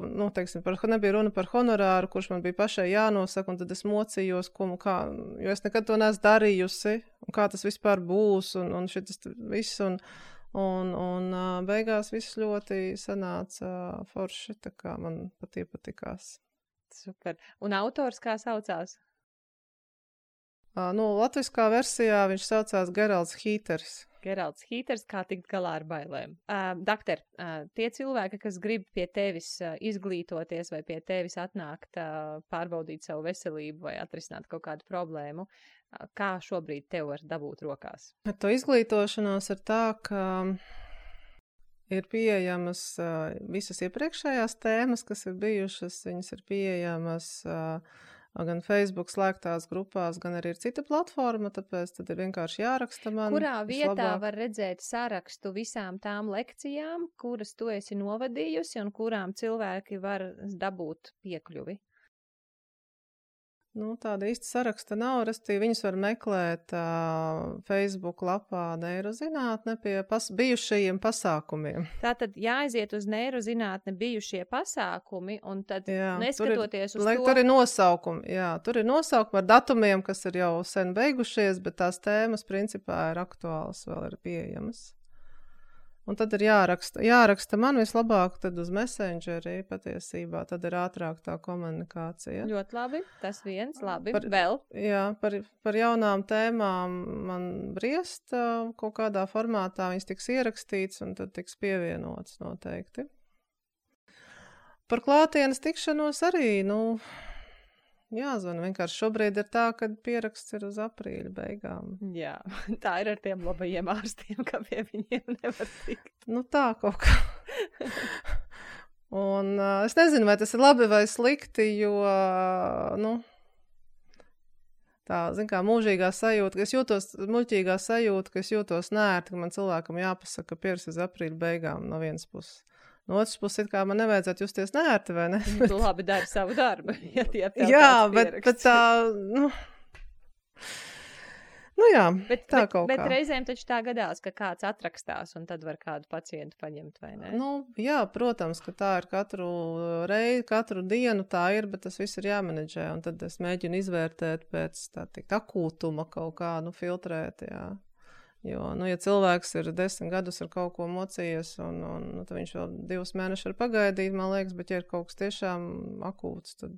nebija runa par honorāru, kurš man bija pašai jānosaka, un tad es mocījos, jo es nekad to neesmu darījusi, un kā tas vispār būs, un šitas viss, un beigās viss ļoti sanāca forši, tā kā man patīkās. Super. Un autors kā saucās? Latviskā versijā viņš saucās Geralds Hīters. Geralds Hīters, kā tikt galā ar bailēm. Dakter, tie cilvēki, kas grib pie tevis izglītoties vai pie tevis atnākt, pārbaudīt savu veselību vai atrisināt kaut kādu problēmu, kā šobrīd tev var dabūt rokās? Ar to izglītošanos ir tā, ka ir pieejamas visas iepriekšējās tēmas, kas ir bijušas, viņas ir pieejamas gan Facebook slēgtās grupās, gan arī ir cita platforma, tāpēc tad ir vienkārši jāraksta man. Kurā vietā var redzēt sarakstu visām tām lekcijām, kuras tu esi novadījusi un kurām cilvēki var dabūt piekļuvi? Tāda īsta saraksta nav, restīvi viņus var meklēt Facebook lapā Neirozinātne pie bijušajiem pasākumiem. Tātad jāaiziet uz Neirozinātne bijušie pasākumi, un tad neskatoties uz to... Tur ir nosaukumi, tur ir nosaukumi ar datumiem, kas ir jau sen beigušies, bet tās tēmas principā ir aktuālas, vēl ir pieejamas. Un tad ir jāraksta man vislabāk tad uz Messengeri patiesībā, tad ir ātrāk tā komunikācija. Ļoti labi, tas viens, labi, vēl? Jā, par jaunām tēmām man briest kaut kādā formātā, viņas tiks ierakstīts un tad tiks pievienots noteikti. Par klātienes tikšanos arī, jāzvana. Vienkārši šobrīd ir tā, ka pieraksts ir uz aprīļa beigām. Jā, tā ir ar tiem labajiem ārstiem, ka pie viņiem nevar tikt. Tā kaut kā. Un es nezinu, vai tas ir labi vai slikti, jo, tā, kā mūžīgā sajūta, ka es jūtos, muļķīgā sajūta, ka es jūtos nērti, ka man cilvēkam jāpasaka, ka pieraksts uz aprīļa beigām no vienas puses. No otras puses, kā man nevajadzētu justies nērti, vai ne? Tu labi dari savu darbu. Jā, bet tā, jā, tā kaut kā. Bet reizēm taču tā gadās, ka kāds atrakstās un tad var kādu pacientu paņemt, vai ne? Jā, protams, ka tā ir katru dienu tā ir, bet tas viss ir jāmenedžē, un tad es mēģinu izvērtēt pēc, akūtuma kaut kā, filtrēt, jā. Jo, ja cilvēks ir 10 gadus ar kaut ko mocījies, un tad viņš vēl 2 mēnešus var pagaidīt, man liekas, bet ja ir kaut kas tiešām akūts, tad...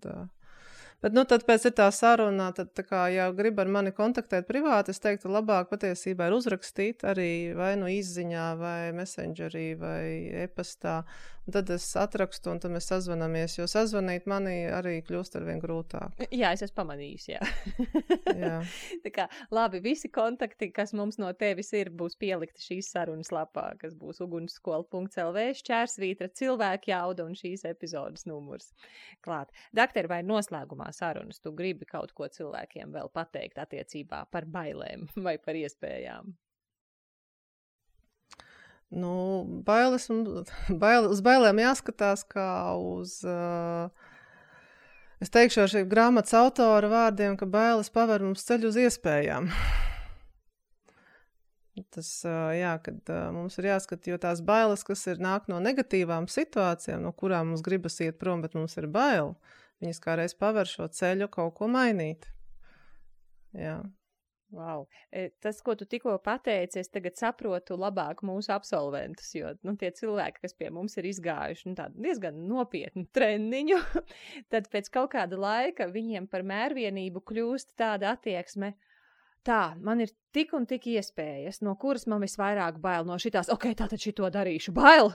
Bet, tad pēc ir tā saruna, tad tā kā, ja grib ar mani kontaktēt privāti, es teiktu, labāk patiesībā ir uzrakstīt arī vai izziņā, vai Messengerī, vai e-pastā, un tad es atrakstu, un tad mēs sazvanamies, jo sazvanīt mani arī kļūst arvien grūtāk. Jā, es esmu pamanījusi, jā. Jā. Tā kā, labi, visi kontakti, kas mums no tevis ir, būs pielikti šīs sarunas lapā, kas būs ugunsskola.lv, /, cilvēku jauda un šīs epizodes numurs klāt. Dakter, vai noslēgumā sarunas tu gribi kaut ko cilvēkiem vēl pateikt attiecībā par bailēm vai par iespējām? Uz bailēm jāskatās kā uz, es teikšu ar šī grāmatas autora vārdiem, ka bailes paver mums ceļu uz iespējām. Tas, kad mums ir jāskat, jo tās bailes, kas nāk no negatīvām situācijām, no kurām mums gribas iet prom, bet mums ir bail, viņas kā reiz paver šo ceļu kaut ko mainīt. Jā. Wow. Tas, ko tu tikko pateici, es tagad saprotu labāk mūsu absolventus, jo tie cilvēki, kas pie mums ir izgājuši tādu diezgan nopietnu treniņu, tad pēc kaut kāda laika viņiem par mērvienību kļūst tāda attieksme. Tā, man ir tik un tik iespējas, no kuras man visvairāk bail no šitās, tātad šito darīšu, bail,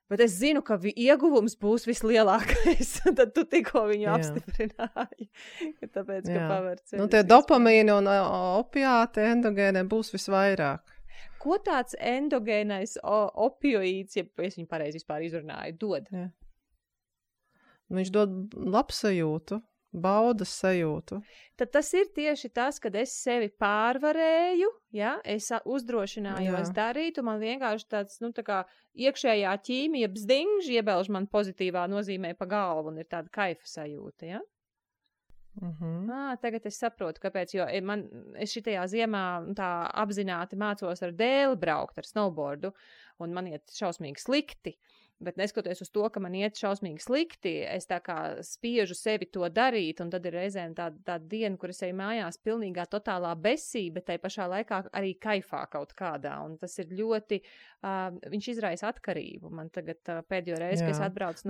bet es zinu, ka ieguvums būs vislielākais, tad tu tikko viņu apstiprināji, tāpēc, ka paver ceļus. Tie dopamīni un opiāti endogēniem būs visvairāk. Ko tāds endogēnais opioīds, ja es viņu pareizi vispār izrunāju, dod? Jā. Viņš dod labsajūtu. Baudas sajūtu. Tad tas ir tieši tas, kad es sevi pārvarēju, es uzdrošinājos darīt, un man vienkārši tāds, tā kā iekšējā ķīmija bzdingž, iebelž man pozitīvā nozīmē pa galvu, un ir tāda kaifa sajūta, Tagad es saprotu, kāpēc, jo es šitajā ziemā tā apzināti mācos ar dēli braukt, ar snowboardu, un man iet šausmīgi slikti. Bet neskatoties uz to, ka man iet šausmīgi slikti, es tā kā spiežu sevi to darīt, un tad ir reizēm tāda diena, kur es eju mājās pilnīgā totālā besī, bet tai pašā laikā arī kaifā kaut kādā, un tas ir ļoti, viņš izraisa atkarību. Man tagad pēdējo reizi, kad es atbraucu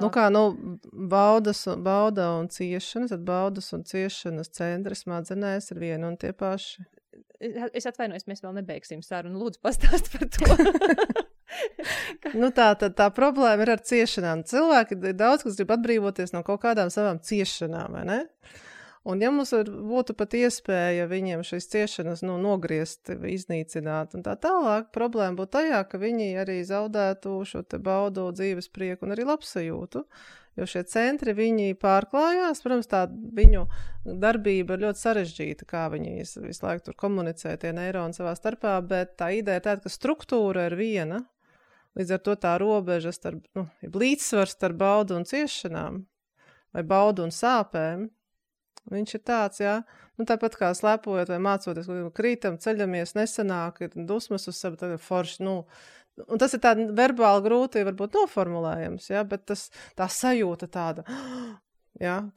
bauda un ciešanas, tad baudas un ciešanas centri smadzenēs ir viena un tie paši. Es atvainojos, mēs vēl nebeigsim sarunu, lūdzu pastāst par to. Tā problēma ir ar ciešanām. Cilvēki ir daudz, kas grib atbrīvoties no kaut kādām savām ciešanām, vai ne? Un ja mums būtu pat iespēja viņiem šīs ciešanas nogriezt, iznīcināt un tā tālāk, problēma būtu tajā, ka viņi arī zaudētu šo te baudu, dzīves prieku un arī labsajūtu. Jo šie centri, viņi pārklājās, protams, tā viņu darbība ir ļoti sarežģīta, kā viņi visu laiku tur komunicē tie neironi savā starpā, bet tā ideja ir tāda, ka struktūra ir viena. Līdz ar to tā robeža starp, līdzsvars starp baudu un ciešanām vai baudu un sāpēm, viņš ir tāds, tāpat kā slēpojot vai mācoties, krītam, ceļamies, nesanāk, ir dusmas uz savu, tad ir forši, un tas ir tā verbāli grūti, varbūt noformulējams, bet tā sajūta tāda,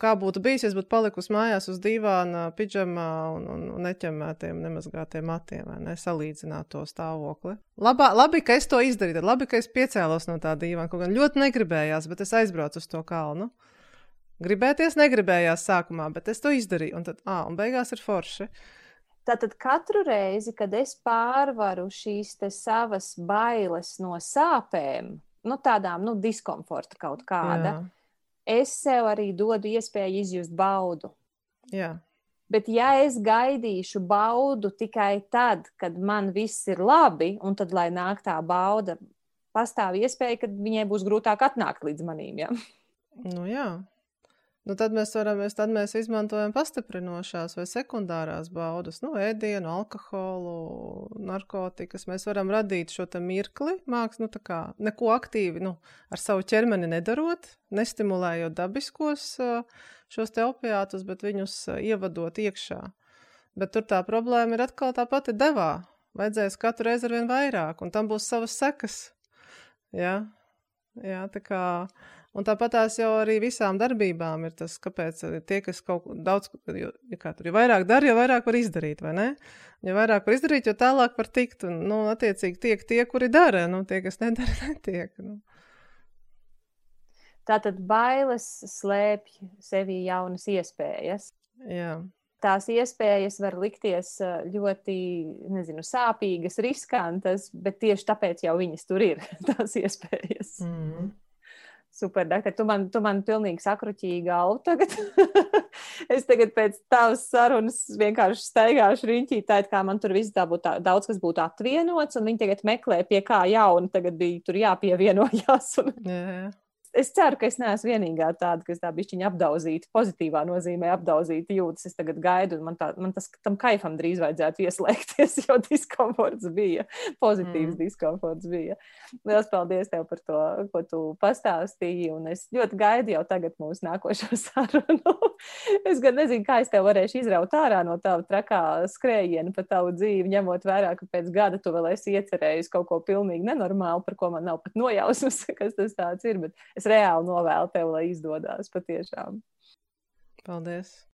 kā būtu bijis, ja es būtu palikusi mājās uz dīvāna, pidžamā un neķemētiem, nemazgātiem matiem, vai ne, salīdzināt to stāvokli. Labi, ka es to izdarīju, labi, ka es piecēlos no tā dīvāna, kaut gan ļoti negribējās, bet es aizbraucu uz to kalnu. Gribēties negribējās sākumā, bet es to izdarīju, un tad, un beigās ir forši. Tātad katru reizi, kad es pārvaru šīs te savas bailes no sāpēm, tādām, diskomforta kaut kāda, es sev arī dodu iespēju izjust baudu. Jā. Bet ja es gaidīšu baudu tikai tad, kad man viss ir labi, un tad, lai nāk tā bauda, pastāv iespēja, ka viņai būs grūtāk atnākt līdz manīm, Jā. Tad mēs izmantojam pastiprinošās vai sekundārās baudas, ēdienu, alkoholu, narkotikas. Mēs varam radīt šo te mirkli, neko aktīvi, ar savu ķermeni nedarot, nestimulējot dabiskos šos te opiātus, bet viņus ievadot iekšā. Bet tur tā problēma ir atkal tā pati devā. Vajadzēs katru reizi arvien vairāk, un tam būs savas sekas. Jā, tā kā... Un tāpat tās jau arī visām darbībām ir tas, kāpēc tie, kas kaut daudz, jo vairāk dara, jo vairāk var izdarīt, vai ne? Jo vairāk var izdarīt, jo tālāk var tikt, un, attiecīgi tiek tie, kuri dara, tie, kas nedara, netiek. Tātad bailes slēpj sevī jaunas iespējas. Jā. Tās iespējas var likties ļoti, sāpīgas, riskantas, bet tieši tāpēc jau viņas tur ir, tās iespējas. Super, doktor, tu man pilnīgi sakruķīji galvu tagad. Es tagad pēc tavas sarunas vienkārši staigāšu riņķī, tā kā man tur viss daudz, kas būtu atvienots, un viņi tagad meklē, pie kā jauna tagad bija tur jāpievienojās. Jā. es ceru, ka es neesmu vienīgā tāda, kas tā bišķiņa apdauzīta, pozitīvā nozīmē apdauzīta jūtas. Es tagad gaidu, un man tam kaifam drīz vajadzētu ieslēgties, jo diskomforts bija, pozitīvs diskomforts bija. Liels paldies tev par to, ko tu pastāstīji, un es ļoti gaidu jau tagad mūsu nākošo sarunu. Es gan nezinu, kā es tev varēšu izraut ārā no tava trakā skrējiena pa tavu dzīvi, ņemot vērā, ka pēc gada tu vēl esi iecerējis kaut ko pilnīgi nenormālu, par ko man nav pat nojausmas, kas tas tāds ir, bet es reāli novēlu tev, lai izdodās patiešām. Paldies!